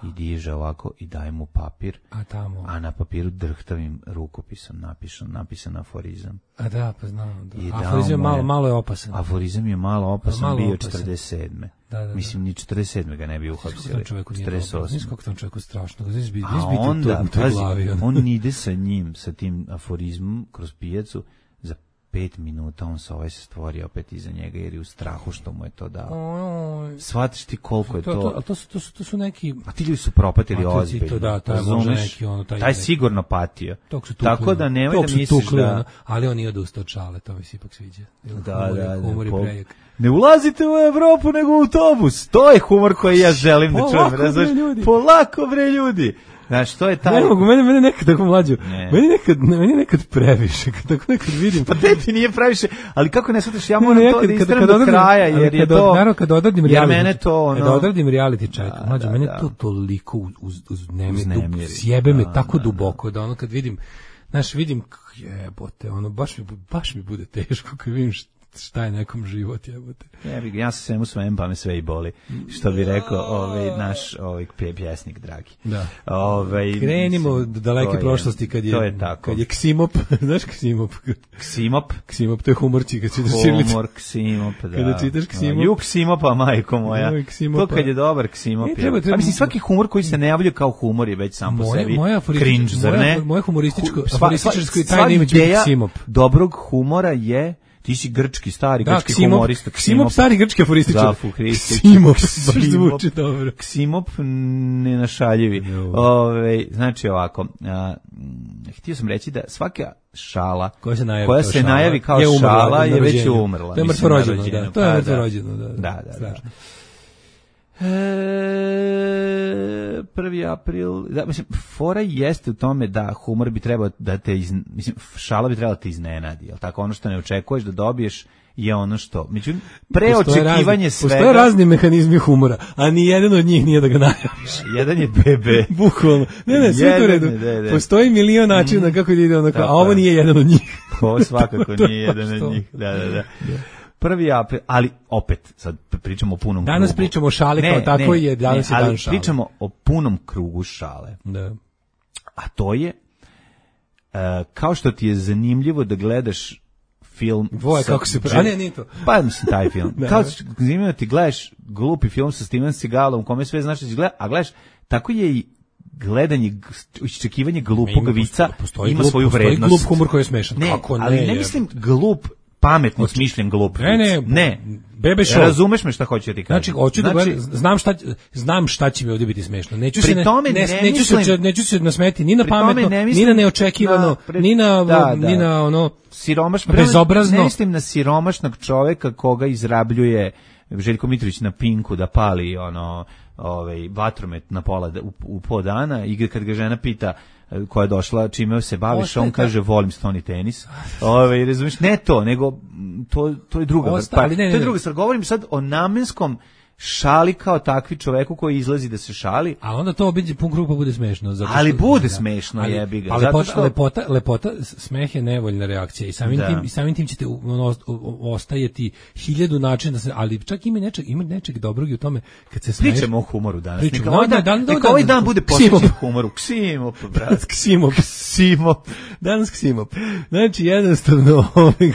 S7: I diže ovako i daje mu papir,
S6: a tamo
S7: a na papiru drhtavim rukopisom napisan, napisan aforizam.
S6: A da, pa znam. Da.
S7: I
S6: aforizam je malo, malo je opasan.
S7: Aforizam je malo opasan, malo bio opasan. četrdeset sedme
S6: Da, da, da.
S7: Mislim, ni četrdeset sedme ga ne bi uhapsili. četrdeset osme
S6: Nis kako tom čovjeku strašno. Nis bi,
S7: a
S6: nis
S7: onda,
S6: to,
S7: pazi,
S6: glavi, on.
S7: on ide sa njim, sa tim aforizmom kroz pijacu, za pet minuta on se ovaj se stvori opet iza njega jer je u strahu što mu je to dao. Shvatiš ti koliko je to...
S6: to, to, to, su, to, su, to su neki...
S7: A ti ljudi su propatili ozbiljno.
S6: To, da, to je možda neki ono... Taj,
S7: taj sigurno patio.
S6: Tukli,
S7: tako da nemoj da misliš tukli, da... Ono,
S6: ali on nije odustao od šale, to mi se ipak sviđa.
S7: Da, humor, da, da.
S6: Humor je prejak.
S7: Ne ulazite u Evropu nego u autobus. To je humor koji ja želim da čujem. Razumiješ? Polako bre ljudi. Znaš, to je taj...
S6: Ne mogu, mene, mene nekad tako mlađu, meni nekad, meni nekad previše, kad tako nekad vidim...
S7: Pa te ti nije previše, ali kako ne shvataš, ja moram nekad, to da istrem do kraja, jer je to...
S6: Naravno, kad odradim reality,
S7: mene to, ono...
S6: Kad odradim reality check, mlađu, da, mene da. to toliko uz, uz nemir, sjebe me da, tako da, duboko, da ono kad vidim, znaš, vidim, jebote, ono, baš mi, baš mi bude teško kad vidim što šta je nekom život, jebote.
S7: Ja, ja se svemu svem, pa me sve i boli. Što bi rekao ovaj naš ovaj pjesnik dragi.
S6: Da.
S7: Ovaj
S6: krenimo do daleke prošlosti kad je,
S7: je
S6: kad je Ksimop, znaš Ksimop?
S7: Ksimop,
S6: Ksimop to je humorčik, kad čitaš Ćirilicu.
S7: Humor Ksimop, da.
S6: Kada čitaš Ksimop.
S7: Ju Ksimopa, majko moja. To kad je dobar Ksimop. A mislim svaki humor koji se ne javlja kao humor je već sam po sebi cringe, zar ne?
S6: Moje humorističko, humorističko tajna ime je Ksimop.
S7: Dobrog humora je ti si grčki, stari da, grčki
S6: Ksimop,
S7: humorista.
S6: Ksimop, stari grčki aforističar.
S7: Da, fukrističar.
S6: Ksimop, baš zvuči dobro.
S7: Ksimop nenašaljivi. Ove, znači ovako, a, htio sam reći da svaka šala
S6: koja se najavi,
S7: koja
S6: kao,
S7: se
S6: šala,
S7: najavi kao
S6: je umrla,
S7: šala je već umrla.
S6: To je mrtvorođeno, da. To je mrtvorođeno, da.
S7: Da, da, da. E, prvi april, da, mislim, fora jeste u tome da humor bi trebao da te, iz, mislim, šala bi trebala da te iznenadi, jel tako, ono što ne očekuješ da dobiješ je ono što, međutim, preočekivanje svega...
S6: Postoje razni mehanizmi humora, a ni jedan od njih nije da ga najaviš.
S7: Jedan je bebe.
S6: Bukvalno. Ne, ne, sve to u redu. Postoji milion načina kako ide ono, a ovo nije jedan od njih.
S7: Ovo svakako nije jedan od njih, da, da, da. Prvi april, ali opet, sad pričamo o punom
S6: danas
S7: krugu.
S6: Danas pričamo o šali kao tako je, danas
S7: ne,
S6: je dan
S7: ali
S6: šale.
S7: Pričamo o punom krugu šale.
S6: Da.
S7: A to je, uh, kao što ti je zanimljivo da gledaš film...
S6: Dvoje kako se... Pre... A ne, nije to.
S7: Pa mislim taj film. Kao zanimljivo ti gledaš glupi film sa Steven Seagalom, u kome sve znaš da si gleda, a gledaš, tako je i gledanje, iščekivanje glupog vica ima
S6: glup,
S7: svoju vrednost.
S6: Postoji glup humor koji je smešan.
S7: Ne,
S6: kako ne,
S7: ali ne mislim glup pametno smišljen glup.
S6: Ne, ne,
S7: ne.
S6: Bebe show.
S7: Razumeš me šta hoću ti kažem?
S6: Znači, hoću da znači, znam šta znam šta će mi ovdje biti smešno. Neću se ne,
S7: ne,
S6: ne,
S7: ne
S6: neću
S7: mislim,
S6: se neću se nasmeti ni na pametno,
S7: ne mislim,
S6: ni na neočekivano,
S7: na, pred,
S6: ni na
S7: da,
S6: ni
S7: da.
S6: na ono
S7: siromašno,
S6: bezobrazno.
S7: Ne mislim na siromašnog čoveka koga izrabljuje Željko Mitrović na Pinku da pali ono ovaj vatromet na pola u, u po dana i kad ga žena pita koja je došla, čime se baviš, on kaže volim stoni tenis. Ove, razumiješ, ne to, nego to, to je druga
S6: Osta, pa, ne, ne,
S7: to je druga stvar. Govorim sad o namenskom šali kao takvi čoveku koji izlazi da se šali.
S6: A onda to obiđe pun krug pa bude smešno. Zato
S7: ali
S6: što,
S7: bude
S6: da,
S7: smešno,
S6: ali,
S7: jebi ga.
S6: Ali
S7: zato
S6: lepota,
S7: što...
S6: lepota, lepota, smeh je nevoljna reakcija i samim, tim, i samim tim ćete ono, ostajeti hiljadu načina, da se, ali čak ima nečeg, ima nečeg dobrog i u tome kad se smeješ.
S7: Pričamo o humoru danas.
S6: Pričamo,
S7: neka ovaj dan, dan, dan, neka ovaj dan bude posvećen humoru. Ksimop, brat.
S6: Ksimop.
S7: Ksimop.
S6: Danas Ksimop. Znači, jednostavno,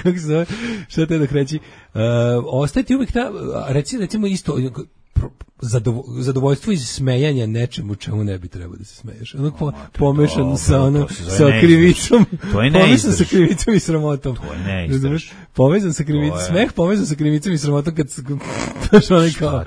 S6: kako se zove, šta te da kreći, uh, ostajeti uvijek ta, reci, recimo isto, Zadovo, zadovoljstvo iz smejanja nečemu čemu ne bi trebao da se smeješ. Ono po, pomešan dobro, sa ono sa krivicom.
S7: To je
S6: pomešan sa krivicom i sramotom.
S7: To je neizdrž.
S6: Povezan sa krivicom, je... smeh povezan sa krivicom i sramotom kad baš onaj kao.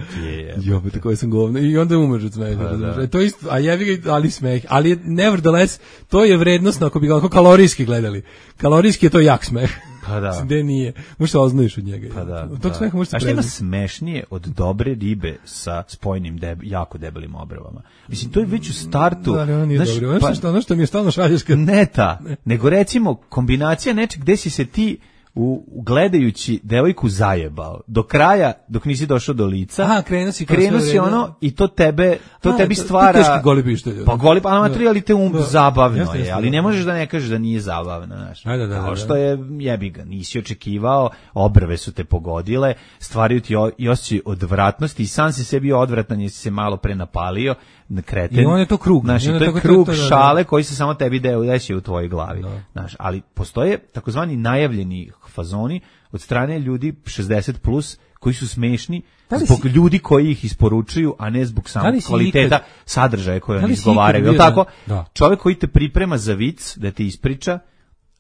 S6: Jo, pa tako sam govno i onda umreš od smeha. Da. To isto, a jebi ga, ali smeh, ali nevertheless to je vrednosno ako bi ga kalorijski gledali. Kalorijski je to jak smeh.
S7: Pa da.
S6: Gde nije. Možeš se oznoješ od njega.
S7: Pa da.
S6: Od
S7: da.
S6: tog smeha možeš se
S7: A šta ima
S6: preznati.
S7: smešnije od dobre ribe sa spojnim deb, jako debelim obravama? Mislim, to je već u startu.
S6: Da, ali ono nije
S7: znaš,
S6: dobro. Ono
S7: pa-
S6: što, ono što mi je stalno šalješ kad...
S7: Ne ta, nego recimo kombinacija nečeg gde si se ti u, u gledajući devojku zajebao do kraja, dok nisi došao do lica.
S6: Aha, krenuo si kao
S7: krenuo
S6: sve
S7: si
S6: vreme.
S7: ono i to tebe to
S6: A,
S7: tebi
S6: to- to
S7: stvara
S6: teški goli pištolj.
S7: Pa goli pa amatri, ali te um
S6: Da.
S7: zabavno
S6: Jeste,
S7: je,
S6: jeste,
S7: ali
S6: da.
S7: ne možeš da ne kažeš da nije zabavno, znaš.
S6: Da, da, da,
S7: Kao
S6: da,
S7: što
S6: da.
S7: je jebi ga, nisi očekivao, obrve su te pogodile, stvaraju ti o- i osjećaj odvratnosti i sam si sebi odvratan jer si se malo prenapalio na kreten.
S6: I on je to krug.
S7: Znaš,
S6: I
S7: i
S6: onda
S7: to je
S6: tako- to-
S7: krug
S6: to- da, da.
S7: šale koji se samo tebi deo deši u tvojoj glavi.
S6: Da.
S7: Znaš, ali postoje takozvani najavljeni fazoni od strane ljudi šezdeset plus koji su smešni
S6: Da li
S7: zbog
S6: si-
S7: ljudi koji ih isporučuju, a ne zbog
S6: Da
S7: samog
S6: li si
S7: kvaliteta
S6: ikad-
S7: sadržaja koje
S6: Da
S7: oni
S6: li si
S7: izgovaraju.
S6: ikad
S7: Je
S6: bio
S7: tako?
S6: na- da.
S7: Čovjek koji te priprema za vic, da ti ispriča,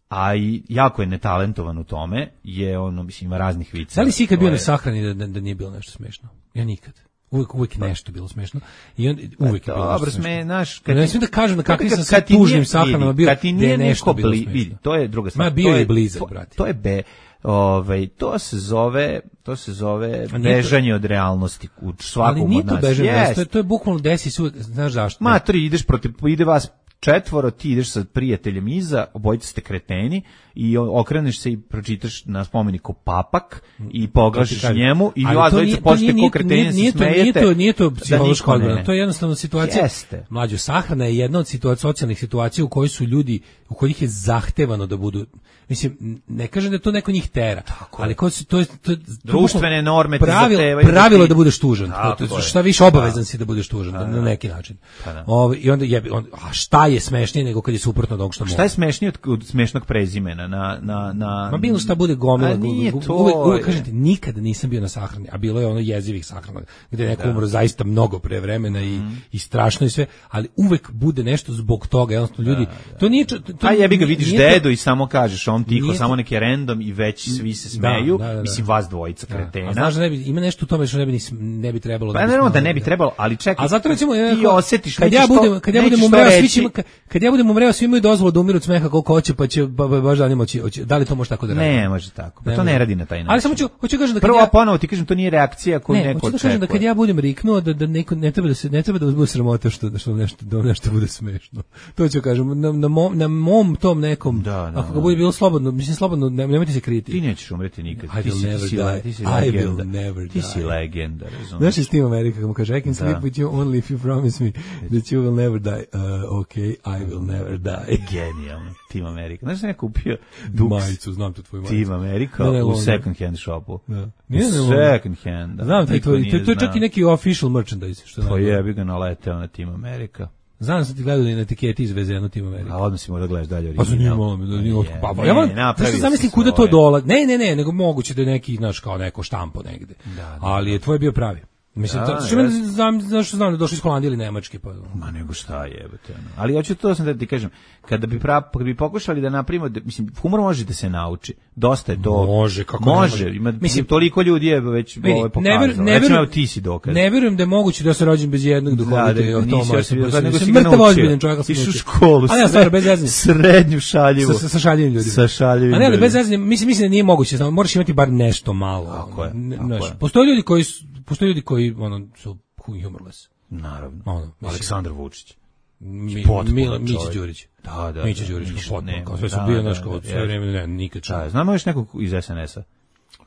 S7: a i jako je netalentovan u tome, je ono, mislim, ima raznih vica.
S6: Da li si ikad
S7: To
S6: bio
S7: je-
S6: na sahrani da, da, da nije bilo nešto smešno? Ja nikad. Uvijek, uvijek nešto bilo smešno. I on, uvijek je bilo
S7: Dobro,
S6: nešto
S7: sme,
S6: smešno.
S7: znaš,
S6: Ne smijem da kažem na kakvim
S7: kad-
S6: sam
S7: kad
S6: se
S7: ti nije-
S6: tužnim sahranama
S7: vidi,
S6: bio,
S7: kad ti
S6: gde
S7: nije
S6: je nešto
S7: neko
S6: bilo
S7: bli-
S6: smešno.
S7: vidi, to je druga stvar.
S6: Ma, bio
S7: To
S6: je blizak,
S7: to-
S6: brate.
S7: To je be, ovaj, to se zove, to se zove
S6: A nije to-
S7: bežanje od realnosti u svakom
S6: Ali nije
S7: od
S6: to
S7: nas.
S6: bežanje,
S7: Jest.
S6: to je, to je bukvalno desi se uvijek, znaš zašto?
S7: Ma, tri, ideš protiv, ide vas četvoro, ti ideš sa prijateljem iza, obojica ste kreteni i o- okreneš se i pročitaš na spomeniku papak i poglašiš
S6: kažem.
S7: njemu i
S6: Ali
S7: vas
S6: to
S7: dvojica
S6: nije- to
S7: počnete
S6: nije-
S7: ko kreteni
S6: nije-
S7: se
S6: nije to-
S7: smejete.
S6: Nije to, nije to
S7: da
S6: psihološka
S7: niko ne.
S6: odbrana, to je jednostavno situacija.
S7: Jeste.
S6: Mlađo, sahrana je jedna od situacija, socijalnih situacija u kojoj su ljudi, u kojih je zahtevano da budu, mislim, ne kažem da to neko njih tera, ali ko su, to je, to je to
S7: Društvene
S6: bukvalno
S7: norme te
S6: pravilo,
S7: zahtevaju da
S6: pravilo je
S7: ti-
S6: da budeš tužan.
S7: Tako
S6: To- to-
S7: je.
S6: šta više obavezan si da budeš tužan na, na neki način.
S7: Pa da.
S6: Ovaj, I onda jebi, on, a šta je smešnije nego kad je suprotno od onog što
S7: Šta je smešnije od, od smešnog prezimena na na na
S6: Ma bilo šta bude gomila.
S7: A nije
S6: gu- gu-
S7: to,
S6: Uvek, uvek
S7: je.
S6: kažem ti, nikada nisam bio na sahrani, a bilo je ono jezivih sahrana, gde je neko umro zaista mnogo pre vremena i,
S7: Mhm.
S6: i strašno i sve, ali uvek bude nešto zbog toga, jednostavno ljudi, to nije... čo- To,
S7: A jebi ga, vidiš
S6: nije to-
S7: dedu i samo kažeš on tiho,
S6: nije to-
S7: samo neki random i već svi se smeju,
S6: Da, da, da, da.
S7: mislim vas dvojica
S6: Da.
S7: kretena.
S6: A znaš da ne bi, ima nešto u tome što ne bi, ni, ne bi trebalo
S7: Pa
S6: bi
S7: naravno da
S6: smelo
S7: ne bi trebalo, ali čekaj.
S6: A zato recimo
S7: ti
S6: ja,
S7: osetiš,
S6: kad
S7: nećeš
S6: ja budem
S7: to-
S6: kad ja budem
S7: nećeš to
S6: umreo svi
S7: reći.
S6: će ima- kad ja budem umreo svi imaju dozvolu da umiru od smeha koliko hoće, pa će ba- ba- baš da ne moći, hoće- da li to može tako da radi?
S7: Ne, može tako. Pa
S6: Ne
S7: to ne
S6: može.
S7: radi na taj način.
S6: Ali samo ću hoću kažem da kad
S7: Prvo,
S6: ja
S7: a ponovo ti kažem, to nije reakcija koju
S6: ne,
S7: neko
S6: hoću da
S7: očekuje.
S6: kažem da kad ja budem riknuo da da neko ne treba da se ne treba da vas bude sramota što što nešto da nešto bude smešno. To ću kažem na na mom, na mom tom nekom.
S7: Da, da,
S6: ako ga
S7: da.
S6: bude bilo slobodno, mislim slobodno, ne, nemojte se kriti.
S7: Ti nećeš umreti nikad.
S6: I
S7: Ti
S6: will
S7: si, ti
S6: never
S7: si,
S6: die.
S7: le- ti si
S6: I will
S7: legenda.
S6: never
S7: Ti si
S6: die.
S7: legenda, razumiješ?
S6: Znaš je Steve America kako mu kaže I can sleep
S7: Da.
S6: with you only if you promise me that you will never die. Uh, okay, I will never die.
S7: Genijalno. Team America. Znaš da je kupio Dux
S6: Majicu, znam tu tvoju majicu.
S7: Team America
S6: Ne, ne,
S7: u
S6: London.
S7: second hand shopu.
S6: Da.
S7: U
S6: Nije ne London.
S7: second hand. Da.
S6: Znam, taj
S7: Niko
S6: tvoj,
S7: nije
S6: to, to je čak
S7: znao.
S6: i neki official merchandise. Što
S7: Pa
S6: znam.
S7: jebi ga naleteo na Team America.
S6: Znam da sam ti gledali na etiketi izvezeno Team America.
S7: A odmah si mora da gledaš dalje
S6: Pa
S7: original.
S6: zanimalo me, da nije
S7: Je,
S6: pa, pa
S7: ne,
S6: ja vam,
S7: napravio
S6: zašto
S7: si
S6: zamislim kuda to
S7: svoje.
S6: dola? Ne, ne, ne, nego moguće da je neki, znaš, kao neko štampo negde.
S7: da,
S6: Ali je tvoj bio pravi. Mislim,
S7: Da,
S6: to, što mene
S7: jeste.
S6: znam, znaš, znam da došli iz Holandije ili Nemačke, pa...
S7: Ma nego šta jebote. ono. Ali hoću to sam da ti kažem, kada bi pra, kada bi pokušali da napravimo, da, mislim, humor može da se nauči. Dosta je to.
S6: Može, kako ne
S7: može.
S6: može.
S7: Ima,
S6: Mislim,
S7: mislim, toliko ljudi je već
S6: Vidi,
S7: ovo
S6: ne
S7: pokazalo.
S6: ver- ne
S7: Recimo,
S6: verujem-
S7: evo ti si dokaz.
S6: Ne vjerujem da je moguće da se rođen bez jednog duhovita
S7: da,
S6: i o
S7: nisi
S6: tom
S7: osim-
S6: sam
S7: nego si
S6: sam
S7: ga
S6: mrtav
S7: naučio.
S6: ozbiljan čovjek, ali sam
S7: Išao u
S6: naučio.
S7: školu,
S6: A ne, stvarno, bez zezanja.
S7: srednju šaljivu.
S6: Sa, sa, sa šaljivim ljudima.
S7: Sa šaljivim
S6: A ne, ali
S7: ljudima.
S6: bez zezanja, mislim, mislim da nije moguće, znam, moraš imati bar nešto malo.
S7: Tako je,
S6: Ne-
S7: tako
S6: znaš,
S7: je.
S6: postoje ljudi koji su, postoje ljudi koji ono su humorless.
S7: Naravno.
S6: Ono, mislim-
S7: Aleksandar Vučić.
S6: Mi,
S7: Potpuno
S6: Mila, Mića
S7: čovjek.
S6: Đurić.
S7: Da, da.
S6: Mića
S7: da,
S6: Đurić,
S7: ništa
S6: potpuno,
S7: nema.
S6: kao sve su
S7: Da,
S6: bio,
S7: da,
S6: znaš,
S7: da,
S6: kao sve
S7: jeste.
S6: vreme, ne, nikad čuo.
S7: Da, znamo još nekog iz es en es-a.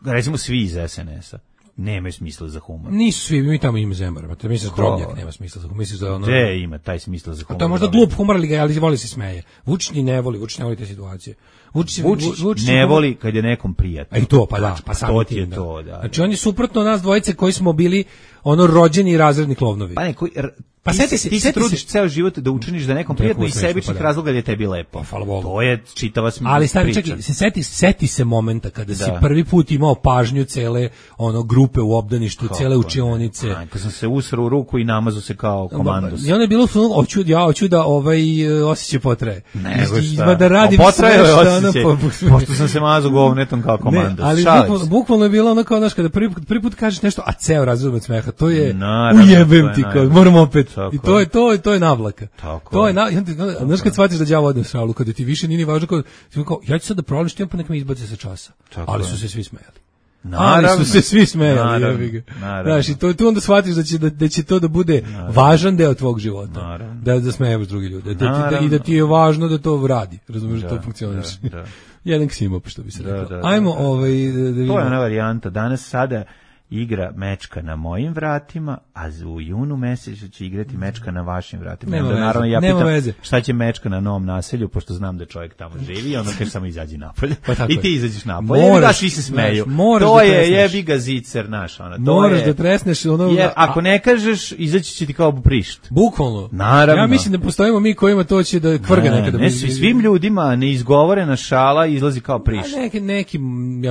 S7: Recimo svi iz es en es-a. Nemaju smisla za humor.
S6: Nisu svi, mi tamo ima Zemara, te misliš da
S7: Ko?
S6: Drobnjak nema smisla, misliš da ono...
S7: Gde ima taj smisla za
S6: A
S7: humor?
S6: to je možda glup humor, ali, ga- ali voli se smeje. Vučić ni ne voli, Vučić ne voli te situacije. Vučić,
S7: Vučić
S6: Vučić
S7: ne
S6: humor-
S7: voli kad je nekom prijatno.
S6: A i to, pa da, pa
S7: to
S6: samim
S7: ti je
S6: tim,
S7: to, da.
S6: Znači on je suprotno od nas dvojice koji smo bili ono rođeni razredni klovnovi.
S7: Pa ne, koji, r,
S6: Pa
S7: ti,
S6: seti
S7: se,
S6: se-
S7: ti se
S6: seti
S7: trudiš
S6: se-
S7: ceo život da učiniš da nekom
S6: Da je
S7: prijatno
S6: humor
S7: iz
S6: smešno,
S7: sebičnih
S6: pa da.
S7: razloga jer je tebi lepo.
S6: Pa, hvala Bogu.
S7: To je čitava smisla
S6: Ali stari,
S7: priča.
S6: čekaj, se seti, seti se momenta kada si
S7: Da.
S6: prvi put imao pažnju cele ono grupe u obdaništu, cele učionice.
S7: Aj, kad sam se usrao u ruku i namazao se kao komandos.
S6: I onda je bilo su, hoću, ja hoću da ovaj e, osjećaj potraje.
S7: Nego
S6: I-
S7: šta.
S6: Da radim
S7: A potrajao
S6: sve
S7: je
S6: što ono
S7: osjećaj,
S6: po-
S7: pošto sam se mazao govnetom kao komandos.
S6: Ne, ali
S7: Šalim
S6: bukvalno,
S7: se.
S6: bukvalno je bilo ono kao, znaš, kada prvi, put- prvi put kažeš nešto, a ceo razred od smeha, to je
S7: Naravno,
S6: ujebem
S7: to je
S6: ti, kao,
S7: najbolje.
S6: moram opet. I to je to, to je navlaka.
S7: Tako
S6: to je
S7: je.
S6: na, znaš kad shvatiš da đavo ode u šalu, kada ti više nije ni važno, kao, kao ja ću sad da provalim što imam, pa neka me izbace sa časa.
S7: Tako
S6: ali
S7: je.
S6: su se svi smejali.
S7: Naravno.
S6: Ali su se svi smejali.
S7: Naravno. Naravno.
S6: Znaš, i to, tu onda shvatiš da će, da, da će to da bude
S7: Naravno.
S6: važan deo tvog života.
S7: Naravno.
S6: Da, da smejevaš drugi ljudi. Da, da, da, I da ti je važno da to radi. Razumiješ da,
S7: Da,
S6: to funkcioniš.
S7: da, da.
S6: Jedan ksimop, što bi se
S7: Da,
S6: rekao.
S7: da, da,
S6: Ajmo
S7: da.
S6: ovaj, da, da vidimo.
S7: To je ona varijanta. Danas sada igra mečka na mojim vratima, a u junu mesecu će igrati mečka na vašim vratima.
S6: Nema
S7: Onda,
S6: veze,
S7: naravno, ja
S6: nema
S7: pitam
S6: veze.
S7: šta će mečka na novom naselju, pošto znam da čovjek tamo živi, onda kaže samo izađi napolje.
S6: Pa tako
S7: I
S6: je.
S7: ti izađeš napolje.
S6: Moraš,
S7: Moraš, daš, svi se smeju.
S6: znaš, moraš
S7: to
S6: da
S7: je
S6: tresneš.
S7: jebi ga zicer, naš. Ona, to
S6: Moraš
S7: je,
S6: da tresneš ono...
S7: jer
S6: a-
S7: ako ne kažeš, izaći će ti kao prišt.
S6: Bukvalno.
S7: Naravno.
S6: Ja mislim da postojimo mi kojima to će da kvrga
S7: Ne,
S6: nekada.
S7: ne, svi- svim ljudima neizgovorena šala izlazi kao prišt.
S6: A neki, neki, ja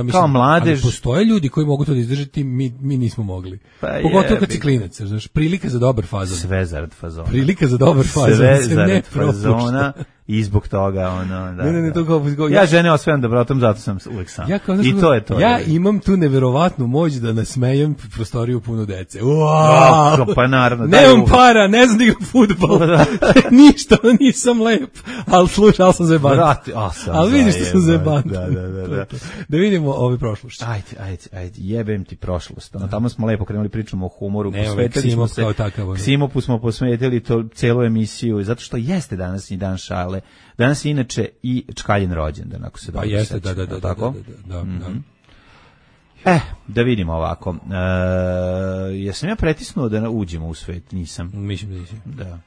S6: mislim,
S7: Kao mladež.
S6: ali postoje ljudi koji mogu to da izdržati, mi, mi nismo mogli.
S7: Pa
S6: Pogotovo kad
S7: jebi
S6: si
S7: ga.
S6: klinac, znaš, prilika za dobar fazon.
S7: Sve zarad fazona.
S6: Prilika za dobar fazon.
S7: Sve
S6: se ne
S7: zarad
S6: propušta.
S7: fazona i zbog toga ono, da.
S6: Ne, ne, ne,
S7: da.
S6: to kao- kao-
S7: ja žene osvajam dobrotom, zato sam uvek sam.
S6: Ja kao, znaš,
S7: I to je to.
S6: Ja
S7: je.
S6: imam tu neverovatnu moć da nasmejem prostoriju puno dece.
S7: A,
S6: Wow!
S7: pa naravno. daj
S6: Nemam
S7: uvek.
S6: para, ne znam da igram fudbal.
S7: Da.
S6: Ništa, nisam lep. Ali slušaj, ali sam zajeban.
S7: Brate, a sam
S6: Ali vidiš što sam
S7: zajeban.
S6: zajeban.
S7: Da, da, da, da.
S6: Da vidimo ovi prošlošće.
S7: Ajde, ajde, ajde, jebem ti prošlost. Ono, tamo smo lepo krenuli pričamo o humoru,
S6: Ne,
S7: posvetili smo
S6: Ksimov
S7: se,
S6: kao takav, ono.
S7: Ksimopu smo posvetili to celu emisiju, zato što jeste današnji dan šale. Danas je inače i Čkaljen rođendan, ako se
S6: Pa
S7: dobro
S6: jeste,
S7: sećam,
S6: da, da, da,
S7: jel
S6: da,
S7: tako?
S6: da, da, da, da.
S7: Eh, da vidimo ovako. E, jesam ja pretisnuo da uđemo u svet? Nisam.
S6: Mislim da nisi.
S7: Da.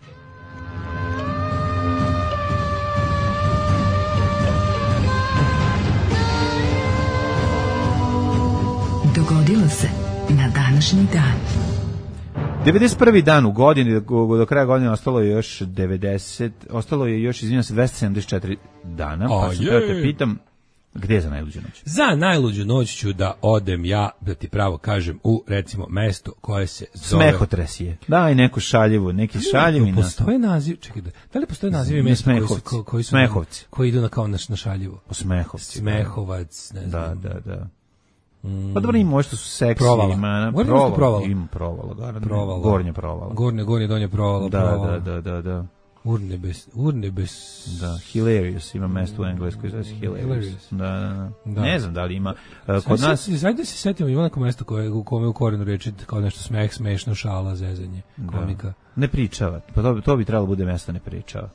S4: Dogodilo se na današnji dan.
S7: devedeset prvi dan u godini, do, do kraja godine ostalo je još devedeset, ostalo je još, izvinjam se, dvesta sedamdeset četiri dana, pa
S6: A
S7: sam
S6: je.
S7: teo te pitam, gde je za najluđu noć?
S6: Za najluđu noć ću da odem ja, da ti pravo kažem, u recimo mesto koje se zove...
S7: Smehotres je. Daj neku šaljivu, neki šaljivi na...
S6: Postoje naziv, čekaj, da, da li postoje nazivi
S7: Ne,
S6: mesta koji su,
S7: Smehovci.
S6: ko- koji su
S7: Smehovci.
S6: koji idu na kao na, na šaljivo?
S7: O Smehovci.
S6: Smehovac, ne
S7: Da,
S6: znam.
S7: da, da. Pa dobro, ima možda su seksi.
S6: Provala.
S7: Ima, na,
S6: Gore imaš tu provala?
S7: Ima provala, garant.
S6: Provala.
S7: Gornje provala.
S6: Gornje, gornje, donje provala,
S7: Da,
S6: provala.
S7: da, da, da, da.
S6: Urnebes, urnebes.
S7: Da, Hilarious, ima mesto u Engleskoj, zove se Hilarious.
S6: Hilarious.
S7: Da, da, da.
S6: Da.
S7: Ne znam da li ima. Uh, kod
S6: Kod
S7: nas...
S6: nas... Zajde se setimo, ima neko mesto koje, u kome u korenu reči kao nešto smeh, smešno, šala, zezanje, komika.
S7: Ne pričava. Pa to, to bi trebalo bude mesto ne pričava.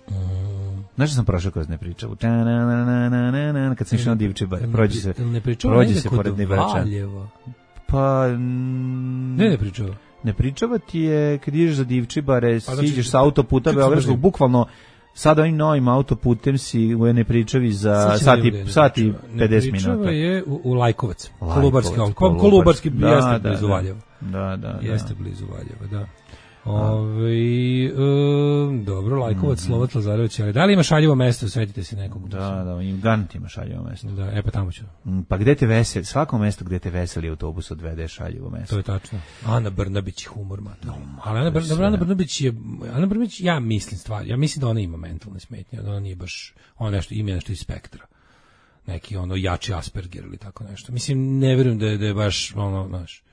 S6: Mm.
S7: Znaš što sam prošao kroz ne pričavu? Ta-na-na-na-na-na-na, kad sam išao na Divčibar, prođi se,
S6: Ne pričava
S7: prođi
S6: negde
S7: se
S6: kod
S7: pored Nibrača.
S6: Valjeva.
S7: Pa... mm,
S6: Ne, ne pričava.
S7: Ne pričava ti je kad ideš za Divčibare,
S6: Pa znači,
S7: siđeš sa autoputa
S6: kad se
S7: Beogradskog,
S6: vozim?
S7: bukvalno sad ovim novim autoputem si u ne pričavi za
S6: Sad ćemo
S7: sati,
S6: vidjeti da ne
S7: sati
S6: pričava.
S7: pedeset
S6: Ne pričava
S7: minuta.
S6: je u, u Lajkovac.
S7: Lajkovac,
S6: Kolubarski, Kolubarski,
S7: Kolubarski.
S6: Kolubarski
S7: Da,
S6: jeste
S7: da,
S6: blizu
S7: da.
S6: Valjeva.
S7: Da, da, da.
S6: Jeste blizu Valjeva, da. Ove, um, dobro, Lajkovac,
S7: Mhm.
S6: Slovac, Lazarević, ali da li ima šaljivo mesto, svetite se nekog.
S7: Da, da, im garant ima šaljivo mesto.
S6: Da, e pa tamo ću.
S7: Mm, Pa gde te veseli, svako mesto gde te veseli autobus odvede šaljivo
S6: To
S7: mesto.
S6: je tačno. Ana Brnabić je humor, mater. Ali Ana, Br Ana Brnabić je, Ana Brnabić, ja mislim stvar, ja mislim da ona ima mentalne smetnje, da ona nije baš, ona nešto, ima nešto iz spektra. Neki ono jači Asperger ili tako nešto. Mislim, ne vjerujem da je, da je baš ono, znaš,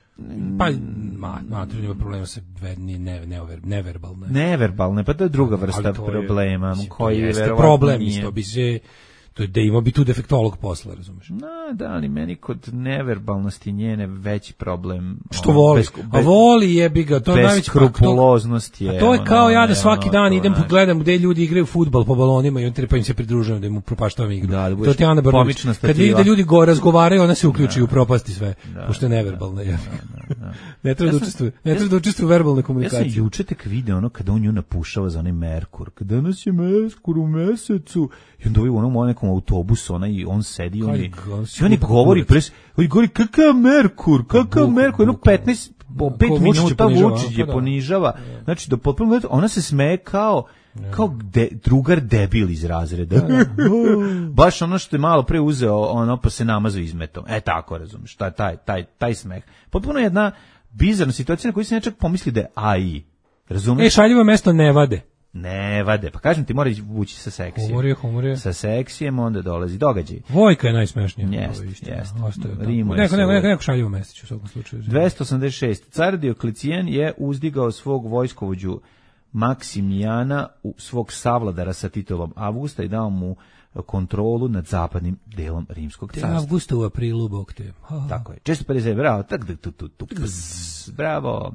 S6: pa, ma, mater ima problema sa vedni, ne, neover, neverbalne.
S7: Neverbalne, pa to je druga vrsta
S6: Ali to je,
S7: problema,
S6: mislim, to
S7: koji
S6: jeste
S7: verovatno
S6: problem,
S7: nije.
S6: isto bi se, to je da ima bi tu defektolog posla, razumeš?
S7: Na, da, ali meni kod neverbalnosti njene veći problem.
S6: Što
S7: ono,
S6: voli?
S7: bez-
S6: A voli jebi ga, to je najveći problem.
S7: beskrupuloznost je.
S6: A to je kao
S7: ono,
S6: ja da
S7: ne,
S6: svaki
S7: ono,
S6: dan
S7: to,
S6: idem
S7: znaš.
S6: pogledam gde ljudi igraju fudbal po balonima i on pa im se pridružujem da im upropaštavam igru.
S7: Da, da
S6: to
S7: budeš
S6: ti je Ana Brnabić.
S7: pomična
S6: Kad
S7: stativa.
S6: vidi da ljudi go razgovaraju, ona se uključi u propasti sve, pošto je neverbalna. je. Ne treba da učestvuje, ne treba da učestvuje u verbalnoj
S7: Ja sam
S6: komunikaciji.
S7: juče tek video ono kada on nju napušava za onaj Merkur. Kada danas je Merkur u mesecu. I onda ovaj u onom nekom autobusu, ona i on sedi i on je,
S6: Kaj, on
S7: i on je
S6: skupa
S7: govori
S6: kurac.
S7: pres, on govori kakav Merkur, kakav
S6: Buk-
S7: Merkur, jedno
S6: bukvalno.
S7: petnaest, po
S6: Da,
S7: pet
S6: ko Vučić je
S7: minuta
S6: ponižava,
S7: Vučić
S6: pa
S7: je
S6: da.
S7: ponižava. Znači, do potpuno, ona se smeje kao, kao de, drugar debil iz razreda. Baš ono što je malo pre uzeo, ono pa se namazao izmetom. E tako, razumiješ, taj, taj, taj, taj smeh. Potpuno jedna bizarna situacija na koju se nečak pomisli da je A I. Razumiješ?
S6: E, šaljivo mesto ne vade.
S7: Ne vade, pa kažem ti, mora ići vući sa seksijem.
S6: Humor je, humor je.
S7: Sa seksijem onda dolazi događaj.
S6: Vojka je najsmešnija.
S7: Jeste,
S6: Ovo istina,
S7: jeste.
S6: ostaje tamo.
S7: Rimuje
S6: Neko,
S7: se
S6: neko,
S7: uvek.
S6: neko, neko šaljivo mesto ću u svakom slučaju.
S7: dvesta osamdeset šest. Car Dioklecijan je uzdigao svog vojskovođu Maksimijana u svog savladara sa titulom Avgusta i dao mu kontrolu nad zapadnim delom Rimskog carstva.
S6: Avgusta u aprilu, bog te. Ha.
S7: Tako je. često pedeset, bravo. Tak, tak, tak, tak, tak, bravo.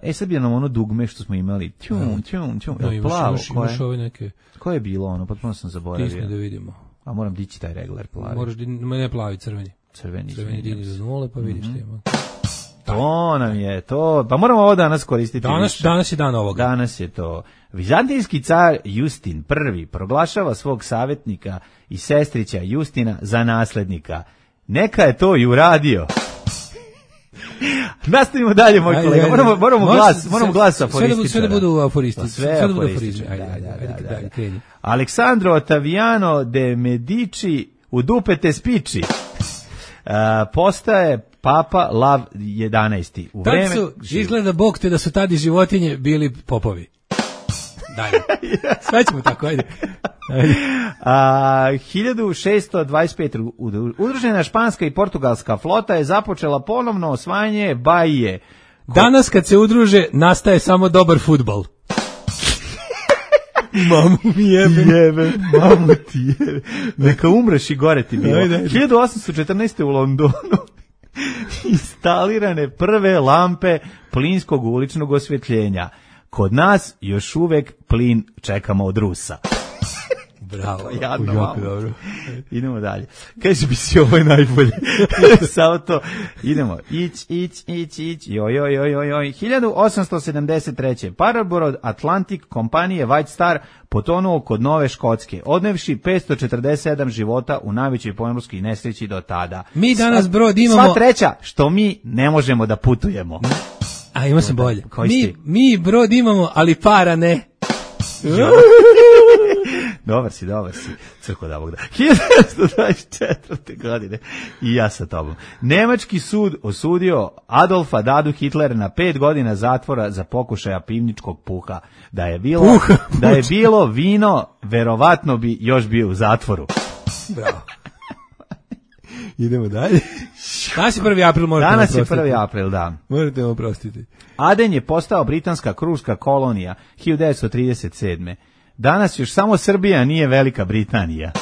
S7: E, sad bi nam ono dugme što smo imali. Tjum, tjum, tjum.
S6: No, imaš,
S7: plavo,
S6: imaš, imaš ove neke...
S7: Koje je bilo ono? Potpuno sam zaboravio.
S6: Tisne da vidimo.
S7: A moram dići taj regler plavi.
S6: Moraš di... Ne plavi, crveni.
S7: Crveni.
S6: Crveni digni za nule, pa vidiš mm-hmm. Tema.
S7: To nam je to. Pa moramo ovo danas koristiti.
S6: Danas, danas je dan ovoga.
S7: Danas je to. Vizantijski car Justin prvi proglašava svog savjetnika i sestrića Justina za naslednika. Neka je to i uradio. Nastavimo dalje, moj ajde, kolega. Moramo, moramo Može, glas, moramo glas aforističara.
S6: Sve da budu aforisti.
S7: Sve, sve da budu aforističari. Ajde, ajde, ajde, ajde, ajde, ajde. Aleksandro Ottaviano de Medici u dupete spiči. Uh, postaje Papa Lav jedanaesti. U vreme
S6: su, izgleda Bog te da su tadi životinje bili popovi. Dalje. Sve ćemo tako, ajde. ajde.
S7: A, hiljadu šessto dvadeset pete. Udružena španska i portugalska flota je započela ponovno osvajanje Bahije.
S6: Danas kad se udruže, nastaje samo dobar fudbal. Mamu mi jebe.
S7: Jebe. Mamu ti jebe. Neka umreš i gore ti bilo. Ajde, ajde. hiljadu osamsto četrnaeste. u Londonu instalirane prve lampe plinskog uličnog osvjetljenja. Kod nas još uvek plin čekamo od Rusa.
S6: Bravo.
S7: Jadno, jako dobro. Idemo dalje. Kaže bi si ovo je najbolje. Samo to. Idemo. Ić, ić, ić, ić. Joj, joj, joj, joj, joj. hiljadu osamsto sedamdeset treće. Parabrod Atlantic kompanije White Star potonuo kod Nove Škotske, odnevši petsto četrdeset sedam života u najvećoj pomorskoj nesreći do tada.
S6: Mi danas brod imamo...
S7: Sva treća, što mi ne možemo da putujemo.
S6: A ima sam bolje. Mi, mi brod imamo, ali para ne.
S7: Dobar si, dobar si. Crko da Bog da. hiljadu devetsto dvadeset četvrte. godine. I ja sa tobom. Nemački sud osudio Adolfa Dadu Hitlera na pet godina zatvora za pokušaja pivničkog puha. Da je bilo, uh, da je bilo vino, verovatno bi još bio u zatvoru.
S6: Bravo. Idemo dalje. Danas je prvi april, možete
S7: Danas
S6: oprostiti.
S7: je prvi april, da.
S6: Možete vam oprostiti.
S7: Aden je postao britanska kruška kolonija hiljadu devetsto trideset sedme. Danas još samo Srbija nije Velika Britanija.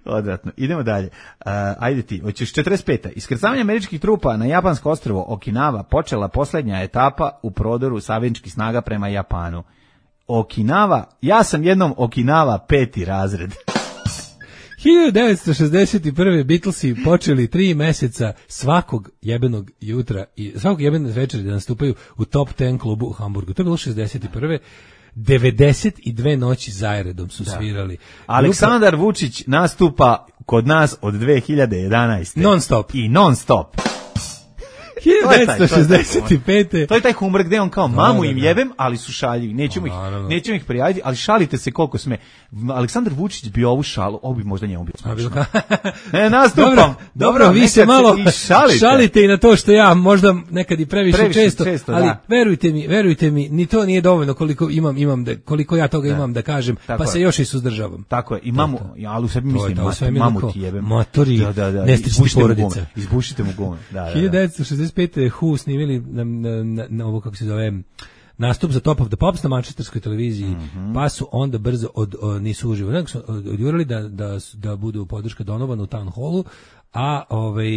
S7: Odvratno. Idemo dalje. Uh, ajde ti, hoćeš četrdeset peta. Iskrcavanje američkih trupa na japansko ostrvo Okinawa počela posljednja etapa u prodoru savezničkih snaga prema Japanu. Okinawa, ja sam jednom Okinawa peti razred.
S6: hiljadu devetsto šezdeset prve. Beatlesi počeli tri meseca svakog jebenog jutra i svakog jebenog večera da nastupaju u Top deset klubu u Hamburgu. To je bilo šezdeset prve. devedeset dve noći zaredom su da. svirali.
S7: Aleksandar Grupa... Vučić nastupa kod nas od dve hiljade jedanaeste.
S6: Non stop.
S7: I non stop.
S6: hiljadu devetsto šezdeset pete.
S7: To je taj humor gde on kao mamu im jebem, ali su šaljivi. Nećemo ih, nećemo ih prijaviti, ali šalite se koliko sme. Aleksandar Vučić bi ovu šalu, ovo bi možda njemu bio smašno. E, nastupam.
S6: Dobro, dobro, vi se malo šalite. šalite i na to što ja možda nekad i previše, previše često, često, ali da. verujte mi, verujte mi, ni to nije dovoljno koliko imam, imam da, koliko ja toga da. imam da kažem, tako pa je. se još i suzdržavam.
S7: Tako je, i mamu, ali u sebi mislim, mamu ti jebem.
S6: Matori,
S7: da, da, da.
S6: nestični porodica.
S7: Izbušite mu gume. Da, da,
S6: hiljadu devetsto šezdeset pete. Who snimili na, na, na, na ovo, kako se zove, nastup za Top of the Pops na manchesterskoj televiziji, mm-hmm. pa su onda brzo od, od nisu uživo, nego su odjurili da, da, da budu podrška Donovana u Town Hallu, a ovaj,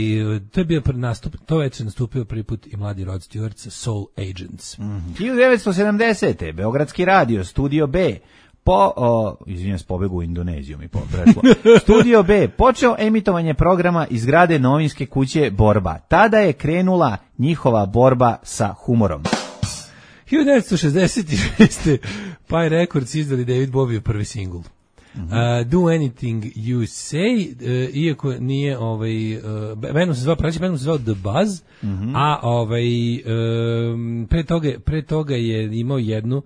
S6: to je bio nastup, to već je nastupio prvi put i mladi Rod Stewart sa Soul Agents.
S7: Mm-hmm. hiljadu devetsto sedamdesete. Beogradski radio, Studio B, po, o, izvinjam se, pobegu u Indoneziju mi prešlo. Studio B počeo emitovanje programa iz zgrade novinske kuće Borba. Tada je krenula njihova borba sa humorom.
S6: hiljadu devetsto šezdeset šeste. Pie Records izdali David Bowie prvi singl. Mm-hmm. Uh, Do Anything You Say, uh, iako nije ovaj uh, bendom se zvao, pravi bendom se zvao The Buzz, mm-hmm. a ovaj um, pre toga pre toga je imao jednu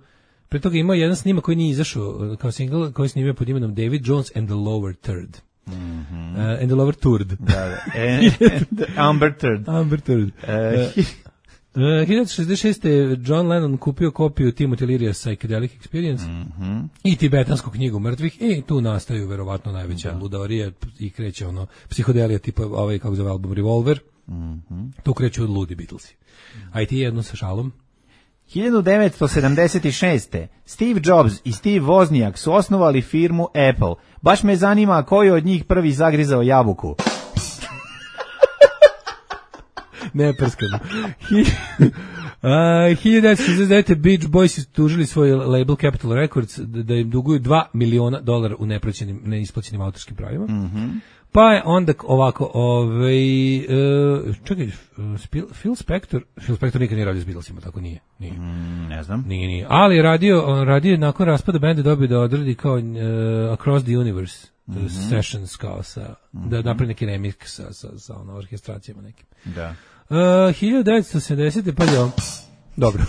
S6: Pre toga imao jedan snimak koji nije izašao kao single, koji snimio pod imenom David Jones and the Lower Third. Mm-hmm. Uh, and the Lower Third.
S7: Da, da. And, and Amber Third.
S6: Amber Third. Uh, uh, hiljadu devetsto šezdeset šeste. John Lennon kupio kopiju Timothy Leary'a Psychedelic Experience
S7: mm-hmm.
S6: i tibetansku knjigu mrtvih i tu nastaju verovatno najveća da. ludavarija i kreće ono psihodelija tipa ovaj kako zove album Revolver.
S7: Mhm.
S6: Tu kreću ludi Beatlesi. A i ti jedno sa šalom.
S7: hiljadu devetsto sedamdeset šeste. Steve Jobs i Steve Wozniak su osnovali firmu Apple. Baš me zanima koji od njih prvi zagrizao jabuku.
S6: Neprskano. Uh, hiljadu devetsto šezdeset devete. Beach Boys su tužili svoj label Capitol Records da, da im duguju dva miliona dolara u neplaćenim, neisplaćenim autorskim pravima.
S7: Mhm.
S6: Pa je onda ovako, ovaj, uh, čekaj, uh, Phil Spector, Phil Spector nikad nije radio s Beatlesima, tako nije. Nije.
S7: Mm, ne znam.
S6: Nije, nije. Ali je radio, radio je nakon raspada benda dobio da odradi kao uh, Across the Universe mm-hmm. sessions, kao sa, mm-hmm. da napravi neki remix sa, sa, sa ono, orkestracijama nekim.
S7: Da.
S6: Uh, hiljadu devetsto sedamdesete. pa je on, dobro.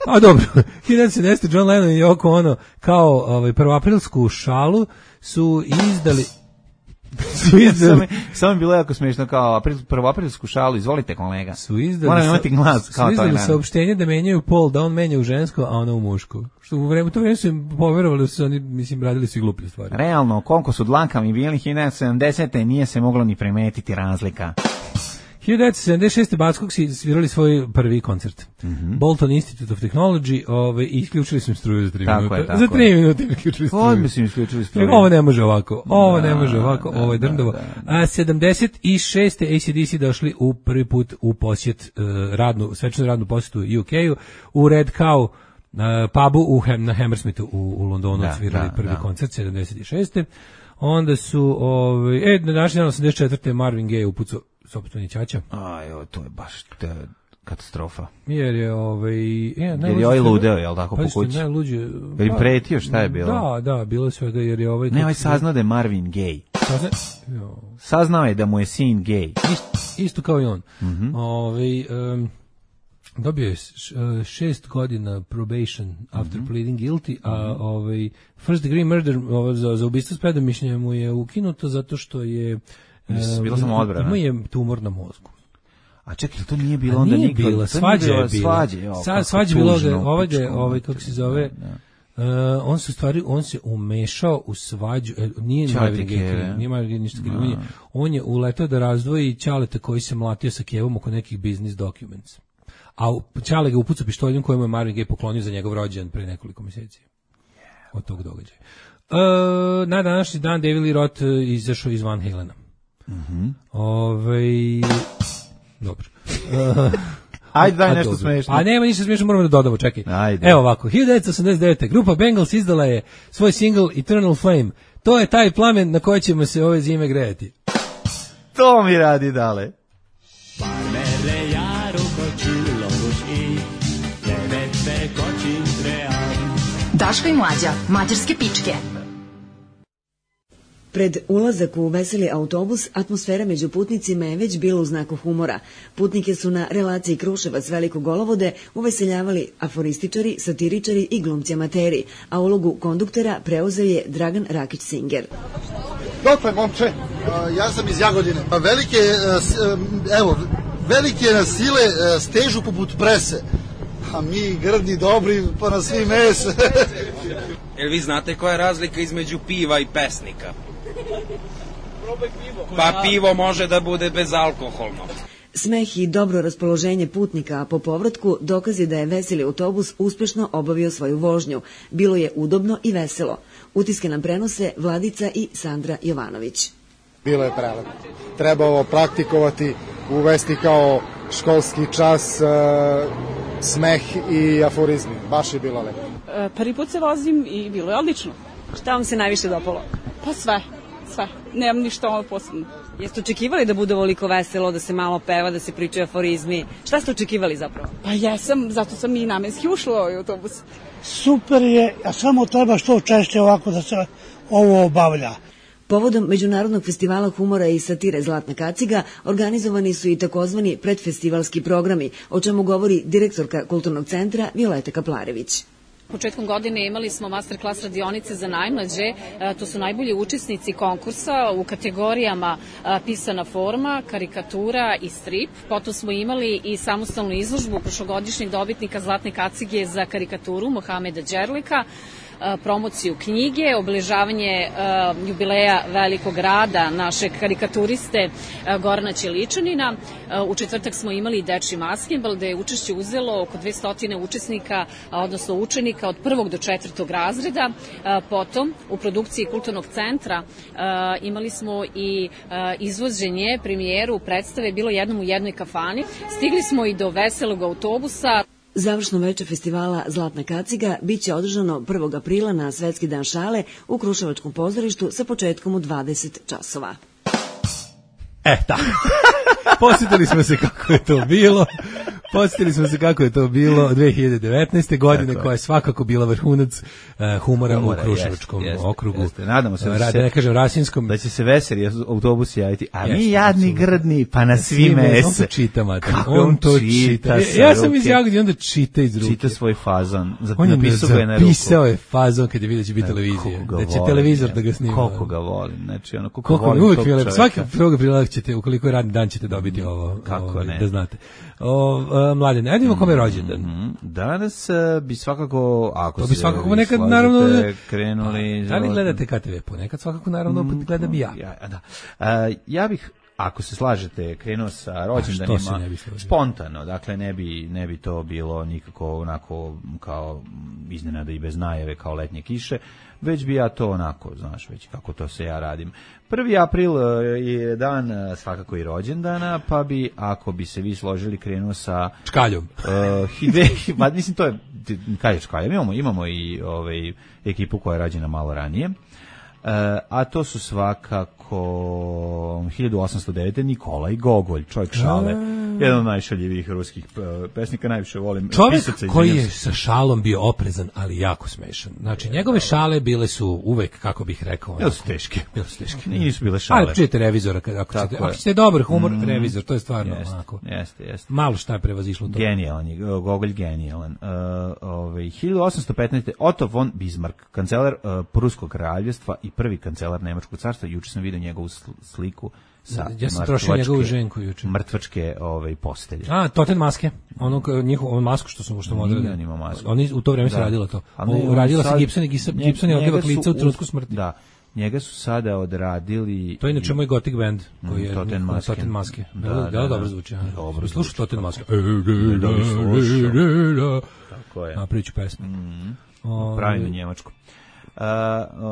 S6: A dobro, hiljadu devetsto sedamdesete. John Lennon i Yoko Ono kao ovaj, prvoaprilsku šalu su izdali
S7: Samo samo je bilo jako smiješno kao april, prvoaprilsku šalu, izvolite kolega.
S6: Su izdali,
S7: moram imati glas kao
S6: su izdali saopštenje da menjaju pol, da on menja u žensko, a ona u muško. Što u vremenu, to vreme su im poverovali, su oni, mislim, radili su i gluplje stvari.
S7: Realno, koliko su dlankami bili hiljadu devetsto sedamdesete. nije se moglo ni primetiti razlika.
S6: hiljadu devetsto sedamdeset šeste. Backog si svirali svoj prvi koncert. Mm-hmm. Bolton Institute of Technology, ovaj, i isključili su im struju za tri
S7: tako
S6: minuta.
S7: Je, tako
S6: za tri
S7: je.
S6: minuta im isključili struju.
S7: Ovo mislim isključili struju.
S6: Ovo ne može ovako, ovo
S7: da,
S6: ne može ovako,
S7: da,
S6: ovo je drndovo.
S7: da, da.
S6: A sedamdeset šeste. A C D C došli u prvi put u posjet, uh, radnu, svečanu radnu posjetu U K-u, u Red Cow, uh, pubu u Hem, na Hammersmithu u, u Londonu da, svirali da, prvi da. koncert, sedamdeset šeste. Onda su, ovaj, e, na današnji dan osamdeset četvrte. Marvin Gaye upucao sopstveni ćaća.
S7: Aj, to je baš te, katastrofa.
S6: Jer je ovaj, e,
S7: jer je ovaj ludeo, je l' tako po kući?
S6: Najluđe.
S7: Jer im pretio, šta je bilo?
S6: Da, da, bilo je svega, jer je ovaj...
S7: Ne, ovaj saznao da je Marvin gay.
S6: Sazna...
S7: Saznao je da mu je sin gay.
S6: Isto, isto kao i on.
S7: Mm-hmm.
S6: Ovaj... Um, dobio je šest godina probation after mm-hmm. pleading guilty, a mm-hmm. ovaj first degree murder ovaj, za, za ubistvo s predomišljajem mu je ukinuto zato što je
S7: bilo samo odbrana.
S6: Ima je tumor na mozgu.
S7: A čekaj, to nije bilo onda nikad.
S6: Bila, svađa je bila.
S7: Svađa, jo,
S6: Sa, svađa bilo, ovaj, ovaj, kako se zove, da, da. Uh, on se stvari, on se umešao u svađu, nije Marvin Gaye, nije Marvin Gaye ništa krivo, no. On je uletao da razdvoji Ćaleta koji se mlatio sa Kevom oko nekih business documents. A Ćale ga upucao pištoljem kojemu je Marvin Gaye poklonio za njegov rođendan pre nekoliko mjeseci. Od tog događaja. Uh, na današnji dan David Lee Roth izašao iz Van Halena.
S7: Mhm.
S6: Ovaj dobro. Uh,
S7: Ajde, daj nešto smešno.
S6: A nema ništa smešno, moramo da dodamo, čekaj.
S7: Ajde.
S6: Evo ovako, hiljadu devetsto osamdeset devete. grupa Bengals izdala je svoj single Eternal Flame. To je taj plamen na koji ćemo se ove zime grejati.
S7: To mi radi dale.
S4: Daško i Mlađa, mađarske pičke.
S9: Pred ulazak u veseli autobus, atmosfera među putnicima je već bila u znaku humora. Putnike su na relaciji Kruševac-Veliko Golovode uveseljavali aforističari, satiričari i glumci amateri, a ulogu konduktera preuzeo je Dragan Rakić-Singer.
S10: Dokle, momče? Ja sam iz Jagodine. Velike, evo, velike sile stežu poput prese. A mi grdni, dobri, pa na svi mes.
S11: Jel vi znate koja je razlika između piva i pesnika? Pa pivo može da bude bezalkoholno.
S9: Smeh i dobro raspoloženje putnika, a po povratku dokaz je da je veseli autobus uspešno obavio svoju vožnju. Bilo je udobno i veselo. Utiske nam prenose Vladica i Sandra Jovanović.
S10: Bilo je prelepo. Treba ovo praktikovati, uvesti kao školski čas, uh, smeh i aforizmi. Baš je bilo lepo.
S12: E, prvi put se vozim i bilo je odlično.
S9: Šta vam se najviše dopalo?
S12: Pa sve, sve. Nemam ništa ono posebno.
S9: Jeste očekivali da bude ovoliko veselo, da se malo peva, da se pričaju aforizmi? Šta ste očekivali zapravo?
S12: Pa jesam, zato sam i namenski ušla u ovaj autobus.
S13: Super je, a samo treba što češće ovako da se ovo obavlja.
S9: Povodom Međunarodnog festivala humora i satire Zlatna kaciga organizovani su i takozvani predfestivalski programi, o čemu govori direktorka Kulturnog centra Violeta Kaplarević.
S14: Početkom godine imali smo masterclass radionice za najmlađe, to su najbolji učesnici konkursa u kategorijama pisana forma, karikatura i strip. Potom smo imali i samostalnu izložbu prošlogodišnjeg dobitnika Zlatne kacige za karikaturu Mohameda Đerlika. promociju knjige, obeležavanje jubileja velikog rada našeg karikaturiste Gorana Ćeličanina. U četvrtak smo imali dečji maskenbal, gde je učešće uzelo oko dvesta učesnika, odnosno učenika od prvog do četvrtog razreda. Potom, u produkciji Kulturnog centra imali smo i izvođenje, premijeru predstave Bilo jednom u jednoj kafani. Stigli smo i do veselog autobusa.
S9: Završno veče festivala Zlatna kaciga biće održano prvog aprila na Svetski dan šale u Kruševačkom pozorištu sa početkom u dvadeset časova.
S6: E, tako. Posjetili smo se kako je to bilo. Posjetili smo se kako je to bilo dve hiljade devetnaeste. godine, koja je svakako bila vrhunac uh, humora, humora u Kruševačkom jest, okrugu. Jeste.
S7: Nadamo se da,
S6: Rade,
S7: se,
S6: ne kažem Rasinskom.
S7: Da će se veseli autobusi javiti, a mi jeste, jadni grdni, pa na svi mese.
S6: On to čita, mater. On to čita. Ja, ja sam iz Jagodine, onda čita iz ruke.
S7: Čita svoj fazon.
S6: On je zapisao je fazon kada je vidio da će biti televizija. Da će televizor da ga snima.
S7: Koliko ga volim. Znači, ono, koliko,
S6: koliko
S7: volim
S6: uvijek
S7: tog čoveka.
S6: Svaki prvog aprila ćete, ukoliko je radni dan, ćete dobiti ovo.
S7: Kako
S6: ovo,
S7: ne.
S6: Da znate. O, uh, mladen, ajde imamo kome je rođendan.
S7: Mm-hmm. Danas uh, bi svakako, ako
S6: to bi
S7: se
S6: svakako nekad, naravno,
S7: krenuli...
S6: Da li gledate K T V? Ponekad svakako, naravno, mm, gledam i ja.
S7: Ja, da. Uh, ja bih, ako se slažete, krenuo sa rođendanima spontano, dakle ne bi, ne bi to bilo nikako onako kao iznenada i bez najave kao letnje kiše, već bi ja to onako, znaš, već kako to se ja radim. prvi april je dan svakako i rođendana, pa bi, ako bi se vi složili, krenuo sa...
S6: Čkaljom.
S7: Uh, hide, ma, mislim, to je, kaj je Čkaljom, imamo, imamo i ovaj, ekipu koja je rađena malo ranije. Uh, a to su svakako hiljadu osamsto devete. Nikolaj Gogolj, čovjek šale, jedan od najšaljivijih ruskih pesnika, najviše volim.
S6: Čovjek koji je sa šalom bio oprezan, ali jako smešan. Znači, njegove šale bile su uvek, kako bih rekao...
S7: Bile su teške.
S6: Bile su teške.
S7: Nisu bile šale.
S6: Ali čujete revizora, ako ćete, ako ćete dobar humor, mm, revizor, to je stvarno
S7: jeste,
S6: onako.
S7: Jeste, jeste.
S6: Malo šta je prevazišlo to.
S7: Genijalan je, Gogolj genijalan. Uh, ovaj, hiljadu osamsto petnaeste. Otto von Bismarck, kancelar uh, Pruskog kraljevstva i prvi kancelar Nemačkog carstva. Juče sam vidio njegovu sliku sa
S6: ja sam trošio njegovu ženku juče.
S7: Mrtvačke ovaj, postelje.
S6: A, Toten maske. Ono, njihovu masku što su što modrili.
S7: On ima masku.
S6: Oni u to vreme
S7: da.
S6: se radilo to.
S7: Ne,
S6: radila
S7: sad,
S6: se Gibson i Gibson je odlivak lica u trenutku smrti.
S7: Da. Njega su sada odradili...
S6: To je inače moj Gothic band, koji je
S7: Toten maske.
S6: Toten maske.
S7: Da,
S6: da,
S7: da, da,
S6: dobro zvuči.
S7: Dobro
S6: slušaj Toten maske.
S7: Da bi slušao. Tako je.
S6: A priču pesme.
S7: Mm. Pravi na njemačku. Uh,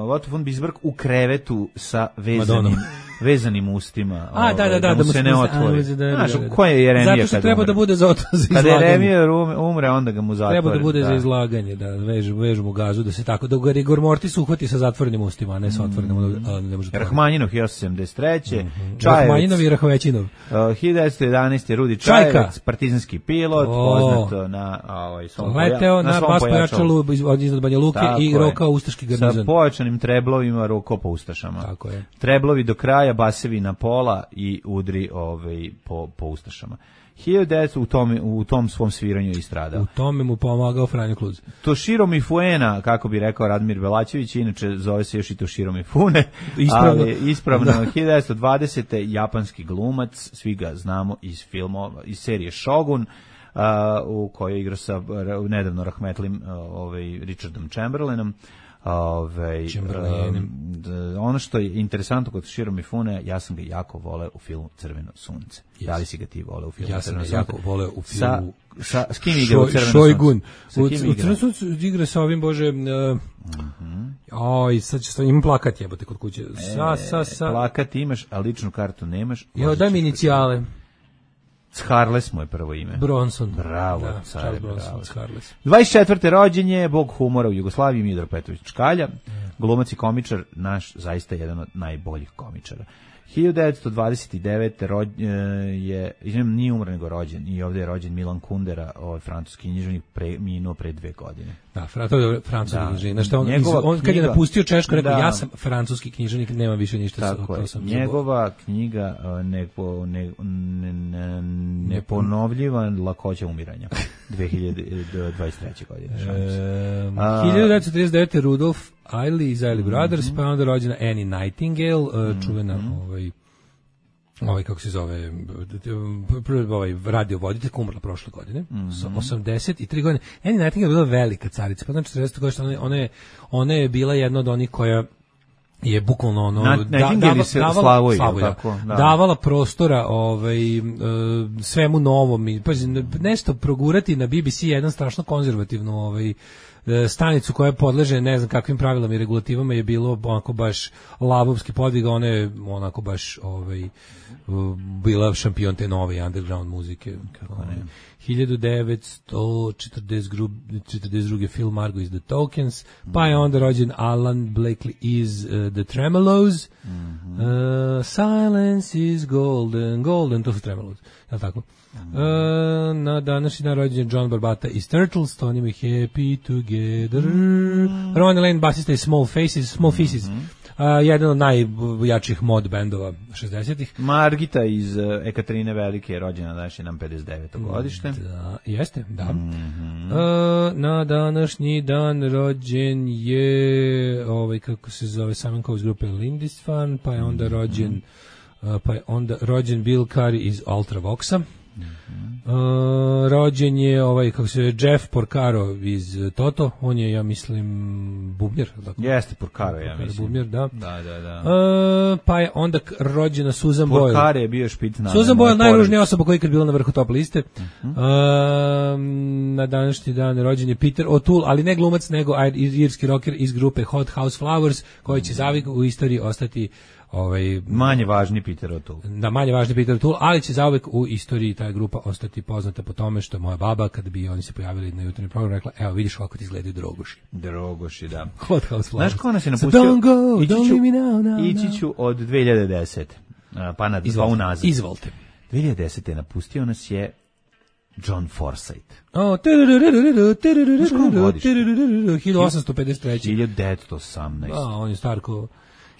S7: Otto von Bismarck u krevetu sa vezanim, vezanim ustima.
S6: A, ovaj, da, da, da,
S7: da mu
S6: da
S7: se
S6: mu
S7: ne otvori.
S6: Da, da, da,
S7: znaš, ko je Jeremija
S6: zato što
S7: kad
S6: treba
S7: umre?
S6: Da bude za, za izlaganje.
S7: Kada Jeremija umre, onda ga mu zatvori.
S6: Treba da bude da. za izlaganje, da vežu, vežu mu gazu, da se tako, da ga Rigor Mortis uhvati sa zatvorenim ustima, a ne sa otvorenim, mm. a ne može.
S7: Rahmanjinov, hiljadu sedamdeset treće.
S6: Mm-hmm. Rahmanjinov i Rahovećinov.
S7: Uh, hiljadu devetsto jedanaeste. Rudi Čajevac, partizanski pilot,
S6: o,
S7: poznato na, ovaj, svom
S6: leteo na, na bas pojačalu iznad Banja Luke
S7: tako
S6: i rokao ustaški garnizon.
S7: Sa pojačanim treblovima roko po ustašama.
S6: Tako je.
S7: Treblovi do kraja, basevi na pola i udri ovaj, po, po ustašama. hiljadu devetsto u tom, u tom svom sviranju i stradao.
S6: U tome mu pomagao Franjo Kluz.
S7: Toshiro Mifune, kako bi rekao Radmir Belačević, inače zove se još i Toshiro Mifune,
S6: ispravno,
S7: ali ispravno hiljadu devetsto dvadesete. japanski glumac, svi ga znamo iz filmova, iz serije Shogun, uh, u kojoj igra sa nedavno rahmetlim uh, ovaj, Richardom Chamberlainom. Ove, um, ono što je interesantno kod Toshiro Mifune, ja sam ga jako voleo u filmu Crveno sunce. Yes. Da li si ga ti voleo u filmu
S6: ja
S7: Crveno sunce?
S6: Ja sam ga jako voleo u filmu
S7: sa, sa, s kim igra u Crveno
S6: Šojgun.
S7: sunce?
S6: U, u Crveno sunce igra sa ovim, bože, uh, mm-hmm. oj, sad će imam plakat jebote kod kuće. Sa, sa, sa.
S7: Plakat imaš, a ličnu kartu nemaš.
S6: Jo, daj mi inicijale.
S7: Charles mu je prvo ime.
S6: Bronson.
S7: Bravo,
S6: da,
S7: care,
S6: Charles Bronson,
S7: bravo.
S6: Charles.
S7: dvadeset četvrte rođenje, bog humora u Jugoslaviji, Midro Petrović Čkalja, glumac i komičar, naš zaista jedan od najboljih komičara. hiljadu devetsto dvadeset devete. Rođ, je, izvijem, nije umro nego rođen, i ovdje je rođen Milan Kundera, ovaj francuski književnik, pre, minuo pre dve godine.
S6: Da, francuski književnik. Znaš, on, on kad je napustio Češku, rekao, da, ja sam francuski književnik, nema više ništa.
S7: Tako je, njegova zabol. knjiga nepo, ne, ne, ne, neponovljiva lakoća umiranja, dve hiljade dvadeset treće. godine.
S6: E, A, hiljadu devetsto trideset devete. Rudolf Eiley iz Eiley Brothers, mm-hmm. pa onda rođena Annie Nightingale, mm-hmm. čuvena ovaj, ovaj kako se zove ovaj radio voditelj umrla prošle godine mm-hmm. sa osamdeset tri godine. Annie Nightingale je bila velika carica, pa znači četrdeset godina ona, ona je ona je bila jedna od onih koja je bukvalno ono
S7: Na,
S6: da, davala, davala,
S7: Slavoj,
S6: Slavoj,
S7: tako, da.
S6: davala prostora ovaj, uh, svemu novom i pa, nešto progurati na B B C jedan strašno konzervativnu ovaj, stanicu koja podleže ne znam kakvim pravilama i regulativama je bilo onako baš lavovski podvig, ona je onako baš ovaj, bila šampion te nove underground muzike. Kako ne? hiljadu devetsto četrdeset druge Phil Margo iz The Tokens, mm. pa je onda rođen Alan Blakely iz uh, The Tremolos, mm-hmm. uh, Silence is Golden, Golden, to su Tremolos, je li tako? Mm. Uh, na današnji dan rođen John Barbata iz Turtles, to njima Happy Together, mm. Ronnie Lane, basista iz Small Faces, Small Faces, mm-hmm. Uh, jedan od najjačih mod bendova šezdesetih.
S7: Margita iz uh, Ekaterine Velike je rođena današnji nam pedeset deveto godište.
S6: Da, jeste, da.
S7: Mm-hmm.
S6: Uh, na današnji dan rođen je ovaj kako se zove Simon iz grupe Lindisfarne, pa je onda rođen uh, pa je onda rođen Bill Curry iz Ultravoxa. Mm-hmm. Uh, rođen je ovaj kako se Jeff Porcaro iz Toto, on je ja mislim bubnjar, tako.
S7: Jeste Porcaro, ja mislim.
S6: Bubnjar, da.
S7: Da, da, da.
S6: Uh, pa je onda rođena Susan Boyle.
S7: Porcaro je bio špicna.
S6: Susan Boyle najružnija osoba koja je ikad bila na vrhu top liste.
S7: Mm-hmm.
S6: Uh, na današnji dan rođen je Peter O'Toole, ali ne glumac nego irski rocker iz grupe Hot House Flowers, koji će zavijek u istoriji ostati ovaj
S7: manje važni Peter O'Toole.
S6: Da, manje važni Peter O'Toole, ali će zauvek u istoriji ta grupa ostati poznata po tome što moja baba kad bi oni se pojavili na jutarnjem programu rekla: "Evo vidiš kako ti izgledaju Drogoši."
S7: Drogoši, da.
S6: Hot House Flowers.
S7: Znaš ko nas je napustio?
S6: So don't go, don't leave me now, now,
S7: ići ću od dve hiljade desete. Pa na dva unazad.
S6: Izvolite.
S7: dve hiljade desete napustio nas je John Forsythe.
S6: O, hiljadu osamsto pedeset treće.
S7: hiljadu devetsto osamnaeste.
S6: A, on je star ko...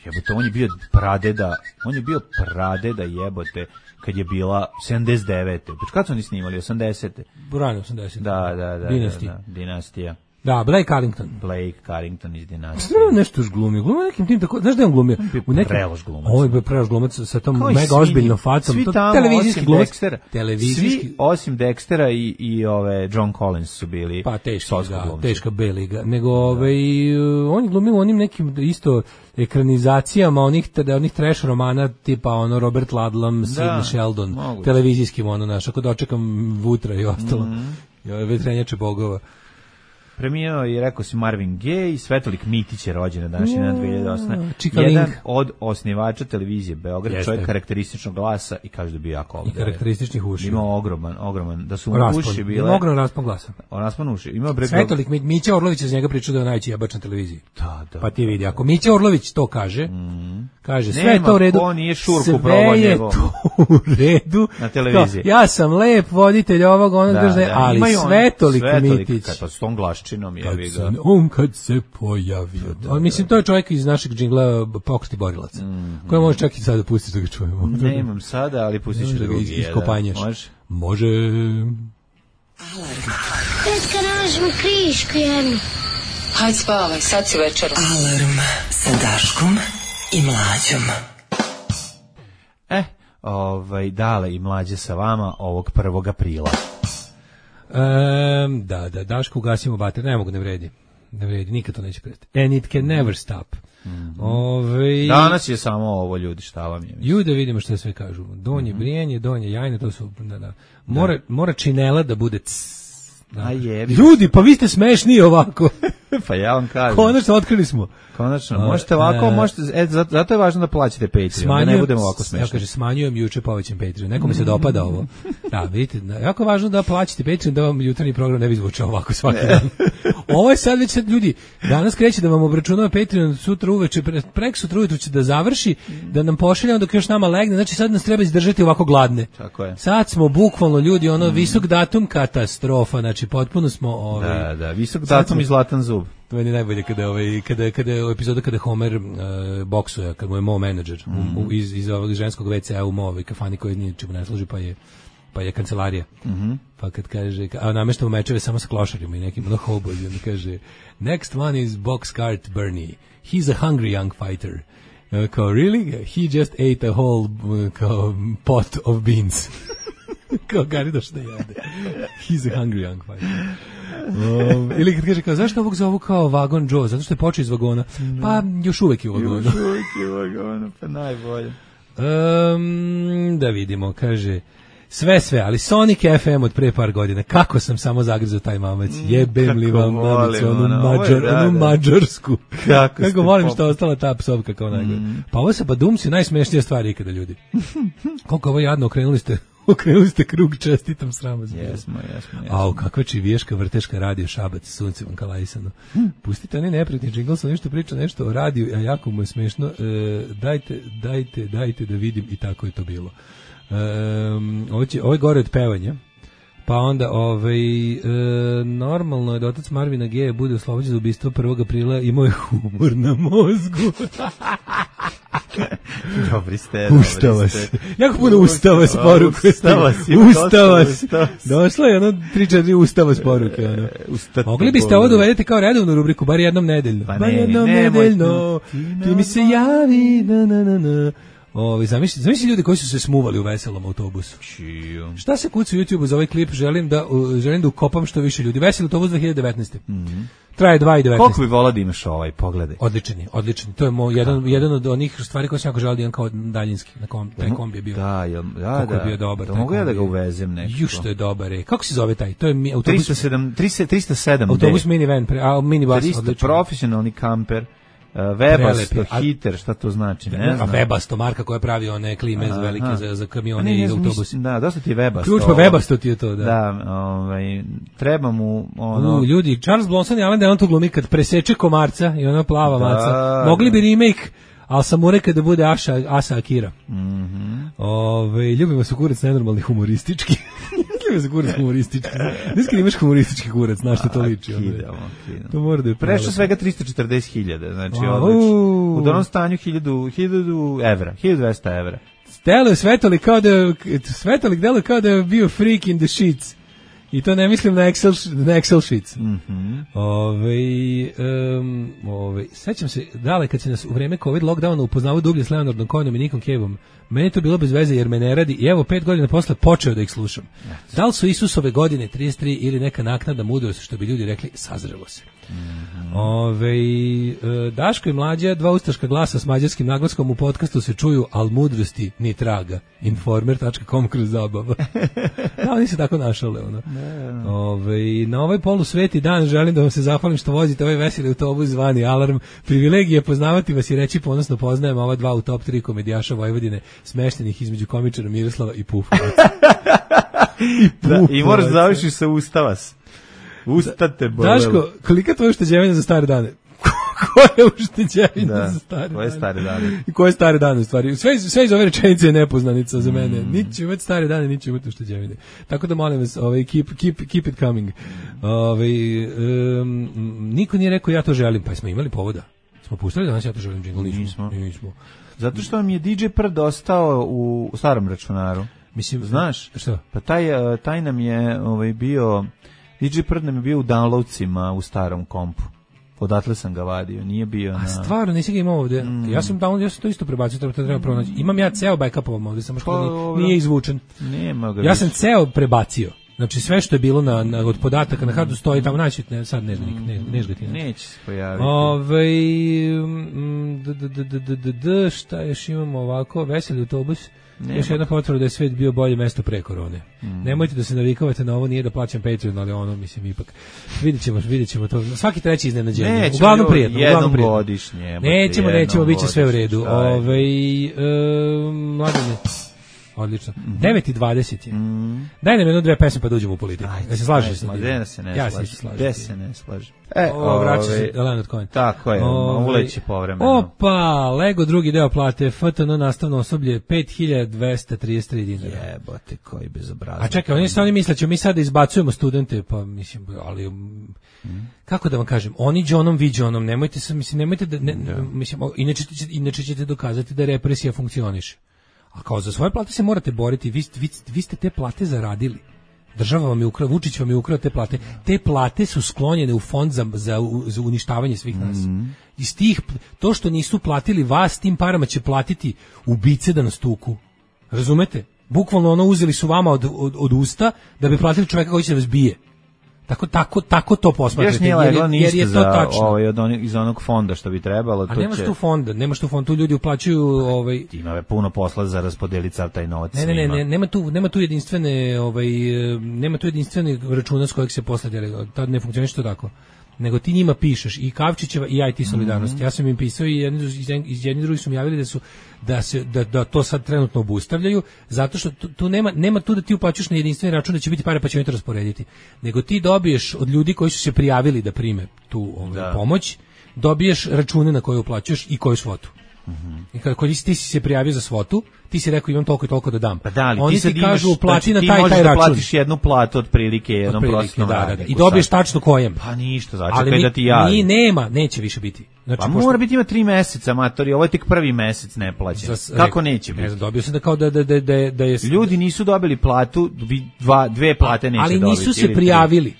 S7: Jebote, on je bio pradeda, on je bio pradeda jebote kad je bila sedamdeset devete. Pa kad su oni snimali? osamdesete.
S6: Rano osamdesete.
S7: Da, da, da.
S6: Dinastija.
S7: Da, da, dinastija.
S6: Da, Blake Carrington.
S7: Blake Carrington iz dinastije.
S6: Strano nešto još glumio. Glumio nekim tim tako, znaš da je on glumio?
S7: U nekim prelož glumac.
S6: Ovo je bio prelož glumac sa tom mega ozbiljnom facom.
S7: Svi
S6: to
S7: tamo,
S6: televizijski glumac.
S7: Dextera,
S6: televizijski.
S7: Svi osim Dextera i, i ove John Collins su bili
S6: pa teški, da, teška B liga. Nego ovaj on je glumio onim nekim isto ekranizacijama onih onih trash romana tipa ono Robert Ludlum, Sidney Sheldon, moguće. Televizijskim ono naš, ako dočekam Vutra i ostalo. Mm -hmm. Vetrenjače bogova.
S7: Preminuo je, rekao si, Marvin Gaye, Svetolik Mitić je rođen na današnji dan dve hiljade osme. Jedan od osnivača televizije Beograd, jeste. Čovjek karakterističnog glasa i kaže da bi jako ovdje.
S6: I karakterističnih uši.
S7: Imao ogroman, ogroman, da su mu uši bile.
S6: Imao ogroman raspon glasa.
S7: Raspon uši. Imao breg...
S6: Svetolik Mića Orlović iz njega pričao da je najveći jebač na televiziji.
S7: Da, da.
S6: Pa ti vidi, ako Mića Orlović to kaže, mm. kaže sve
S7: nema
S6: to u redu.
S7: Ko nije šurku probao njegov.
S6: Sve je to u redu.
S7: Na televiziji.
S6: To, ja sam lep voditelj ovog onog da, države, da, ali Svetolik Mitić.
S7: Kad pa s tom glaščinom je vi ga.
S6: On kad se pojavio. Da, on, mislim, to je čovjek iz našeg džingla Pokreti borilaca. Mm, koje može čak i sada pustiti da ga čujemo.
S7: Ne imam sada, ali pustit ću drugi.
S6: Iz, iskopanješ.
S7: Može?
S6: Može.
S15: Alarm. Tetka, nalažemo krišku jednu.
S4: Hajde spavaj, sad si večera.
S15: Alarm sa Daškom i Mlađom.
S7: Eh, ovaj, Dale i Mlađe sa vama ovog prvog aprila.
S6: Um, da, da, Daško ugasimo bater, ne mogu, ne vredi. Ne vredi, nikad to neće prestati. And it can never stop.
S7: Mm-hmm.
S6: Ove...
S7: Danas je samo ovo, ljudi, šta vam je?
S6: Ju da vidimo što sve kažu. Donje mm-hmm. brijanje, donje jajne, to su... Da, da. Mora, da. mora činela da bude... Cs, da.
S7: A jebi.
S6: Ljudi, pa vi ste smešni ovako.
S7: Pa ja vam kažem.
S6: Konačno otkrili smo.
S7: Konačno, možete ovako, uh, možete, e, zato, zato je važno da plaćate Patreon, da ne budemo ovako smešni.
S6: Ja kaže, smanjujem juče povećam Patreon. Nekome se dopada ovo. Da, vidite, jako je važno da plaćate Patreon, da vam jutarnji program ne bi zvučao ovako svaki dan. Ovo je sad već sad, ljudi, danas kreće da vam obračunava Patreon, sutra uveče, pre, prek sutra ujutru će da završi, da nam pošalje, dok još nama legne, znači sad nas treba izdržati ovako gladne.
S7: Tako je.
S6: Sad smo bukvalno, ljudi, ono, mm. visok datum katastrofa, znači potpuno smo... Ovaj,
S7: da, da, visok datum smo, i zlatan zub.
S6: To je najbolje kada ovaj kada kada je epizoda kada Homer uh, boksuje, kad mu je Mo menadžer mm. u, iz iz ovog ženskog ve cea u Movoj kafani koji ničemu ne služi, pa je pa je kancelarija.
S7: Mm-hmm.
S6: Pa kad kaže, a nameštamo mečeve samo sa klošarima i nekim hobolji, onda kaže next one is box cart Bernie. He's a hungry young fighter. Uh, kao, really? He just ate a whole uh, kao, pot of beans. Kao, Gari došao da jede. He's a hungry young fighter. Um, ili kad kaže kao, zašto ovog zovu kao Vagon Joe? Zato što je počeo iz vagona. Pa, još uvek je u vagonu.
S7: Još uvek je u vagonu, pa najbolje.
S6: Um, da vidimo, kaže... Sve, sve, ali Sonic F M od pre par godina. Kako sam samo zagrizao taj mamac. Jebem li vam mamicu, onu, mađar, da, onu da. mađarsku. Kako, Kako volim pop... što je ostala ta psovka kao najgore. Mm. Pa ovo sa Badumci je najsmešnija stvar ikada, ljudi. Koliko ovo jadno, okrenuli ste, okrenuli ste krug, čestitam srama.
S7: Jesmo, jesmo, jesmo.
S6: Au, kakva čiviješka vrteška radio Šabac, sunce vam kalajsano. Hmm. Pustite oni neprijatni džingl, sam nešto priča nešto o radiju, a jako mu je smešno. E, dajte, dajte, dajte da vidim i tako je to bilo. Um, ovo, će, ovo je gore od pevanja. Pa onda ovaj, e, normalno je da otac Marvina Gaye bude oslobođen za ubistvo prvog aprila, imao je humor na mozgu.
S7: Dobri ste,
S6: Ustava se. Jako puno ustava s poruke.
S7: Ustava si.
S6: Ustava si. Došlo je jedno tri četiri ustava s poruke. Ono. Mogli biste ovo dovedete kao redovnu rubriku, bar jednom nedeljno.
S7: Pa
S6: bar
S7: ne,
S6: jednom
S7: ne,
S6: nedeljno. Ti mi se javi. Na, na, na, na. Ovi, zamisli, zamisli ljudi koji su se smuvali u veselom autobusu.
S7: Čiju.
S6: Šta se kuca u YouTubeu za ovaj klip? Želim da, uh, želim da ukopam što više ljudi. Veseli autobus dve hiljade devetnaeste.
S7: Mm-hmm.
S6: Traje dva i devetnaeste.
S7: Koliko bi volao da imaš ovaj, pogledaj.
S6: Odličan je, odličan. To je moj, jedan, jedan od onih stvari koje sam jako želio da imam kao daljinski. Na kom, taj kombi je bio.
S7: Da, jel, da,
S6: Kako
S7: da.
S6: je bio dobar.
S7: Da mogu ja da ga uvezem nekako.
S6: Ju što je dobar. Je. Kako se zove taj? To je mi, autobus.
S7: tristo sedam, tristo sedam
S6: Autobus minivan, pre, a minibus.
S7: tristo profesionalni kamper. Uh, Webasto, hiter, šta to znači? Ne znam.
S6: A Webasto, marka koja pravi one klime za velike za, za kamione i autobuse.
S7: Da, dosta ti je Webasto.
S6: Ključ pa Webasto ti je to, da.
S7: Da, ovaj, treba mu ono...
S6: U, ljudi, Charles Bronson i Alan Delon to glumi kad preseče komarca i ona plava
S7: da,
S6: maca. Mogli bi remake, ali sam mu rekao da bude Aša, Asa Akira.
S7: Mm-hmm.
S6: Ove, ljubimo se kurac nenormalni humoristički. Ljubimo se kurac humoristički. Niska imaš humoristički kurac, znaš što to liči.
S7: Kidamo, kidamo.
S6: To mora da je
S7: prešlo svega tristo četrdeset hiljada, znači odlično. U donom stanju hiljadu evra, hiljadu dvesta evra.
S6: Deluje Svetolik kao da, Svetolik deluje kao da je bio freak in the sheets. I to ne mislim na Excel, na Excel sheets.
S7: Mm-hmm.
S6: Ove, um, ove, sećam se, dale, kad se nas u vreme COVID lockdowna upoznavao dublje s Leonardom Cohenom i Nikom Caveom, meni je to bilo bez veze jer me ne radi i evo pet godina posle počeo da ih slušam. Da li su Isusove godine trideset tri ili neka naknada mudrost, što bi ljudi rekli, sazrelo se.
S7: Mm-hmm.
S6: Ove, Daško i Mlađa, dva ustaška glasa s mađarskim naglaskom u podcastu se čuju, al mudrosti ni traga. informer tačka com kroz zabava. Da, oni se tako našale. Ono. Ove, na ovaj polusveti dan želim da vam se zahvalim što vozite ovaj veseli autobus zvani Alarm. Privilegija poznavati vas i reći ponosno poznajem ova dva u top tri komedijaša Vojvodine, smeštenih između komičara Miroslava i Pufovaca.
S7: I, da, i moraš da završiš sa Ustavas. Ustate bolelo.
S6: Daško, kolika je tvoja ušteđevina za stare dane? Koja je ušteđevina
S7: da,
S6: za stare
S7: koje
S6: dane?
S7: stare dane?
S6: I koje stare dane u stvari? Sve, sve iz ove rečenice je nepoznanica za mene. Mm. Niti ću imati stare dane, niti ću imati ušteđevine. Tako da molim vas, ovaj, keep, keep, keep it coming. Ovaj, um, niko nije rekao ja to želim, pa smo imali povoda. Smo pustili danas ja to želim džingl, nismo.
S7: Nismo.
S6: nismo.
S7: Zato što mi je D J Prd ostao u starom računaru.
S6: Mislim,
S7: znaš?
S6: Što?
S7: Pa taj, taj nam je ovaj, bio... D J Prd nam je bio u downloadsima u starom kompu. Odatle sam ga vadio, nije bio na...
S6: A stvarno, nisi ga imao ovde? Mm. Ja sam download, ja sam to isto prebacio, treba, treba pronaći. Imam ja ceo backup ovom ovde, samo što pa, nije, nije izvučen.
S7: Nema ga.
S6: Ja sam ceo prebacio. Znači sve što je bilo na, na od podataka na hardu stoji tamo, naći, ne, sad ne, ne, ne, ne, ne
S7: neće se pojaviti.
S6: Ove, d, d, d, d, d, d, d, šta još imamo ovako, veseli autobus. Nema. Još jedna potvrda da je svet bio bolje mesto pre korone. Mm. Nemojte da se navikavate na ovo, nije da plaćam Patreon, ali ono, mislim, ipak. Vidjet ćemo, vidjet ćemo to. Svaki treći iznenađenje.
S7: Nećemo,
S6: uglavnom prijetno.
S7: Jednom godišnje.
S6: Nećemo, nećemo, bit će sve u redu. Ove, um, mladine. Odlično. Mm-hmm. devet i dvadeset je. Mm. Daj nam jedno dve pesme pa da uđemo u politiku. Ja se slažeš sa tim?
S7: Gde se ne
S6: ja
S7: slažem?
S6: se slažem.
S7: Gde se ne slažem? E,
S6: o, vraća se Leonard Cohen.
S7: Tako je, uleće povremeno.
S6: Opa, Lego drugi deo plate, F T N nastavno osoblje, pet hiljada dvesta trideset tri dinara.
S7: Jebote, koji bezobrazan.
S6: A čekaj, oni se oni misle, ćemo mi sad da izbacujemo studente, pa mislim, ali... Mm. Kako da vam kažem, oni džonom, vi džonom, nemojte se, mislim, nemojte da... Ne, da. Mislim, inače, inače ćete dokazati da represija funkcioniše. A kao za svoje plate se morate boriti, vi, vi, vi ste te plate zaradili. Država vam je ukrao, Vučić vam je ukrao te plate. Te plate su sklonjene u fond za, za, za uništavanje svih nas. Mm. Iz tih, to što nisu platili vas, tim parama će platiti ubice da nas tuku. Razumete? Bukvalno ono uzeli su vama od, od, od usta da bi platili čoveka koji će da vas bije. Tako, tako, tako to posmatrate, jer, jer, jer je to tačno.
S7: Ovaj, od onih, iz onog fonda što bi trebalo.
S6: A
S7: to
S6: nemaš
S7: će...
S6: tu fonda, nemaš tu fond, tu ljudi uplaćuju... Ovaj...
S7: Ima puno posla za raspodeliti sav taj novac.
S6: Ne, ne, ne, ne, nema tu, nema tu jedinstvene, ovaj, nema tu jedinstvene računa s kojeg se posle deli, tad ne funkcioniše to tako. Nego ti njima pišeš i Kavčićeva i I T solidarnost. Mm-hmm. Ja sam im pisao i jedni, iz jedni drugi su mi javili da su da se da, da to sad trenutno obustavljaju zato što tu, tu nema nema tu da ti uplaćuješ na jedinstveni račun da će biti pare pa će oni to rasporediti. Nego ti dobiješ od ljudi koji su se prijavili da prime tu ovaj, da. pomoć, dobiješ račune na koje uplaćuješ i koju svotu. Mm-hmm. I kada ti, ti si se prijavio za svotu, ti si rekao imam toliko i toliko da dam.
S7: Pa da, ali
S6: oni
S7: ti, sad
S6: ti kažu
S7: imaš,
S6: uplati
S7: znači,
S6: na taj taj račun.
S7: Ti možeš da platiš jednu platu otprilike jednom prosječnom
S6: da,
S7: radniku.
S6: Da, da. I dobiješ tačno kojem.
S7: Pa ništa, začekaj da ti javi.
S6: Ni nema, neće više biti.
S7: Znači, pa pošto... mora biti ima tri meseca, matori, ovo je tek prvi mesec neplaćen. Za, Kako ne, neće biti? Ne znam,
S6: dobio sam da kao da, da, da, da, da je...
S7: Ljudi nisu dobili platu, dva, dve plate neće
S6: ali
S7: dobiti.
S6: Ali nisu se prijavili.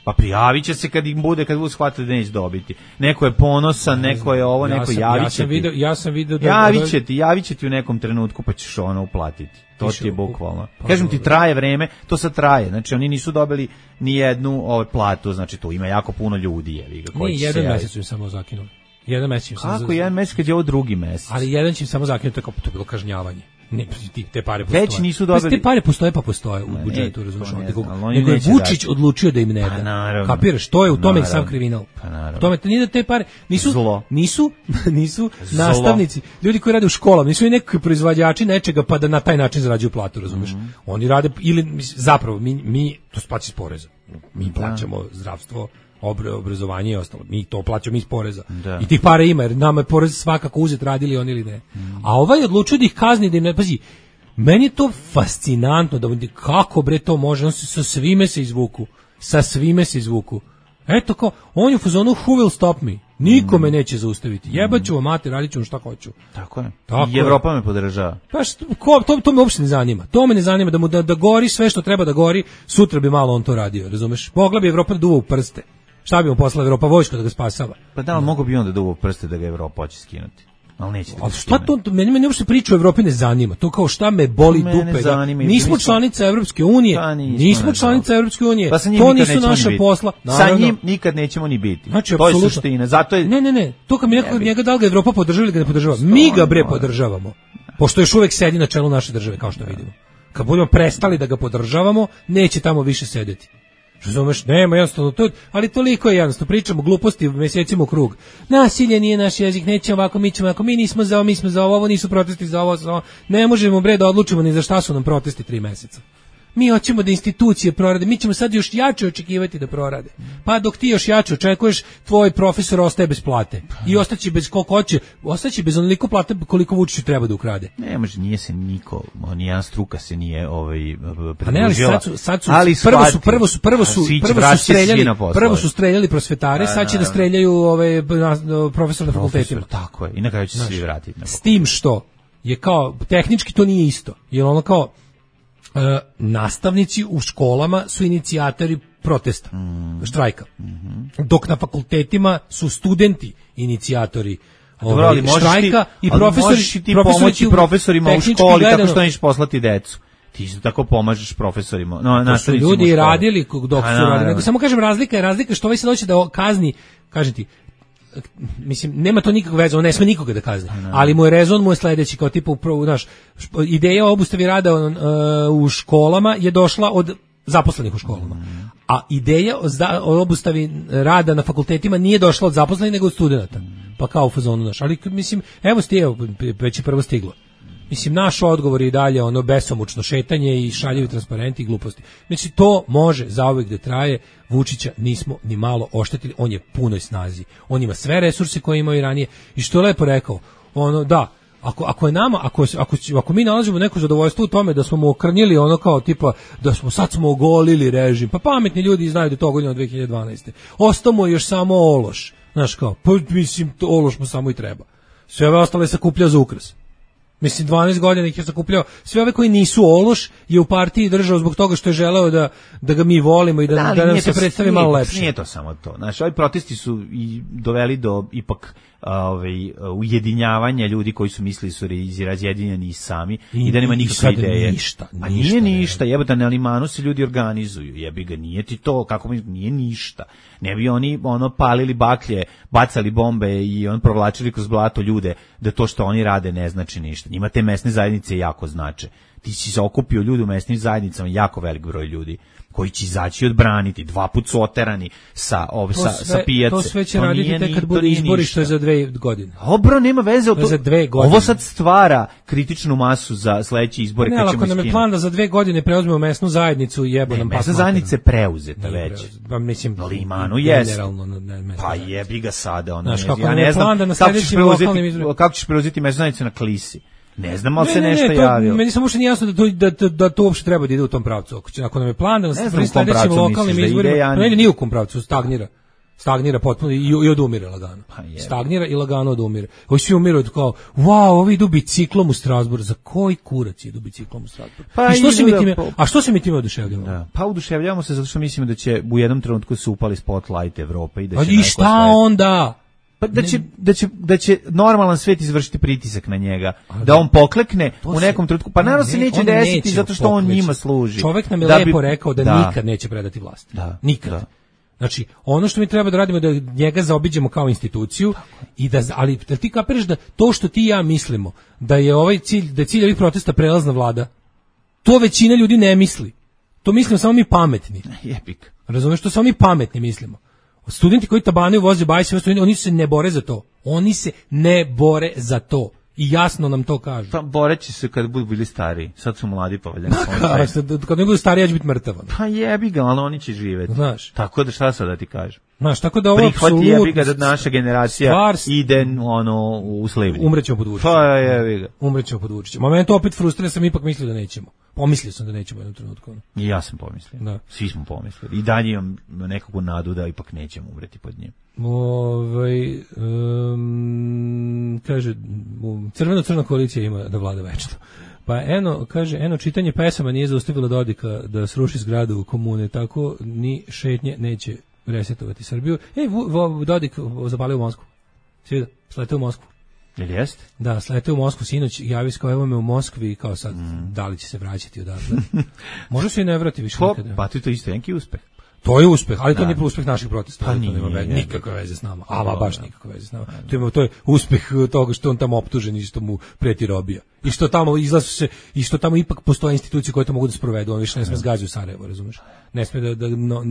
S7: Pa prijavit će se kad im bude, kad budu shvatili da neće dobiti. Neko je ponosan, neko je ovo, neko ja javit će
S6: ja ti. Ja sam vidio da...
S7: Javit će ti, javit će ti u nekom trenutku pa ćeš ono uplatiti. To ti je bukvalno. Pa, kažem ti, traje vreme, to sad traje. Znači, oni nisu dobili ni jednu ovaj, platu, znači tu ima jako puno ljudi. Je, koji
S6: Ni jedan mesec su im samo zakinuli. Jedan mesec im
S7: samo... Kako jedan mesec kad je ovo drugi mesec?
S6: Ali jedan će im samo zakinuti, to je bilo kažnjavanje. Ne, te pare postoje.
S7: Već nisu dobili.
S6: Te pare postoje pa postoje u budžetu, razumiješ? Nego je Vučić odlučio da im ne da.
S7: Pa naravno.
S6: Kapiraš, to je u tome sam kriminal.
S7: Pa naravno.
S6: U tome nije da te pare nisu
S7: Zlo.
S6: nisu nisu Zlo. nastavnici, ljudi koji rade u školama, nisu i neki proizvođači nečega pa da na taj način zarađuju platu, razumiješ? Mm-hmm. Oni rade ili zapravo mi mi to plaćamo iz poreza. Mi plaćamo zdravstvo, obrazovanje i ostalo. Mi to plaćamo iz poreza. Da. I tih para ima, jer nama je porez svakako uzet, radili oni ili ne. Mm. A ovaj odlučuje da ih kazni, da im ne, pazi, meni je to fascinantno, da kako bre to može, on se sa svime se izvuku, sa svime se izvuku. Eto kao, on je u fazonu who will stop me, niko me mm. neće zaustaviti, jebaću vam mater, radit ću vam šta hoću.
S7: Tako je, tako i Evropa je. Me podržava.
S6: Pa što, ko, to, to me uopšte ne zanima, to me ne zanima, da mu da, da gori sve što treba da gori, sutra bi malo on to radio, razumeš, mogla bi Evropa da duva u prste. Šta bi mu poslala Evropa vojsko da ga spasava?
S7: Pa da, ali mogu bi onda da uvo prste da ga Evropa hoće skinuti. Ali neće da.
S6: Ali šta to, meni meni uopšte priča o Evropi ne zanima. To kao šta me boli to dupe. Da, nismo mi članica Evropske unije. Pa nismo, nismo članica Evropske unije.
S7: Pa
S6: to nisu naša posla.
S7: Naravno. Sa njim nikad nećemo ni biti.
S6: Znači,
S7: to je suština. Zato je...
S6: Ne, ne, ne. To kad mi neko njega da li ga Evropa podržava ili ga ne podržava. Mi ga bre podržavamo. Pošto još uvek sedi na čelu naše države, kao što vidimo. Kad budemo prestali da ga podržavamo, neće tamo više sedeti. Razumeš, nema jednostavno to, ali toliko je jednostavno, pričamo gluposti mesecima u krug. Nasilje nije naš jezik, nećemo ovako, mi ćemo ovako, mi nismo za ovo, mi smo za ovo, ovo nisu protesti za ovo, za ovo. Ne možemo bre da odlučimo ni za šta su nam protesti tri meseca. Mi hoćemo da institucije prorade, mi ćemo sad još jače očekivati da prorade. Pa dok ti još jače očekuješ, tvoj profesor ostaje bez plate. I ostaće bez koliko hoće, ostaće bez onoliko plate koliko Vučiću treba da ukrade.
S7: Ne može, nije se niko, nijedan struka se nije ovaj
S6: pa ne, ali sad su, sad su, ali prvo su, prvo su, prvo su, prvo su streljali, prvo su streljali prosvetare, sad će da streljaju ove profesore na fakultetima.
S7: Tako je, i na kraju će se svi vratiti.
S6: S tim što je kao, tehnički to nije isto, jer ono kao, Uh, nastavnici u školama su inicijatori protesta, mm. štrajka. Mm-hmm. Dok na fakultetima su studenti inicijatori
S7: Dobro, ali štrajka
S6: ti, i profesori.
S7: Možeš i ti pomoći profesorima u školi gledano, tako što nećeš poslati decu. Ti isto tako pomažeš profesorima. No,
S6: to su ljudi radili dok su radili. Nego samo kažem, razlika je razlika što ovaj se doći da kazni, kažem ti, mislim, nema to nikakve veze, on ne sme nikoga da kazni, ali mu je rezon, mu je sledeći, kao tipa, naš, ideja o obustavi rada uh, u školama je došla od zaposlenih u školama, a ideja o, zda, o obustavi rada na fakultetima nije došla od zaposlenih, nego od studenta, pa kao u fazonu naš, ali mislim, evo sti, evo, već je prvo stiglo. Mislim, naš odgovor je i dalje ono besomučno šetanje i šaljivi transparenti i gluposti. Znači, to može zauvek da traje. Vučića nismo ni malo oštetili, on je punoj snazi. On ima sve resurse koje imao i ranije. I što je lepo rekao, ono, da, ako, ako je nama, ako, ako, ako mi nalazimo neko zadovoljstvo u tome da smo mu okrnjili ono kao tipa, da smo sad smo ogolili režim, pa pametni ljudi znaju da je to ogoljeno od dve hiljade dvanaeste. Ostao mu je još samo ološ. Znaš kao, pa mislim, to ološ mu samo i treba. Sve ove ostale se kuplja za ukras. Mislim, dvanaest godina ih je sakupljao. Sve ove koji nisu ološ je u partiji držao zbog toga što je želeo da, da ga mi volimo i da, da, da nam se predstavi malo lepše.
S7: Nije to samo to. Znači, ovi protesti su i doveli do ipak ovaj ujedinjavanja ljudi koji su mislili su razjedinjeni i sami i, i da nema nikakve ideje.
S6: Ništa,
S7: a
S6: ništa,
S7: nije ništa, jebote, na Limanu se ljudi organizuju. Jebi ga, nije ti to, kako mi nije ništa. Ne bi oni ono palili baklje, bacali bombe i on provlačili kroz blato ljude da to što oni rade ne znači ništa. Njima te mesne zajednice jako znače. Ti si se okupio ljudi u mesnim zajednicama, jako velik broj ljudi koji će izaći odbraniti, dva put su oterani sa, ov, sa, sve, sa pijace.
S6: To sve će to raditi tek kad bude izbori, što je za dve godine.
S7: Obro, nema veze. To,
S6: za dve godine.
S7: Ovo sad stvara kritičnu masu za sledeći izbore.
S6: Ne, ali ako nam je plan da za dve godine preuzmemo mesnu zajednicu, jebo nam
S7: mesna zajednica je preuzeta već.
S6: Pa mislim,
S7: Limanu jeste. Pa jebi ga sada. Ono, znaš, kako ja ne znam, da kako ćeš preuzeti mesnu zajednicu na Klisi. Ne znam, ali se ne, nešto ne, to, javio.
S6: Meni samo što nije jasno da to, da, da, da to uopšte treba da ide u tom pravcu. Ako, ako nam je plan da nas pri sledećim lokalnim izborima, da ne ide ni u kom pravcu, stagnira. Stagnira potpuno i, i odumire lagano. Pa stagnira i lagano odumire. Ovi svi umiru kao, wow, ovi idu biciklom u Strasbourg. Za koji kurac idu biciklom u Strasbourg? Pa I što se mi time, po... A što se mi time oduševljamo?
S7: Da. Pa oduševljavamo se zato što mislimo da će u jednom trenutku se upali spotlight Evrope i da će
S6: I šta
S7: svet...
S6: onda?
S7: Pa da će, da će da će normalan svet izvršiti pritisak na njega, da on poklekne u nekom trenutku. Pa naravno se neće desiti zato što on njima služi.
S6: Čovjek nam je lepo rekao da, da nikad neće predati vlast. Da, nikad. Da. Znači, ono što mi treba da radimo je da njega zaobiđemo kao instituciju i da, ali da ti kapiraš da to što ti i ja mislimo da je ovaj cilj, da je cilj ovih protesta prelazna vlada, to većina ljudi ne misli. To mislimo samo mi pametni.
S7: Jebik.
S6: Razumeš, to samo mi pametni mislimo. Studenti koji tabanaju voze bajse, oni se ne bore za to. Oni se ne bore za to. I jasno nam to kažu.
S7: Pa boreći se kad budu bili stariji. Sad su mladi pa valjda.
S6: Kad ne budu stariji, ja ću biti mrtav.
S7: Pa jebi ga, ali oni će živjeti.
S6: Znaš.
S7: Tako da šta sad da ti kažem?
S6: Znaš, tako da ovo
S7: prihvati jebi ga da naša generacija stvar, ide ono u slivljenje.
S6: Umrećemo pod Vučićem.
S7: Pa jebi ga.
S6: Umrećemo pod Vučićem. Moment opet frustrira, sam ipak mislio da nećemo. Pomislio sam da nećemo u jednom trenutku.
S7: I ja sam pomislio. Da. Svi smo pomislili. I dalje imam nekakvu nadu da ipak nećemo umreti pod njim.
S6: Ovaj um, kaže crveno-crna koalicija ima da vlada večno. Pa eno, kaže, eno čitanje pesama nije zaustavilo Dodika da sruši zgradu komune, tako ni šetnje neće resetovati Srbiju. Ej, Dodik zapalio u Moskvu. Svi da, sleteo u Moskvu.
S7: Ili jeste?
S6: Da, sleteo u Moskvu sinoć, javio se kao evo me u Moskvi i kao sad, mm. da li će se vraćati odatle. Može se i ne vrati više nikada.
S7: Pa to je isto neki uspeh.
S6: To je uspeh, ali to nije uspeh naših protesta.
S7: Pa
S6: to
S7: nije,
S6: nema veze, nikakve veze s nama. Ama baš nikakve veze s nama. To je, to je uspeh toga što on tamo optužen i što mu preti robija. I što tamo izlazu se, i što tamo ipak postoje institucije koje to mogu da sprovedu. On više ne sme zgađati u Sarajevo, razumeš? Ne sme da, da no,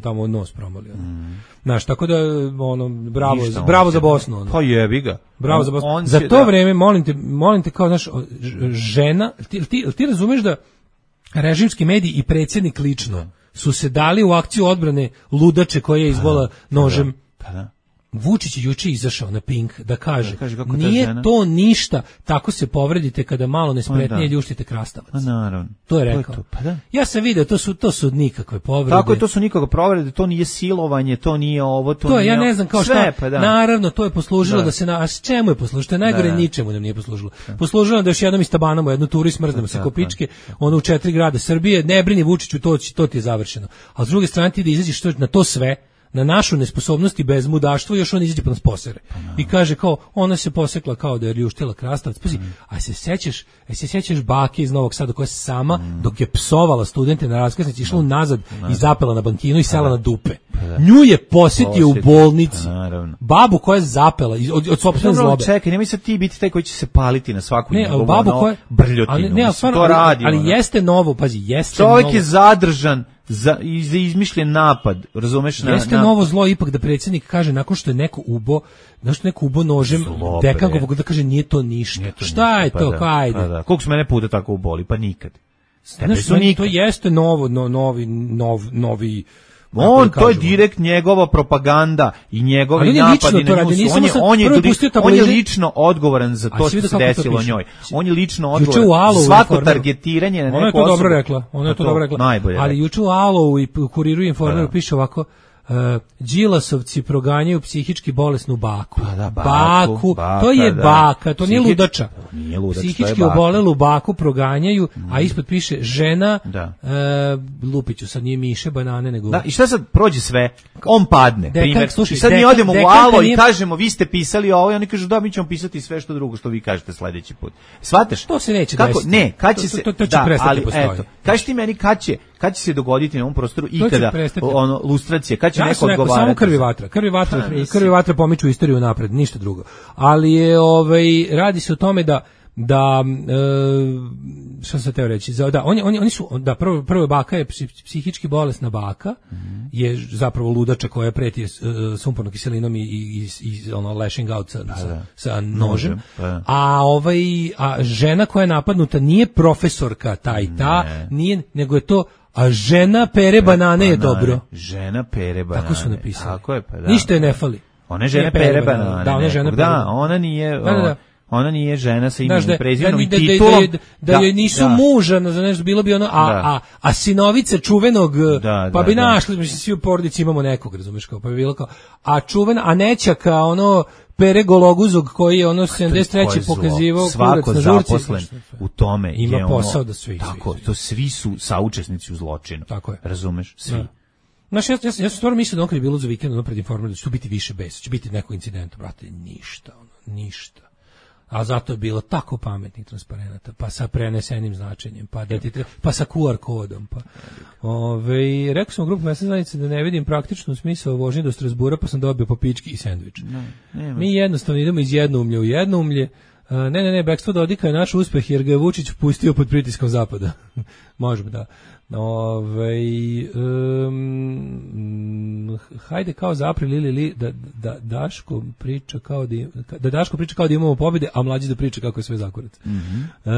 S6: tamo nos promoli. Mm. Znaš, tako da, ono, bravo, Ništa, bravo za Bosnu. Ono.
S7: Pa jebi ga.
S6: Bravo on, za Bosnu. Za to da... vreme, molim te, molim te kao, znaš, žena, ti, ti, ti razumeš da režimski mediji i predsjednik lično su se dali u akciju odbrane ludače koja je izbola nožem.
S7: Pa da.
S6: Vučić je juče izašao na Pink da kaže, da kaže nije to ništa, tako se povredite kada malo nespretnije da. ljuštite krastavac.
S7: A naravno.
S6: To je rekao. To,
S7: pa da.
S6: Ja sam video, to su, to su nikakve povrede.
S7: Tako je, to su nikakve povrede, to nije silovanje, to nije ovo, to,
S6: to
S7: nije...
S6: ja ne znam kao
S7: Sve,
S6: šta,
S7: pa da.
S6: naravno, to je poslužilo da, da se, na, a s čemu je poslužilo? To je najgore, da, da. ničemu nam nije poslužilo. Da. Poslužilo nam da još jednom istabanamo jednu turu i smrznemo se ko pičke, ono u četiri grada Srbije, ne brini Vučiću, to, to ti je završeno. A s druge strane ti da izađeš na to sve, na našu nesposobnost i bezmudaštvo, još on izađe pa nas posere. I kaže kao, ona se posekla kao da je ljuštila krastavac. Pazi, mm. a se sećaš, a se sećaš bake iz Novog Sada koja je sama, mm. dok je psovala studente na raskrsnici, išla nazad i zapela na bankinu i sela na dupe. Nju je posjetio u bolnici. Babu koja je zapela od, od sopstvene zlobe.
S7: Čekaj, nemoj sad ti biti taj koji će se paliti na svaku
S6: ne,
S7: njegovu
S6: babu koja,
S7: brljotinu.
S6: Ali, ne, ali,
S7: stvarno, to radi.
S6: Ali, ali jeste novo, pazi, jeste
S7: Čovjek
S6: novo.
S7: je zadržan za, za izmišljen napad, razumeš? Na,
S6: jeste
S7: na...
S6: novo zlo ipak da predsjednik kaže nakon što je neko ubo, nakon što je neko ubo nožem Dekangovog da kaže nije to ništa. Nije to Šta ništa, je to?
S7: Pa
S6: da, ajde.
S7: Pa da. Koliko su mene puta tako uboli? Pa nikad.
S6: Znaš, su nikad. To jeste novo, no, novi, nov, novi
S7: on, to je direkt njegova propaganda i njegovi napadi na nju. On je, on, je, on je lično odgovoran za to što se desilo njoj. On je lično odgovoran. Svako targetiranje na neku osobu.
S6: Ona je to dobro rekla. Ona je to dobro rekla. Ali juče u Alo i Kuriru Informeru piše ovako, Uh, Đilasovci proganjaju psihički bolesnu baku.
S7: Pa da, baku,
S6: baku
S7: baka,
S6: to je
S7: da.
S6: baka, to nije
S7: Psihič-
S6: ludača.
S7: Nije ludač, to je
S6: Psihički
S7: baka.
S6: obolelu baku proganjaju, mm. a ispod piše žena,
S7: Da.
S6: uh, Lupiću, sad nije miše, banane, nego...
S7: Da, i šta sad prođe sve? On padne,
S6: Dekan,
S7: primjer.
S6: slušaj,
S7: I sad mi
S6: dekan-
S7: odemo u
S6: dekanka
S7: Alo
S6: nije-
S7: i kažemo, vi ste pisali ovo, i oni kažu, da, mi ćemo pisati sve što drugo što vi kažete sledeći put. Shvataš?
S6: To se neće
S7: Kako?
S6: desiti.
S7: Ne, kad
S6: To-
S7: će
S6: to-
S7: se...
S6: to- to će
S7: da,
S6: prestati
S7: ali,
S6: postoji.
S7: eto, kaži ti meni kad će, kad će se dogoditi na ovom prostoru
S6: će
S7: ikada
S6: prestati.
S7: ono, lustracije, kad će
S6: Ja
S7: neko
S6: sam rekao,
S7: odgovarati?
S6: samo krvi vatra. Krvi vatra,
S7: Ha, mislim.
S6: krvi vatra pomiču istoriju napred, ništa drugo. Ali je, ovaj, radi se o tome da da e, šta sam teo reći, za, da oni oni oni su da prvo prvo baka je psi- psihički bolesna baka, mm-hmm. je zapravo ludača koja preti uh, sumpornom kiselinom i i, i ono lashing out sa, sa,
S7: da.
S6: sa nožem.
S7: Pa da.
S6: A ovaj a žena koja je napadnuta nije profesorka ta i ta,
S7: Ne.
S6: nije, nego je to a žena pere banane je dobro.
S7: Žena pere banane.
S6: Tako su napisali.
S7: Tako je, pa da.
S6: Ništa je ne fali.
S7: Ona je žena
S6: Nije
S7: pere
S6: pere
S7: banane.
S6: banane. Da, ona je žena
S7: nekog.
S6: pere
S7: Da,
S6: banane.
S7: ona nije...
S6: Da, da, da.
S7: Ona nije žena sa
S6: Znaš,
S7: imenom
S6: da,
S7: i prezimenom
S6: da,
S7: i
S6: da, da,
S7: titulom.
S6: da, da, da joj nisu
S7: da.
S6: muža, za nešto bilo bi ono, a,
S7: Da.
S6: a, a sinovice čuvenog,
S7: Da,
S6: pa
S7: da,
S6: bi
S7: da.
S6: našli, mislim, svi u porodici imamo nekog, razumeš, kao, pa bi bilo kao, a čuvena, a nećaka, ono, Pere Gologuzog, koji je ono sedamdeset treće
S7: Koje zlo.
S6: pokazivao kurac
S7: Svako
S6: na žurci.
S7: zaposlen u tome
S6: Ima
S7: je ono,
S6: posao da svi,
S7: tako,
S6: svi, svi.
S7: to svi su saučesnici u zločinu.
S6: Tako je.
S7: Razumeš? Svi.
S6: Da. Znaš, ja, ja, ja sam stvarno mislio da on kad je bilo za vikend, ono pred informer, da će tu biti više besa, će biti nekog incidenta, brate, ništa, ono, ništa. A zato je bilo tako pametnih transparenata, pa sa prenesenim značenjem, pa da ti treba, pa sa Q R kodom, pa. Ove, rekao sam u grupu mesne zajednice da ne vidim praktičnu smisao vožnje do Strasbura, pa sam dobio po pički i sendvič.
S7: Ne,
S6: Mi jednostavno idemo iz jednoumlje u jednoumlje. Uh, ne, ne, ne, Bekstvo Dodika je naš uspeh jer ga je Vučić pustio pod pritiskom zapada. Možemo, da. Ove, um, hajde kao za april ili li, da, da Daško priča kao da, im- da Daško priča kao da imamo pobjede, a mlađi da priča kako je sve zakurac.
S7: Mhm.
S6: Uh,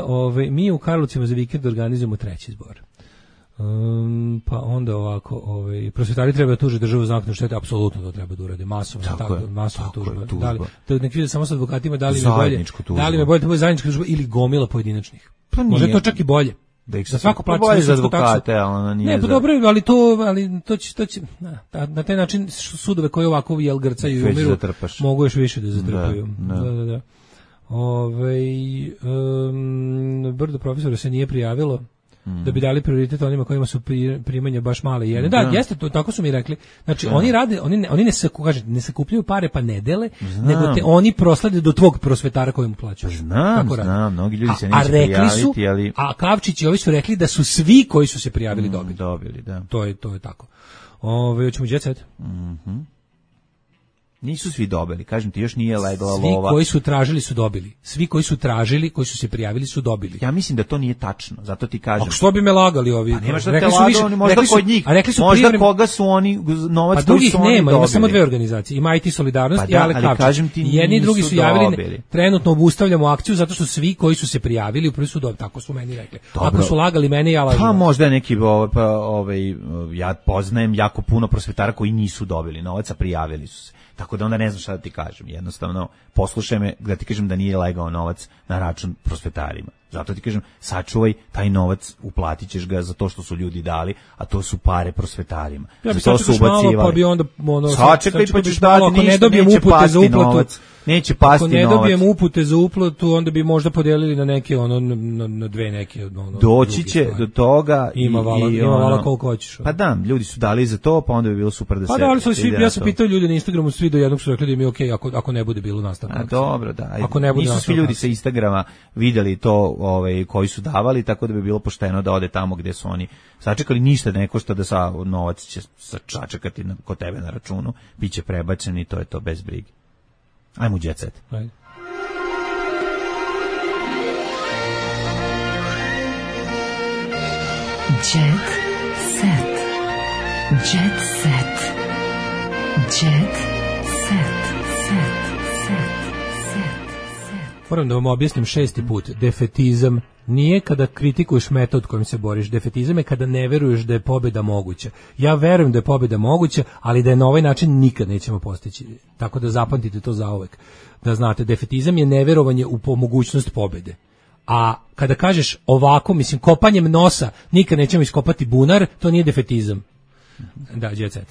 S6: ove, mi u Karlovcima za vikend organizujemo treći zbor. Um, pa onda ovako, ovaj prosvetari treba da tuže državu za naknadu štete, apsolutno to treba da urade masovno,
S7: Tako
S6: tako,
S7: je,
S6: masovna
S7: tako je,
S6: tužba.
S7: tužba.
S6: Da li, to nek vide samo sa advokatima da li mi je bolje,
S7: Zajedničku tužbu.
S6: da li mi je bolje da bude zajednička tužba ili gomila pojedinačnih.
S7: Pa nije.
S6: Možda je to čak i bolje.
S7: Da ih
S6: Da svako plaća
S7: bolje za
S6: svoju sudsku taksu.
S7: advokate, ali ona nije
S6: Ne, pa
S7: za-
S6: dobro, ali to, ali to će, to će na, na taj način sudove koji ovako jel grcaju i
S7: Već
S6: umiru,
S7: zatrpaš.
S6: mogu još više da zatrpaju.
S7: Da,
S6: Da,
S7: da.
S6: da, da. Ovaj, um, brdo profesora se nije prijavilo da bi dali prioritet onima kojima su pri- primanja baš male jedne. Da,
S7: Da.
S6: jeste, to, tako su mi rekli. Znači,
S7: Da.
S6: oni rade, oni ne, oni ne, saku, kaže, ne sakupljaju pare pa ne dele,
S7: Znam.
S6: nego te oni proslede do tvog prosvetara kojemu plaćaš.
S7: Znam,
S6: Tako rade.
S7: znam, mnogi ljudi se
S6: A- a
S7: neće
S6: rekli su,
S7: prijaviti, ali...
S6: A Kavčić i ovi su rekli da su svi koji su se prijavili dobili.
S7: Dobili, da.
S6: To je, to je tako. Ove, hoćemo jet set?
S7: Mhm. Nisu svi dobili, kažem ti, još nije legla
S6: Svi
S7: lova.
S6: koji su tražili su dobili. Svi koji su tražili, koji su se prijavili su dobili.
S7: Ja mislim da to nije tačno, zato ti kažem.
S6: A što bi me lagali ovi?
S7: Pa nema šta te
S6: Rekli su
S7: lagao,
S6: više-
S7: oni možda
S6: rekli su-
S7: kod njih,
S6: a rekli su
S7: možda
S6: privremeno-
S7: koga su oni, novac
S6: Pa
S7: koji
S6: drugih
S7: su oni
S6: nema, ima
S7: dobili.
S6: samo dve organizacije. Ima I T Solidarnost
S7: Pa
S6: i
S7: da,
S6: Ale
S7: ali
S6: Kavčić.
S7: kažem ti,
S6: I jedni i drugi
S7: nisu
S6: su javili, ne,
S7: dobili.
S6: trenutno obustavljamo akciju zato što svi koji su se prijavili u prvi su dobili, tako su meni rekli.
S7: Dobro.
S6: Ako su lagali mene, ja lažem.
S7: Pa možda je neki, ovaj, pa, ovaj, ja poznajem jako puno prosvetara koji nisu dobili novac, a prijavili su se. Tako da onda ne znam šta da ti kažem. Jednostavno, poslušaj me da ti kažem da nije legao novac na račun prosvetarima. Zato ti kažem, sačuvaj taj novac, uplatit ćeš ga za to što su ljudi dali, a to su pare prosvetarima.
S6: Ja bi
S7: za to su
S6: sačekaš malo,
S7: ubacivali.
S6: pa bi onda, ono,
S7: Sačekaj, pa
S6: sačekaj
S7: ćeš
S6: malo,
S7: dati
S6: ako ne
S7: ništa,
S6: dobijem
S7: neće
S6: upute za
S7: pasti
S6: uplatu,
S7: novac. Neće pasti
S6: ako ne
S7: novac.
S6: dobijem upute za uplatu, onda bi možda podelili na neke, ono, na, na dve neke, ono,
S7: Doći
S6: druge
S7: će
S6: stvari.
S7: do toga
S6: Ima
S7: i,
S6: vala,
S7: i
S6: ima vala
S7: ono-
S6: koliko hoćeš.
S7: Pa da, ljudi su dali za to, pa onda bi bilo super da
S6: Pa
S7: se
S6: da, ali su svi,
S7: ide
S6: ja
S7: na
S6: sam
S7: to.
S6: pitao ljude na Instagramu, svi do jednog su rekli da im je okej ako, ako ne bude bilo nastavka.
S7: A dobro, da. Ajde.
S6: Ako ne bude
S7: Nisu svi
S6: nastavka
S7: ljudi
S6: akcije.
S7: sa Instagrama videli to, ovaj, koji su davali, tako da bi bilo pošteno da ode tamo gde su oni sačekali. Ništa ne košta da sa novac će sa- sačekati na, kod tebe na računu, biće prebačen i to je to bez brige. Ajmo u jet set.
S6: Ajde.
S15: Jet set. Jet set. Jet set. Set. Set. Set.
S6: Moram da vam objasnim šesti put. Defetizam nije kada kritikuješ metod kojim se boriš. Defetizam je kada ne veruješ da je pobjeda moguća. Ja verujem da je pobjeda moguća, ali da je na ovaj način nikad nećemo postići. Tako da zapamtite to zauvek. Da znate, defetizam je neverovanje u po- mogućnost pobjede. A kada kažeš ovako, mislim, kopanjem nosa nikad nećemo iskopati bunar, to nije defetizam. Da, jet set.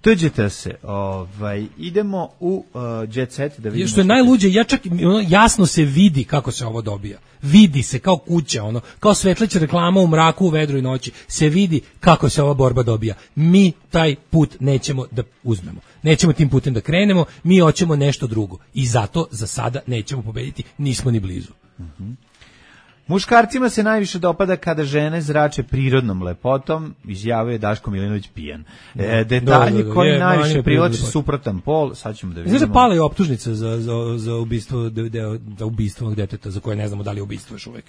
S7: Tuđete se, ovaj, idemo u uh, Jet Set da vidimo.
S6: Što je najluđe, ja čak ono, jasno se vidi kako se ovo dobija. Vidi se kao kuća, ono, kao svetleća reklama u mraku, u vedru i noći. Se vidi kako se ova borba dobija. Mi taj put nećemo da uzmemo. Nećemo tim putem da krenemo, mi hoćemo nešto drugo. I zato za sada nećemo pobediti, nismo ni blizu.
S7: Mhm. Muškarcima se najviše dopada kada žene zrače prirodnom lepotom, izjavio je Daško Milinović pijan. E, detalji
S6: da, da, da,
S7: koji
S6: je,
S7: najviše
S6: je,
S7: privlače
S6: je,
S7: suprotan pol, sad ćemo da vidimo.
S6: Znaš da pala je optužnica za, za, za ubistvo de, de, za ubistvo deteta, za koje ne znamo da li je ubistvo još uvek.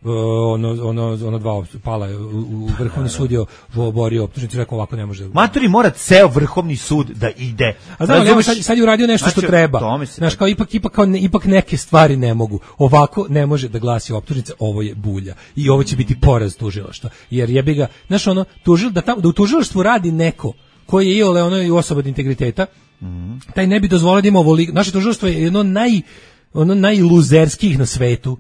S6: Uh, ono, ono, ono dva pala je u, u Vrhovni sud je oborio optužnicu, rekao ovako ne može.
S7: Matori mora ceo Vrhovni sud da ide.
S6: A znam, evo sad, sad je uradio nešto
S7: znači,
S6: što treba. Znaš, kao ipak, ipak, kao ne, ipak neke stvari ne mogu. Ovako ne može da glasi optužnica, ovo je bulja. I ovo će biti poraz tužilaštva. Jer jebi ga, znaš ono, tužil, da, tam, da u tužilaštvu radi neko koji je iole ono i osoba od integriteta, mm. taj ne bi dozvolio da ima ovoliko. Naše tužilaštvo je jedno naj, ono najluzerskih na svetu.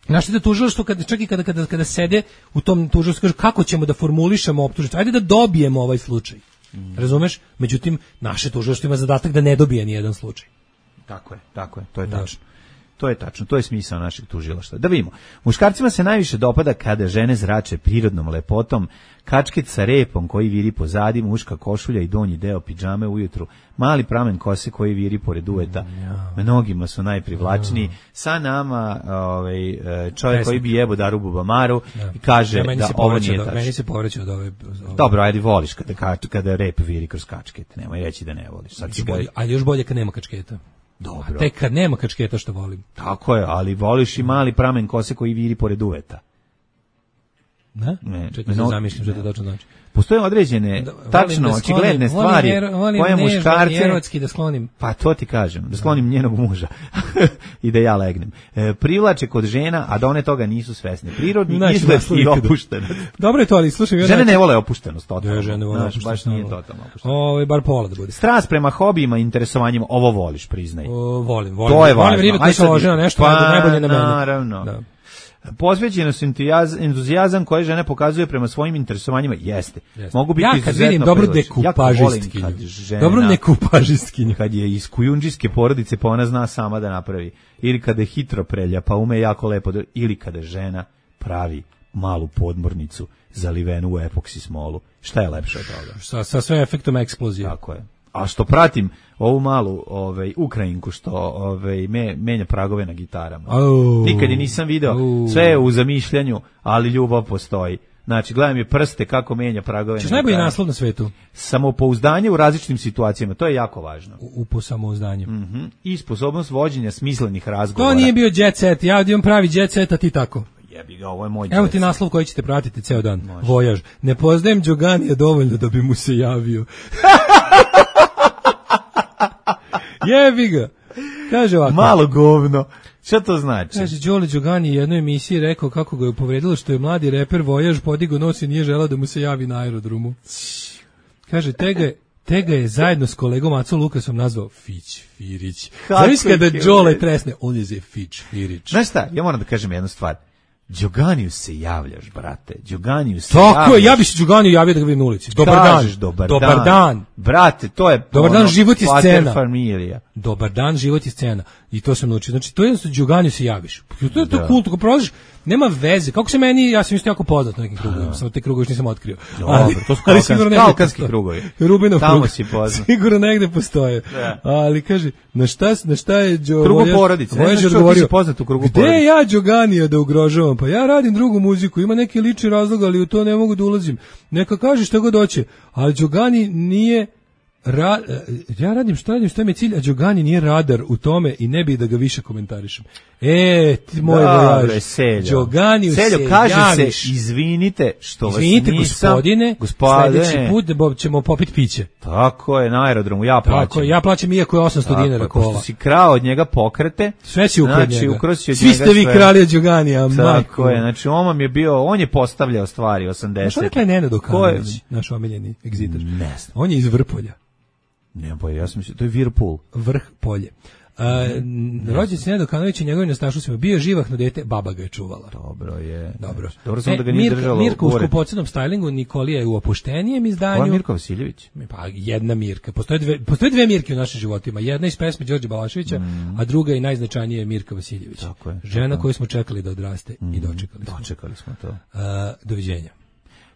S6: Znaš da tužilaštvo, kada, čak i kada, kada, kada sede u tom tužilaštvu, kažu kako ćemo da formulišemo optužnicu, ajde da dobijemo ovaj slučaj. Mm. Razumeš? Međutim, naše tužilaštvo ima zadatak da ne dobije ni jedan slučaj.
S7: Tako je, tako je, to je tačno. To je tačno, to je smisao našeg tužilaštva. Da vidimo, muškarcima se najviše dopada kada žene zrače prirodnom lepotom, kačket sa repom koji viri pozadi, muška košulja i donji deo pidžame ujutru, mali pramen kose koji viri pored uveta. Mnogima su najprivlačniji. Sa nama ovaj, čovjek koji bi jebo Daru Bubamaru i kaže
S6: ja,
S7: da ovo nije tačno.
S6: Meni se povraća od ove...
S7: Dobro, ajde voliš kada, kada rep viri kroz kačket. Nemoj reći da ne voliš. Sad
S6: ga... bolje, ali još bolje kad nema kačketa.
S7: Dobro.
S6: Tek kad nema kačketa što volim.
S7: Tako je, ali voliš i mali pramen kose koji viri pored uveta.
S6: Ne?
S7: Ne.
S6: Čekaj da zamišljam što to točno znači.
S7: Postoje određene, da, tačno,
S6: da
S7: očigledne stvari
S6: volim
S7: koje muškarce...
S6: erotski da sklonim.
S7: Pa to ti kažem, da sklonim njenog muža i da ja legnem. E, privlače kod žena, a da one toga nisu svesne. Prirodni znači, izgled i opuštenost.
S6: Dobro je to, ali slušaj...
S7: Žene znači... ne vole opuštenost, totalno.
S6: Ja, žene vole opuštenost.
S7: Baš nije totalno opuštenost.
S6: Ovo, bar pola da bude.
S7: Strast prema hobijima i interesovanjima, ovo voliš, priznaj.
S6: O, volim, volim.
S7: To je
S6: volim
S7: važno.
S6: Ribe koja se ložena nešto,
S7: pa,
S6: ajde, najbolje na mene.
S7: Naravno. Da. Posvećenost, entuzijazam koje žene pokazuje prema svojim interesovanjima jeste. Jeste. Mogu biti
S6: ja kad vidim dobro dekupažistkinju, dobro nekupažistkinju.
S7: Kad je iz kujundžijske porodice pa ona zna sama da napravi. Ili kada je hitro prelja pa ume jako lepo. Ili kada žena pravi malu podmornicu zalivenu u epoksi smolu. Šta je lepše od toga?
S6: Sa, sa sve efektom eksplozije.
S7: Tako je. A što pratim ovu malu ovaj, Ukrajinku što ovaj, me, menja pragove na gitarama.
S6: Oh.
S7: Nikad je nisam video, oh. sve je u zamišljanju, ali ljubav postoji. Znači, gledam je prste kako menja pragove
S6: Češ
S7: na
S6: najbolji
S7: gitarama.
S6: naslov na svetu?
S7: Samopouzdanje u različitim situacijama, to je jako važno.
S6: U, u posamouzdanju.
S7: Mm-hmm. I sposobnost vođenja smislenih razgovora.
S6: To nije bio jet set, ja imam pravi jet set, a ti tako.
S7: Jebi ga, ovo je moj
S6: Evo ti naslov koji ćete pratiti ceo dan. Može. Vojaž. Ne poznajem Đoganija dovoljno da bi mu se javio. Jebi ga. Kaže ovako.
S7: Malo govno. Šta to znači?
S6: Kaže, Đole Đogani u jednoj emisiji rekao kako ga je povredilo što je mladi reper Vojaž podigao nos i nije želeo da mu se javi na aerodromu. Kaže, tega, tega je zajedno s kolegom Acom Lukasom nazvao Fić Firić. Znaš kada Đole tresne, on je Fić Firić.
S7: Znaš šta, ja moram da kažem jednu stvar. Đoganiju se javljaš, brate. Đoganiju se
S6: Tako
S7: javljaš.
S6: je, ja bi se Đoganiju javio da ga vidim na ulici. Dobar
S7: Kažeš,
S6: dan.
S7: Dobar,
S6: dobar dan. dan.
S7: Brate, to je
S6: dobar
S7: ono,
S6: dan, život i scena.
S7: Familija.
S6: Dobar dan, život i scena. I to sam naučio. Znači, to je jednostavno Đoganiju se javiš. To je to da. Kult, ako prolaziš, nema veze. Kako se meni, ja sam isto jako poznat na nekim krugovima, samo te krugove nisam otkrio.
S7: Dobro, ali, to su kalkanski krugovi.
S6: Rubinov
S7: Tamo
S6: krug.
S7: si poznat.
S6: Sigurno negde postoje. Da. Ali kaže, na šta, na šta je Đo...
S7: Krugu porodice. Ne znaš što ti si poznat u krugu porodice.
S6: Gde ja Đoganija da ugrožavam? Pa ja radim drugu muziku, ima neki lični razlog, ali u to ne mogu da ulazim. Neka kaže šta god hoće. Ali Đogani nije... Ra, ja radim šta radim, šta mi je cilj, a Đogani nije radar u tome i ne bih da ga više komentarišem. E, ti moj vojaž, Đoganiju se
S7: Seljo, kaže
S6: javiš.
S7: se, izvinite što
S6: izvinite,
S7: vas nisam...
S6: gospodine,
S7: gospodine,
S6: sledeći put ćemo popiti piće.
S7: Tako je, na aerodromu, ja plaćam.
S6: Tako je, ja plaćam iako je osamsto
S7: tako,
S6: dinara kola.
S7: Pošto si krao od njega pokrete,
S6: sve si ukrao od
S7: znači,
S6: njega.
S7: Svi
S6: ste vi krali od Đoganija,
S7: tako
S6: majko.
S7: je, znači on je bio, on je postavljao stvari osamdeset.
S6: Što rekla je Nenad Okanović, naš omiljeni egzitar?
S7: Ne znam.
S6: On je iz Vrpolja.
S7: Ne, boje, ja sam mislio, to je Virpul.
S6: Vrh polje. Uh, rođen se Nenad Okanović i njegovi nastašusima bio živahno dete, baba ga je čuvala.
S7: Dobro je.
S6: Dobro.
S7: Dobro sam
S6: e,
S7: da ga nije
S6: Mirka,
S7: držalo.
S6: Mirka u skupocenom stylingu, Nikolija je u opuštenijem izdanju.
S7: Koja Mirka Vasiljević?
S6: Pa jedna Mirka. Postoje dve, postoje dve Mirke u našim životima. Jedna iz pesme Đorđe Balaševića, mm. a druga i najznačajnija je Mirka Vasiljević.
S7: Tako je.
S6: Žena
S7: tako.
S6: koju smo čekali da odraste mm. i dočekali smo.
S7: Dočekali smo to.
S6: Uh, doviđenja.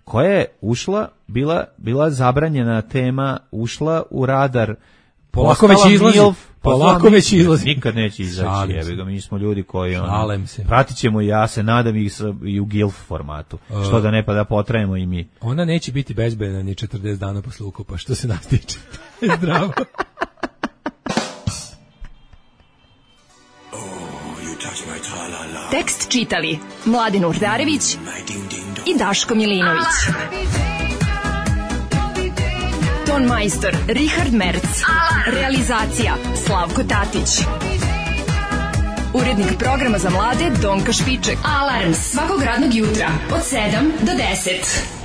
S7: Koja je ušla, bila, bila zabranjena tema, ušla u radar.
S6: Polako već izlazi. Polako već izlazi.
S7: Nikad neće izaći. Jebi ga, mi smo ljudi koji
S6: on.
S7: Pratit ćemo i ja se nadam i, i u gilf formatu. Uh, što da ne pa da potrajemo i mi.
S6: Ona neće biti bezbedna ni četrdeset dana posle ukopa, što se nas tiče. Zdravo.
S4: Tekst čitali Mladin Urdarević i Daško Milinović. Ton majstor Richard Merc. Realizacija Slavko Tatić. Urednik programa za mlade Donka Špiček. Alarms svakog radnog jutra od sedam do deset.